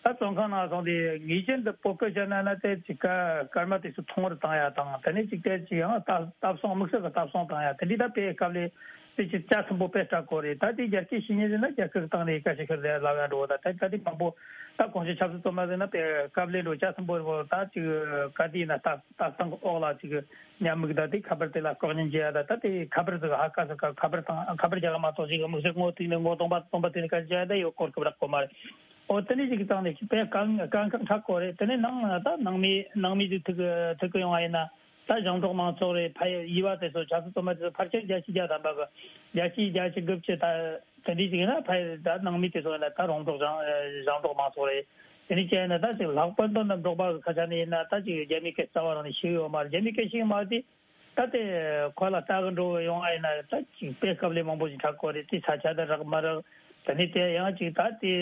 ད་བཙོན་ཁང་ནང་སོང་དེ་ངེས་ཅན་དུ་བོད་སྐད་བཤད་ན་ན་དེ་ཅིག་སྐར་མ་དེ་ཚོ་ཐུང་བར་བཏང་ཡ་དང་དེ་ནས་ཅིག་དེ་ཅིག་ཡང་ལྟ་ལྟ་སྲུང་དམིགས་བསལ་གྱི་ལྟ་སྲུང་བཏང་ཡ་དེ་འདྲ་ད་དཔེ་སྐབས་ལས་དེ་ཅིག་ལྕགས་ཟིན་པོ་དཔེ་སྐྲག་གོ་རེད། ད་དེ་རྒྱལ་སྤྱིའི་བཤེས་གཉེན་ཟེར་ན་རྒྱལ་ཁབ་ཀྱི་སྟེང་ནས་ཡི་ག་ཞིག་ཤར་ལས་ལབ་ཡ་འགྲོ། ད་ད་ད་དེ་མང་པོ་ད་གོང་ཞུས་ཆབ་སྲིད་བཙོན་མ་ཟེར་ན་དཔེ་སྐབས་ལས་འགྲོ་ལྕགས་ཟིན་པོ་རེད་པོ། ད་ཅིག་ག་དེ་ཡིན་ན་ལྟ་ལྟ་སྟངས་ཀྱི་འོག་ལ་ཅིག་ཉམས་མིག་ད་དེ་ཁ་པར་དེ་ལ་ལྐོག་ཉན་བྱེད་ཡ་ད་ད་དེ་ཁ་པར་ཟིག་ཧ་ག་ཟིག་ག་ཁ་པར་དང་ཁ་པར་རྒྱག་ག་མ་གཏོགས་ཅིག་དམིགས་བསལ་ངོ་ཐིག་ནས་ངོ་སྟོང་པ་སྟོང་པ་དེ་ནས་ག་རེ་བྱ་ཡ་ད་ཡོད་སྐོར་སྐབས་རག་གོ་མ་རེད། ཨོ་དེ་ནས་ཅིག་གི་སྟེང་ནས་དཔེ་དཀའ་དཀའ་ཁག་འཕྲད་གོ་རེད། དེ་ནས་ནང་ད་ནང་མི་ནང་མི་ཅིག་ཐུག་ཐུག་གི་ཡོང་བ་ཡིན་ན་ད་ཞིང་འབྲོག་མང་ཚོགས་རེད། ཕ་ཡི་ཡུལ་བ་དེ་ཚོ་ཆབ་སྲིད་བཙོན་མ་དེ་ཚོ་ཕལ་ཆེར་བརྒྱ་ཆ་བརྒྱ་ཐམ་པ་གི་བརྒྱ་ཆ་བརྒྱ་ཆ་དགུ་བཅུ་ད་དེ་འདྲ་ཅིག་ཡིན་ན་ཕ་ཡི་ད་ནང་མི་དེ་ཚོ་ཡིན་ན་ད་རོང་འབྲོག་ཞིང་ཞིང་འབྲོག་མང་ཚོགས་རེད། དེ་འདྲ་ཅིག་ཡིན་ན་ད་ཅིག་ལྷག་པར་དུ་ནི་འབྲོག་པ་གི་ཁ་ཆ་ནས་ཡིན་ན་ད་ཅིག་རྒྱ་མི་སྐད་རྩ་བ་རང་ནས་ཤེས་ཡོད་མ་རེད། རྒྱ་མི་སྐད་ཤེས་མ་རེད། ད་དེ་ཁོ་ལ་ལྟ་གི་འགྲོ་ཡོང་ཨ་ཡིན་ན་ད་ཅིག་དཔེ་སྐབས་ལས་མང་པོ་ཞིག་འཕྲད་གོ་རེད། དེ་ས་ཆ་དེ་རག་མ་རག་དེ་ནས་དེ་ཡང་ཅིག་ད་དེ་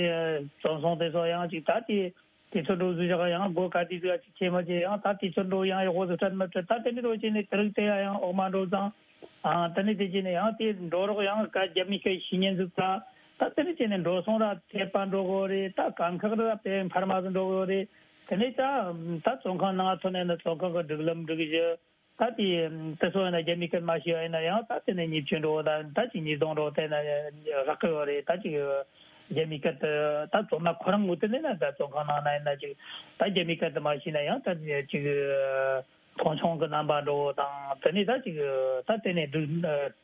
བཙོན་སྲུང་དེ་ཚོ་ཡང་ཅིག་ད་དེ་དེ་ཚོ་འགྲོ་བཟོ་བཞག་ཡང་སྒོ་ག་དུས་ཟིག་ཅིག་ཆེ་མ་ཆེ་ཡང་ད་དེ་ཚོ་འགྲོ་ཡང་ཡག་པོ་ཟིག་སྤྲད་མ་སྤྲད་ད་དེ་འདྲ་འགྲོ་བྱས་ནས་དེ་རིགས་དེ་ཡང་འོག་མ་འགྲོ་ཙང་ཨ་དེ་ནས་དེ་བྱས་ནས་ཡང་དེ་འགྲོ་རོགས་ཡང་ག་རྒྱ་མི་སྐད་ཤེས་ཉན་ཟིག་ད་ད་དེ་ནས་བྱས་ནས་འགྲོ་སོང་ར་ཐེབས་པ་འགྲོ་གོ་རེད། ད་དཀའ་ཁག་ར་དཔེ་འཕར་མ་ཟིག་འགྲོ་གོ་རེད། དེ་ནས་ད་ད་བཙོན་ཁང་ནང་ཐོན་ནས་ནི་བཙོན་ཁང་གི་སྒྲིག་ལམ་སྒྲིག་གཞི། ད་དེ་དེ་ཚོ་ཡིན་ན་རྒྱ་མི་སྐད་མ་ཤེས་པ་ཡིན་ན་ཡང་ད་དེ་ནས་ཉེས་སྤྱོད་འགྲོ་ད་ད་ཅིག་ཉེས་རྡུང་འགྲོ་དེ་ན་རག་གི་ཡོད་རེད། ད་ཅིག་རྒྱ་མི་སྐད་དེ་ད་བཙོན་མ་ཁོ་རང་ངོས་དེ་ནས་ན་ད་བཙོན་ཁང་ནང་ན་ཡིན་ན་ཅིག་ད་རྒྱ་མི་སྐད་དེ་མ་ཤེས་ན་ཡང་ད་ཅིག་མཐོང་ཆུང་གི་རྣམ་པ་འགྲོ་དང་དེ་ནས་ད་ཅིག་ད་དེ་ནས་སྒྲིག་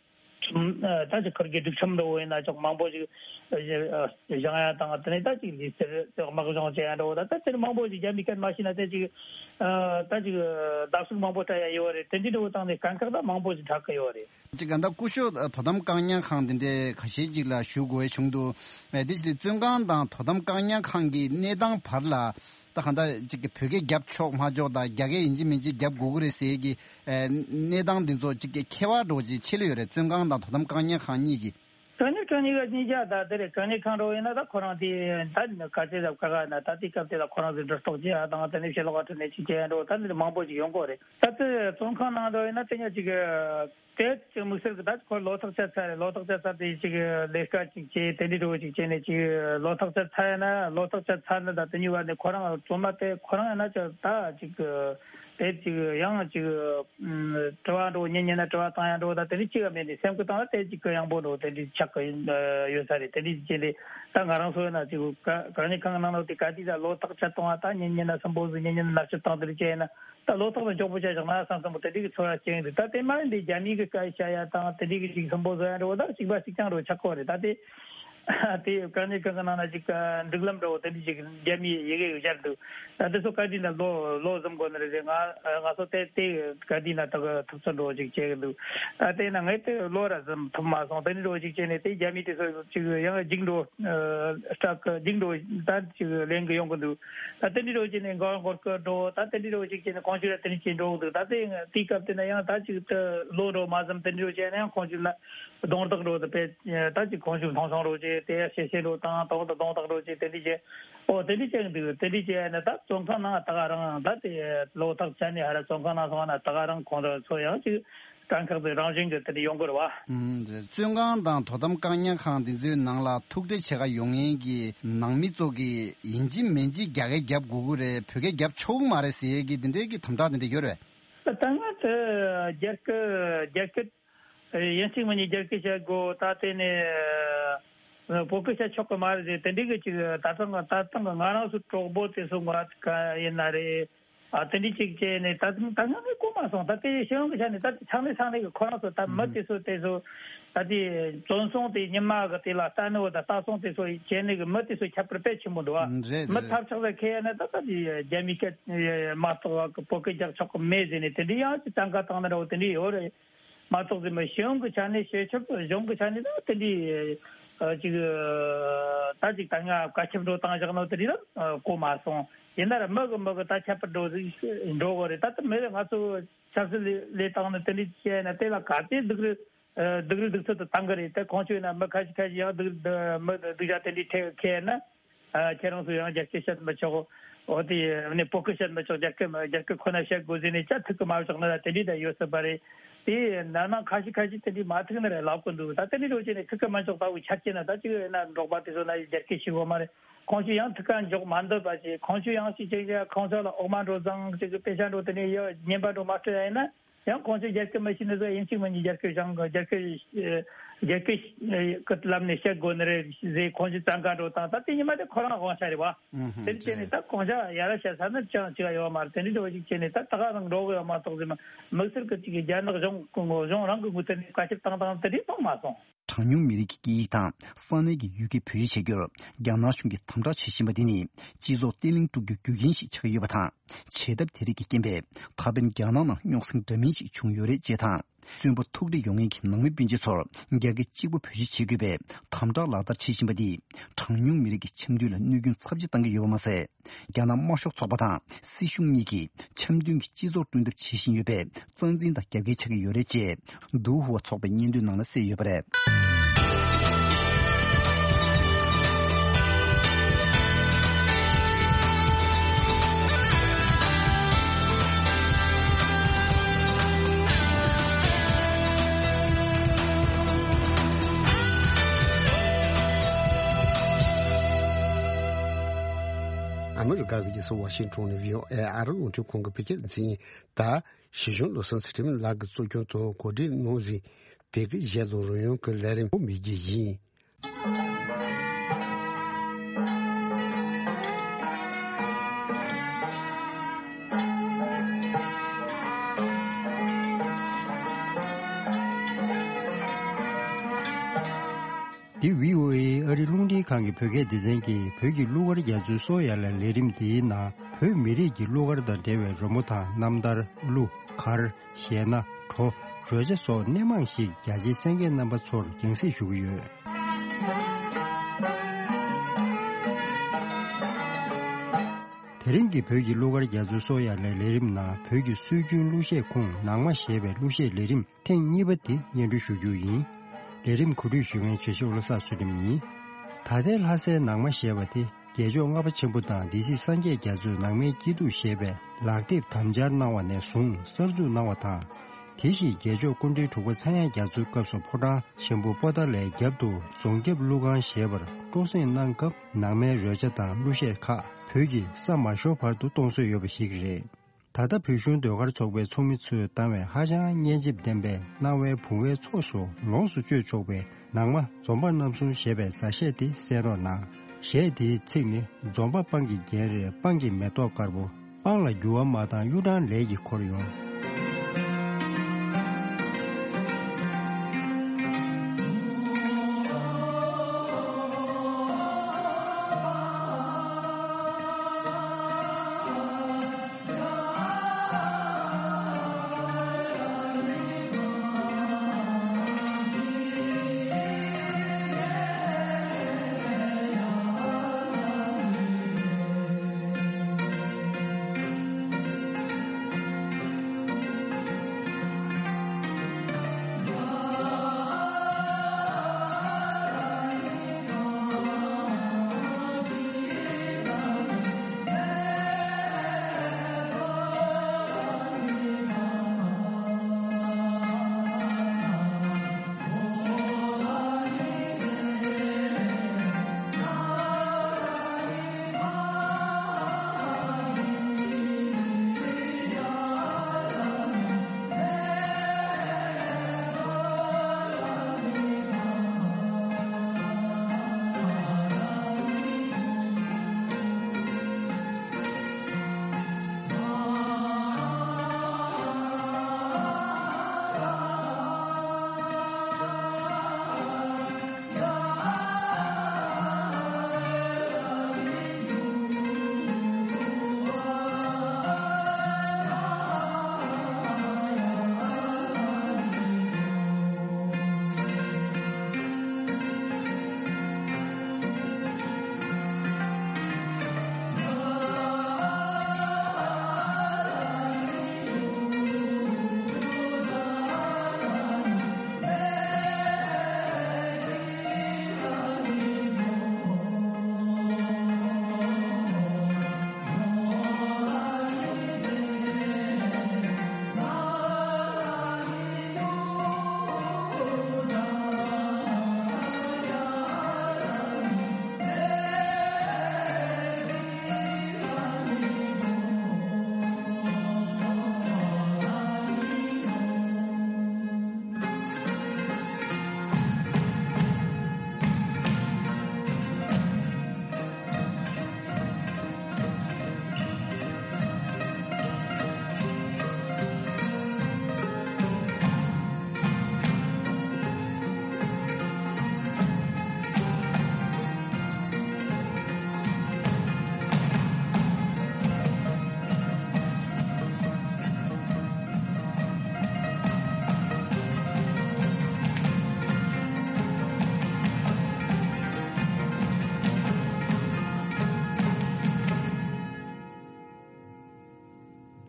ཁྲིམས་ད་ཅིག་ཁུར་གི་སྒྲིག་ཁྲིམས་འགྲོ་བོ་ཡིན་ན་ཅོག་མང་པོ་ཞིག་བཞེངས་ཡ་དང་དེ་ནས་ད་ཅིག་ལུས་རྩལ་དམག་སྦྱོང་བྱེད་ཡ་འགྲོ་བོ་ད་ད་དེ་ནས་མང་པོ་ཞིག་རྒྱ་མི་སྐད་མ་ཤེས་ན་དེ་ཅིག་ད་ཅིག་བརྡབ་གསིག་མང་པོ་སྤྲད་ཡ་ཡོད་རེད། དེ་འདྲ་འགྲོ་བོ་བཏང་ནས་དཀའ་ཁག་ད་མང་པོ་ཞིག་འཕྲད་ཀྱི་ཡོད་རེད། ཅིག་ག་ད་སྐུ་ཞབས་དོ་དམ་བཀག་ཉར་ཁང་དེ་འདྲའི་ཁ་ཤས་ཅིག་ལ་ཞུགས་དགོས་བྱུང་འདུག་དེ་ཕྱིར་བཙོན་ཁང་དང་དོ་དམ་བཀག་ཉར་ཁང་གི་གནས་སྟངས་བར་ལ། ད་གང་ལྟར་ཅིག་གི་བོད་སྐད་རྒྱབ་ཆོག་མ་ཆོག་དང་རྒྱ་སྐད་ཡིན་གཅིག་མིན་གཅིག་རྒྱབ་དགོས་ཀྱི་རེད་ཟེར་གྱི་ཨེ་གནས་སྟངས་འདི་ཚོ་ཅིག་གི་ཁྱད་པར་འདྲ་བོ་ཅིག་ཕྱེ་ལེ་ཡོད་རེད། བཙོན་ཁང་དང་དོ་དམ་བཀག་ཉར་ཁང་གཉིས་ཀྱི། བཀག་ཉར་ཁང་གཉིས་ཀ་གཉིས་ཀ་ད་དེ་རེད། བཀག་ཉར་ཁང་འདྲ་བོ་ཡིན་ན་ད་ཁོ་རང་དེ་ད་ག་ཚོད་ལ་བཀག་ན་ད་དེ་སྐབས་དེ་ལ་ཁོ་རང་ཚོས་འདྲི་རྟོག་བྱེད་ཡ་དང་དེ་ནས་ཕྱི་ལོགས་ཁ་ཁྲིད་ནས་ཅིག་བྱེད་ཡ་འདྲ་བོ་ད་འདི་མང་པོ་ཅིག་ཡོང་གི་རེད། ད་དེ་བཙོན་ཁང་ནང་འདྲ་བོ་ཡིན་ན་དེ་ཉག་ཅིག་དེ་ཅིག་དམིགས་བསལ་གྱི་ད་ཁོ་ལོ་ཐག་ཆོད་ཚར་རེད། ལོ་ཐག་ཆོད་ཚར་དེ་ཅིག་ལས་ཀ་ཅིག་བྱེད་དེ་འདྲའི་འདྲ་བོ་ཅིག་བྱས་ནས་ཅིག་ལོ་ཐག་ཆོད་ཚར་ཡ་ན་ལོ་ཐག་ཆོད་ཚར་ན་ད་དེ་གཉིས་བར་ནས་ཁོ་རང་བཙོན་མ་དེ་ཁོ་རང་ཡིན་ན་ཅིག་ད་ཅིག་དེ་ཅིག་ཡང་ཅིག་དྲི་བ་འདྲ་བོ་ཉན་ཉན་ན་དྲི་བ་བཏང་ཡ་འདྲ་བོ་ད་དེ་འདྲའི་ཅིག་ཡང་མེད་ནས་སེམས་ཁུར་བཏང་ན་དེ་ཅིག་གི་ཡང་པོ་འདྲ་བོ་དེ་འདྲའི་ཆགས་ཀྱི་ཡོད་ས་རེད། དེ་འདྲའི་ཅིག་བྱས་ནས་ད་ང་རང་ཚོ་ཡིན་ན་ཅིག་བཀག་ཉར་ཁང་གི་ནང་ལོགས་དེ་ག་དུས་ད་ལོ་ཐག་ཆོད་གཏོང་བ་ད་ཉན་ཉན་ན་སུན་པོ་ཟིག་ཉན་ཉན་ན་མནར་གཅོད་བཏང་དེ་འདྲ་བྱས་ཡིན་ན། ད་ལོ་ཐོག་ལ་མགྱོགས་པོ་བྱས་བཞག་ན་བསམ་བསམ་པོ་དེ་འདྲའི་གི་ཚོར་བ་སྐྱེ་ཡོང་དུས། ད་དེ་མ་ཡིན་དེ་རྒྱ་མིའི་གི་སྐད་བཤད་ཡ་དང་དེ་འདྲའི་གི་ཅིག་སུན་པོ་བཟོ་ཡ་འདྲ་བོ་ད་གཅིག་པ་གཅིག་རྐྱང་འདྲ་བོ་ཆགས་ཀྱི་ཡོད་རེད། ད་དེ་དེ་བཀག་ཉར་ཁང་གི་ནང་ན་ཅིག་སྒྲིག་ལམ་འདྲ་བོ་དེ་འདྲའི་ཅིག་རྒྱ་མིའི་ཡི་གེ་གི་སྦྱར་འདུག་ད་དེ་ཚོ་ག་དུས་ན་ལོ་ལོ་གཟིམ་དགོས་ནི་རེད། ང་ང་ཚོ་དེ་དེ་ག་དུས་ན་ད་གི་ཐུབ་ཚོད་འདྲ་བོ་ཅིག་བྱེད་གི་འདུག་ད་དེ་ན་ངས་དེ་ལོ་ར་གཟིམ་ཐུབ་མ་སོང་། དེ་འདྲ་འདྲ་བོ་ཅིག་བྱས་ནས་དེ་རྒྱ་མི་དེ་ཚོ་ཅིག་ཡང་རྒྱུགས་འགྲོ་སྐྲག་གི་རྒྱུགས་འགྲོ་ད་ཅིག་ལེན་གི་ཡོང་གི་འདུག་ད་དེ་འདྲ་འདྲ་བོ་བྱས་ནས་མགོ་སྐོར་གི་འགྲོ། ད་དེ་འདྲ་འདྲ་བོ་ཅིག་བྱས་ནས་གོང་ཞུས་ལ་དེ་འདྲ་བྱས་འགྲོ་གི་འདུག་ད་དེ་དེའི་སྐབས་དེ་ན་ཡང་ད་ཅིག་ད་ལོ་འགྲོ་མ་ཟིན་དེ་འདྲ་འདྲ་བོ་བྱས་ན་ཡང་གོང་ཞུས་ལ་རྡུང་རྡེག་འགྲོ་དེ་དཔེ་ད་ཅིག་གོང་ཞུས་མཐོང་ཆུང་འགྲོ་བྱས་དེ་ཡ་ཤེ་ཤེ་འགྲོ་དང་དོག་ཏུ་རྡུང་རྡེག་འགྲོ་བྱས་དེ་འདྲ་བྱས། ཨོ་དེ་འདྲ་བྱས་འདུག་དེ་འདྲ་བྱས་ན་ད་བཙོན་ཁང་ནང་ད་ག་རང་ད་དེ་ལོ་ཐག་ཆོད་ནས་ཧ་ར་བཙོན་ཁང་ནང་སོང་ན་ད་ག་རང་ཁོང་ཚོ་ཡང་ཅིག་དཀའ་ཁག་དེ་རང་བཞིན་གྱི་དེ་འདྲ་ཡོང་གི་རེད་བ། ཨུམ། བཙོན་ཁང་དང་དོ་དམ་བཀག་ཉར་ཁང་དེ་ཚོའི་ནང་ལ་ཐུག་འཕྲད་བྱེད་ག་ཡོང་མཁན་གྱི་ནང་མི་ཚོ་གིས་ཡིན་གཅིག་མིན་གཅིག་རྒྱ་སྐད་རྒྱབ་དགོས་ཀྱི་རེད། བོད་སྐད་རྒྱབ་ཆོག་གི་མ་རེད་ཟེར་ཡས་ཀྱི་དེ་འདྲའི་གི་དམ་དྲག་དེ་འདྲ་ཡོད་རེད། ད་ལྟ་ང་ཚོ་རྒྱ་སྐད་རྒྱ་སྐད་ཡིན་གཅིག་མིན་གཉིས་རྒྱ་སྐད་བཤད་དགོས། ད་དེ་ནས་བོད་སྐད་བཤད་ཆོག་གི་མ་རེད་ཟེར། དེ་འདྲའི་གི་ཅིག་ད་ཐེངས་ད་ཐེངས་ང་རང་ཚོ་གྲོགས་པོ་དེ་ཚོ་ང་ཡིན་ན་རེད། ཨ་དེ་འདྲའི་ཅིག་བྱས་ནས་ད་ད་ང་གིས་གོ་མ་སོང་། ད་དེ་ཤེས་ཡོན་གི་ཆ་ནས་ད་ཚང་མས་ཚང་མས་གི་ཁོ་རང་ཚོ་ད་མི་དེ་ཚོ་དེ་ཚོ་ད་དེ་བཙོན་སྲུང་དེ་ཉི་མ་གི་དེ་ལ་ལྟ་ནི་བ་ད་ལྟ་སྲུང་དེ་ཚོ་བྱས་ནས་གི་མི་དེ་ཚོ་ཁྱད་པར་དཔེ་ཆེན་པོ་འདུག་ཨ། རེད་མི་རེད། ཐབས་ཆག་ས་ཁེལ་ཡ་ན་ད་ད་དེ་རྒྱ་མི་སྐད་མ་གཏོགས་བ་གི་བོད་སྐད་རྒྱག་ཆོག་གི་མེད་ཟེར་ནས་དེ་འདྲའི་ཡང་ཅིག་གཏན་འཁེལ་བཏང་ན་འདྲ་བོ་དེ་འདྲའི་ཡོད་རེད། མ་གཏོགས་ཟིན་པ་ཤེས་ཡོན་གྱི་ཆ་ནས་བྱེད་ཆོག་གཞུང་གི་ཆ་ནས་ད་དེ་འདྲའི་ཅིག་ད་ཅིག་ད་ང་བཀའ་ཁྱབ་འགྲོ་བཏང་བཞག་ནོ་དེ་འདྲའི་ད་གོ་མ་སོང་། ཡིན་ན་ར་མི་གི་མི་གི་ད་ཁྱད་པར་འགྲོ་ཟིག་འགྲོ་གི་རེད། ད་ད་མི་རེ་ང་ཚོ་ཆབ་སྲིད་ལས་བཏང་ནི་དེ་འདྲའི་བྱས་ན་དེ་ལ་ག་དེ་སྡུག་རུ་སྡུག་རུ་སྡུག་ཚོད་དུ་བཏང་གི་རེད། དེ་གོང་ཆོད་ན་མི་ཁ་ཤས་ཁ་ཤས་ཡང་སྡུག་མི་སྡུག་ཅག་དེ་འདྲའི་ཁེལ་ན། ཨ། ཁྱེད་རང་ཚོ་ཡང་རྒྱ་སྐད་བཤད་མི་ཆོག་འོ་དེ་ནས་བོད་སྐད་བཤད་མི་ཆོག་རྒྱ་སྐད་རྒྱ་སྐད་ཁོ་ན་བཤད་དགོས་ཟེར་ནས་བྱ་ཐུག་གི་མ་བཞག་ན་དེ་འདྲའི་ད་ཡོད་སྲིད་པ་རེད། དེ་ན་ནང་ཁ་ཤས་ཁ་ཤས་དེ་འདྲའི་མ་ཐུག་ན་རེ་ལབ་གི་འདུག་ད་དེ་འདྲའི་འགྲོ་བྱས་ནས་ཐུག་གི་མ་ཆོག་ལྟ་བུ་ཆ་རྐྱེན་ན་ད་ཅིག་ཡོད་ན་འབྲོག་པ་དེ་ཚོ་ན་རྒྱ་སྐད་ཤེས་དགོས་མ་རེད། ཁོང་ཚོ་ཡང་ཐུག་ག་འཇོག་མ་འདོད་པ་ཞིག་ཁོང་ཚོ་ཡང་ཞིག་ཅིག་ཁོང་ཚོ་ལ་འོག་མ་འགྲོ་ཙང་ཅིག་དཔེ་ཆ་འགྲོ་དེ་ནས་ཡོད་ཉན་པ་འགྲོ་མ་སྤྲད་ཡ་ཡིན་ན། ཡང་ཁོང་ཚོས་རྒྱ་སྐད་མི་ཤེས་ནི་ཚོ་ཡིན་གཅིག་མིན་གཉིས་རྒྱ་སྐད་སྦྱང་གི་རྒྱ་སྐད་རྒྱ་སྐད་ཀྱི་ལམ་ནས་བཤད་དགོས་ནི་རེད་ཟེར་ཁོང་ཚོས་བཙན་བཀའ་འགྲོ་དང་ད་དེ་ཉི་མ་དེ་ཁོ་རང་དབང་ཆ་རེད་བ། ཨུ་ཧུམ་དེ་བྱས་ནས་ད་གོང་ཆ་ཡ་ར་བཤད་ས་ནི་ཅང་ཅི་ག་ཡོད་མ་རེད། དེ་འདྲ་འདྲ་བོ་ཞིག་བྱས་ནས་ད་ད་ག་རང་འགྲོ་གི་ཡོད་མ་གཏོགས་ཟེར་མ་དམིགས་བསལ་གྱི་ཅིག་གི་རྒྱ་ནག་གཞུང་གཞུང་རང་གི་འགོ་ཐད་ནས་བཀའ་ཁྱབ་བཏང་སྟངས་དེ་འདྲའི་མཐོང་མ་སོང་། གྲངས་ཉུང་མི་རིགས་ཀྱི་སྐད་ཡིག་དང་ས་གནས་ཀྱི་ཡུལ་སྐད་བེད་སྤྱོད་བྱ་རྒྱུར་རྒྱ་ནག་གཞུང་གིས་དམ་དྲག་བྱེད་བཞིན་པ་འདི་ནི་སྤྱི་ཚོགས་བརྟན་ལྷིང་དཀྲུག་རྒྱུའི་རྒྱུ་རྐྱེན་ཞིག་ཆགས་ཀྱི་ཡོད་པ་དང་། བྱེད་ཐབས་དེ་རིགས་ཀྱི་རྐྱེན་པས་ད་ཕན་རྒྱ་ནག་ནང་རྙོག་ཟིང་འདྲ་མིན་ཞིག་བྱུང་ཡོད་རེད་ཅེས་དང་། གསོན་པོ་ཐུགས་རེ་ཡོང་མཁན་གྱི་ནང་མི་སྤུན་མཆེད་ཚོར་རྒྱ་སྐད་གཅིག་པུ་བེད་སྤྱོད་བྱེད་དགོས་པའི་དམ་དྲག་ལག་བསྟར་བྱེད་བཞིན་པ་འདིས་གྲངས་ཉུང་མི་རིགས་ཀྱི་འཆམ་མཐུན་ལ་གནོད་སྐྱོན་ཚབས་ཆེ་བཏང་གི་ཡོད་པ་མ་ཟད། རྒྱ་ནག་དམར་ཤོག་ཚོགས་པ་དང་སྲིད་གཞུང་གཉིས་ཀྱིས་འཆམ་མཐུན་གྱི་སྤྱི་ཚོགས་བསྐྲུན་ཐབས་བྱེད་བཞིན་ཡོད་པས་རྩ་འཛིན་དང་རྒྱབ་འགལ་ཆགས་ཀྱི་ཡོད་རེད་ཅེས་ཏུའུ་ཧུའ་ཚོགས་པའི་སྙན་ཐོའི་ནང་ལ་གསལ་ཡོད་པ་རེད། ཨ་མི་རི་ཀ་གི་རྒྱལ་ས་ཝ་ཤིང་ཊོན་ནས་བྷི་ཨོ་ཨེ་ཨ་རི་རླུང་འཕྲིན་ཁང་གི་བོད་སྐད་སྡེ་ཚན་ཡིན། ད་ཞི་གཞོན་བློ་བཟང་ཚུལ་ཁྲིམས་ལགས་ཀྱིས་གཙོ་སྐྱོང་དུ་གོ་སྒྲིག་གནང་ཟིན་བོད་སྐད་གཞས་དང་རོལ་དབྱངས་ཀྱི་ལས་རིམ་པོ་མི་རྒྱུད་ཡིན། འདི་བྷི་ཨོ་ཨེ་ཨ་རི་རླུང་འཕྲིན་ཁང་གི་བོད་སྐད་སྡེ་ཚན་གྱིས་བོད་ཀྱི་གླུ་གར་རྒྱ་མཚོའི་སོ་ཡ་ལ་ལས་རིམ་འདིའི་ནང་བོད་མི་རིགས་ཀྱི་གླུ་གར་དང་འབྲེལ་བའི་རོལ་མོ་དང་རྣམ་ཐར། གླུ། གར། གཞས་སྣ། བྲོ། རོལ་ཆ་སོགས་སྣེ་མང་ཞིག་རྒྱ་ཆེའི་གསན་མཁན་རྣམ་པ་ཚོར་རྒྱང་སྲིང་ཞུ་གི་ཡོད། དེ་རིང་གི་བོད་ཀྱི་གླུ་གར་རྒྱ་མཚོའི་སོ་ཡ་ལའི་ལས་རིམ་ནང་བོད་ཀྱི་སྲོལ་རྒྱུན་གླུ་གཞས་ཁུངས་ནང་མ་ཞེས་པའི་གླུ་གཞས་ལས་རིམ་ཐེངས་གཉིས་པ་འདི་སྙན་སྒྲོན་ཞུ་རྒྱུ་ཡིན། ལས་རིམ་གོ་སྒྲིག་ཞུ་མཁན་བྱེད་ཤོག་བློ་བཟང་ཚུལ་ཁྲིམས་ཡིན། ད་ལྟའི་ལྷ་སའི་ནང་མ་ཞེས་པ་དེ་རྒྱལ་མཆོག་ལྔ་པ་ཆེན་པོ་དང་སྡེ་སྲིད་སངས་རྒྱས་རྒྱ་མཚོས་ནང་མའི་སྐྱིད་སྡུག་ཞེས་པའི་ལག་དེབ་དམ་སྦྱར་གནང་བ་ནས་བཟུང་གསར་འཛུགས་གནང་བ་དང་། དེ་བཞིན་རྒྱལ་མཆོག་སྐུ་ཕྲེང་དྲུག་པ་ཚངས་དབྱངས་རྒྱ་མཚོའི་སྐབས་སུ་ཕོ་བྲང་ཆེན་པོ་པོ་ཏཱ་ལའི་རྒྱབ་ཏུ་རྫོང་རྒྱབ་གླུ་ཁང་ཞེས་པར་སྤྲོ་གསེང་གནང་སྐབས་ནང་མའི་རོལ་ཆ་དང་གླུ་གཞས་ཁག་བོད་ཀྱི་ས་མ་ཤོར་བར་དུ་གཏོང་སྲོལ་ཡོད་པ་ཞིག་རེད། ད་ལྟ་བོད་གཞུང་ཟློས་གར་ཚོགས་པའི་ཚོགས་མི་ཚོས་བཏང་བའི་ཧ་ཅང་སྙན་འཇེབས་ལྡན་པའི་སྣང་བའི་བུང་བའི་ཚོགས་སུ་ལོངས་སུ་སྤྱོད་ཆོག་པའི་ནང་མ་འཛོམས་པ་རྣམ་གསུམ་ཞེས་པའི་མཛའ་གཞས་དེ་གསན་རོགས་གནང་། གཞས་དེའི་ཚིག་ནི། འཛོམས་པ་སྤང་གི་རྒྱན་རེད། སྤང་གི་མེ་ཏོག་དཀར་པོ། སྤང་ལ་འགྱུར་བ་མ་བཏང་གཡུ་སྦྲང་ལས་ཀྱིས་འཁོར་ཡོང་།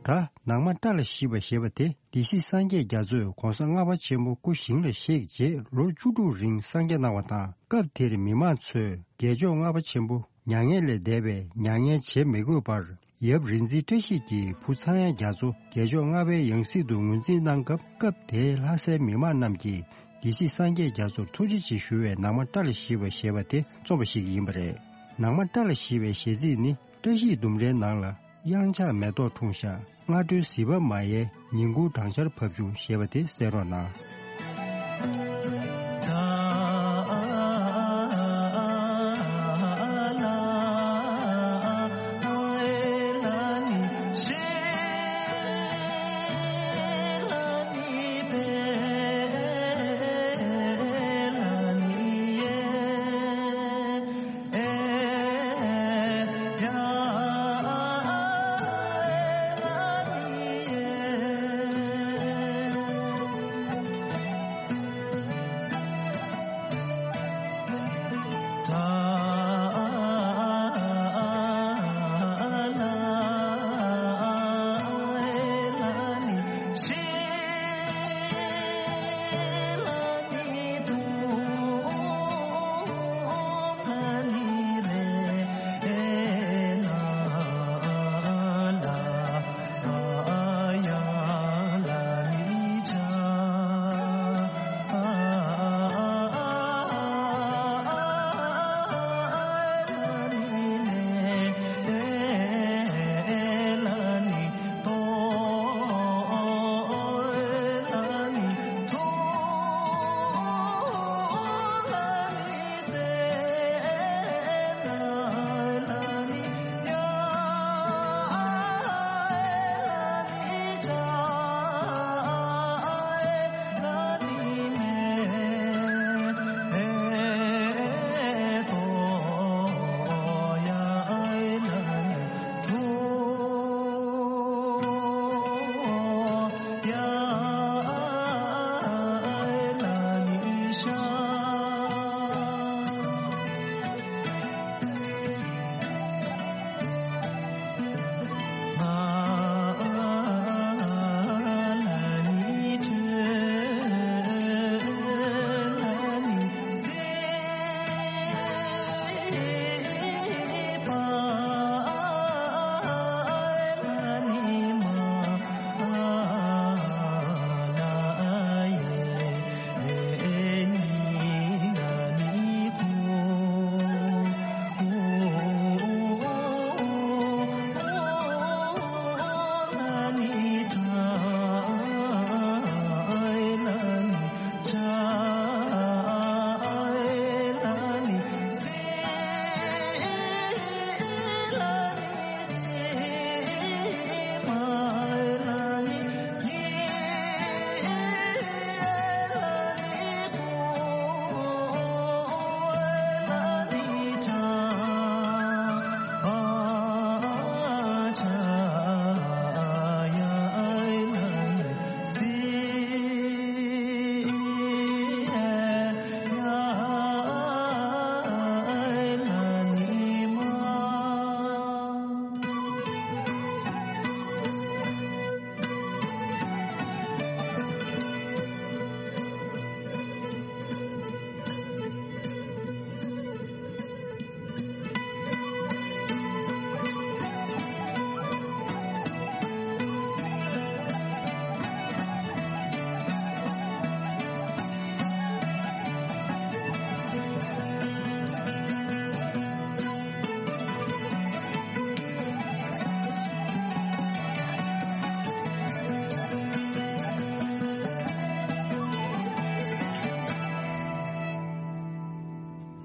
ད་ནང་མ་བཀྲ་ལ་ཤིས་པ་ཞེས་པ་དེ་སྡེ་སྲིད་སངས་རྒྱས་རྒྱ་མཚོས་གོང་ས་ལྔ་པ་ཆེན་པོ་སྐུ་ཞིང་ལ་གཤེགས་རྗེས་ལོ་བཅུ་དྲུག་རིང་གསང་རྒྱ་གནང་བ་དང་། སྐབས་དེར་མི་མང་ཚོས་རྒྱལ་མཆོག་ལྔ་པ་ཆེན་པོ་མྱ་ངན་ལས་འདས་པའི་མྱ་ངན་བྱེད་མི་དགོས་པར། ཡབ་རིག་འཛིན་བཀྲ་ཤིས་ཀྱི་བུ་ཚངས་དབྱངས་རྒྱ་མཚོ་རྒྱལ་མཆོག་ལྔ་པའི་ཡང་སྲིད་དུ་ངོས་འཛིན་གནང་སྐབས། སྐབས་དེའི་ལྷ་སའི་མི་མང་རྣམས་ཀྱིས་སྡེ་སྲིད་སངས་རྒྱས་རྒྱ་མཚོར་ཐུགས་རྗེ་ཆེ་ཞུ་བའི་ནང་མ་བཀྲ་ལ་ཤིས་པ་ཞེས་པ་དེ་རྩོམ་པ་ཞིག་ཡིན་པ་རེད། ནང་མ་བཀྲ་ལ་ཤིས་པའི་གཞས་ཚིག་ནི། བཀྲ་ཤིས་ལྡུམ་རའི་ནང་ལ། གཡང་ཆགས་མེ་ཏོག་འཁྲུངས་ཤག་སྔ་དྲོའི་གཟིགས་པ་མ་ཡལ། ཉིན་གུང་སྦྲང་ཆར་བབས་བྱུང་ཞེས་པ་དེ་གསན་རོགས་གནང་།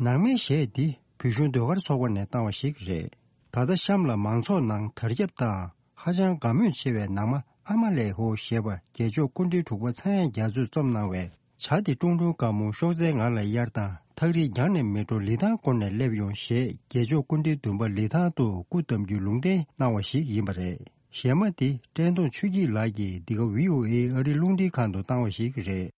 ནང་མའི་གཞས་འདི་བོད་གཞུང་ཟློས་གར་ཚོགས་པ་ནས་བཏང་བ་ཞིག་རེད། ད་ལྟ་གཤམ་ལ་མང་ཚོགས་ནང་དར་ཁྱབ་དང་ཧ་ཅང་དགའ་མོས་ཆེ་བའི་ནང་མ་ཨ་མ་ལས་ཧོ་ཞེས་པ་རྒྱལ་མཆོག་སྐུ་ཕྲེང་དྲུག་པ་ཚངས་དབྱངས་རྒྱ་མཚོས་རྩོམ་གནང་བའི། བྱ་དེ་ཀྲུང་ཀྲུང་དཀར་མོ་གཤོག་རྩལ་ངང་ལ་གཡར་དང་། ཐག་རིང་རྒྱང་ནས་མེ་ཏོག་ལི་ཐང་བསྐོར་ནས་སླེབས་ཡོང་ཞེས་རྒྱལ་མཆོག་སྐུ་ཕྲེང་བདུན་པ་ལི་ཐང་དུ་སྐུ་བལྟམས་རྒྱུའི་ལུང་བསྟན་གནང་བ་ཞིག་ཡིན་པ་རེད། གཞས་མ་འདི་བཀྲས་མཐོང་ཆོས་སྐྱིད་ལགས་ཀྱིས་འདི་ག་བྷི་ཨོ་ཨེ་ཨ་རིའི་རླུང་འཕྲིན་ཁང་དུ་བཏང་བ་ཞིག་རེད།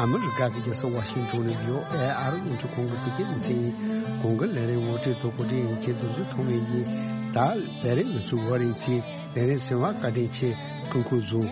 ཨ་མི་རི་ཀ་གི་རྒྱལ་ས་ཝ་ཤིང་ཊོན་ནས་བྷི་ཨོ་ཨེ་ཨ་རི་རླུང་འཕྲིན་ཁང་གི་བོད་སྐད་སྡེ་ཚན་ཡིན། གོང་གི་ལས་རིམ་ངོ་སྤྲོད་དང་གོ་སྒྲིག་ཡིན་གྱི་འདུག་བཟོ་ཐོག་མེད་ཡིན། ད་ལས་རིམ་ང་ཚོའི་ཝ་རིང་ཊི་ལས་རིམ་ཟིན་པ་བཀའ་དྲིན་ཆེ། སྐུ་ཁམས་བཟང་།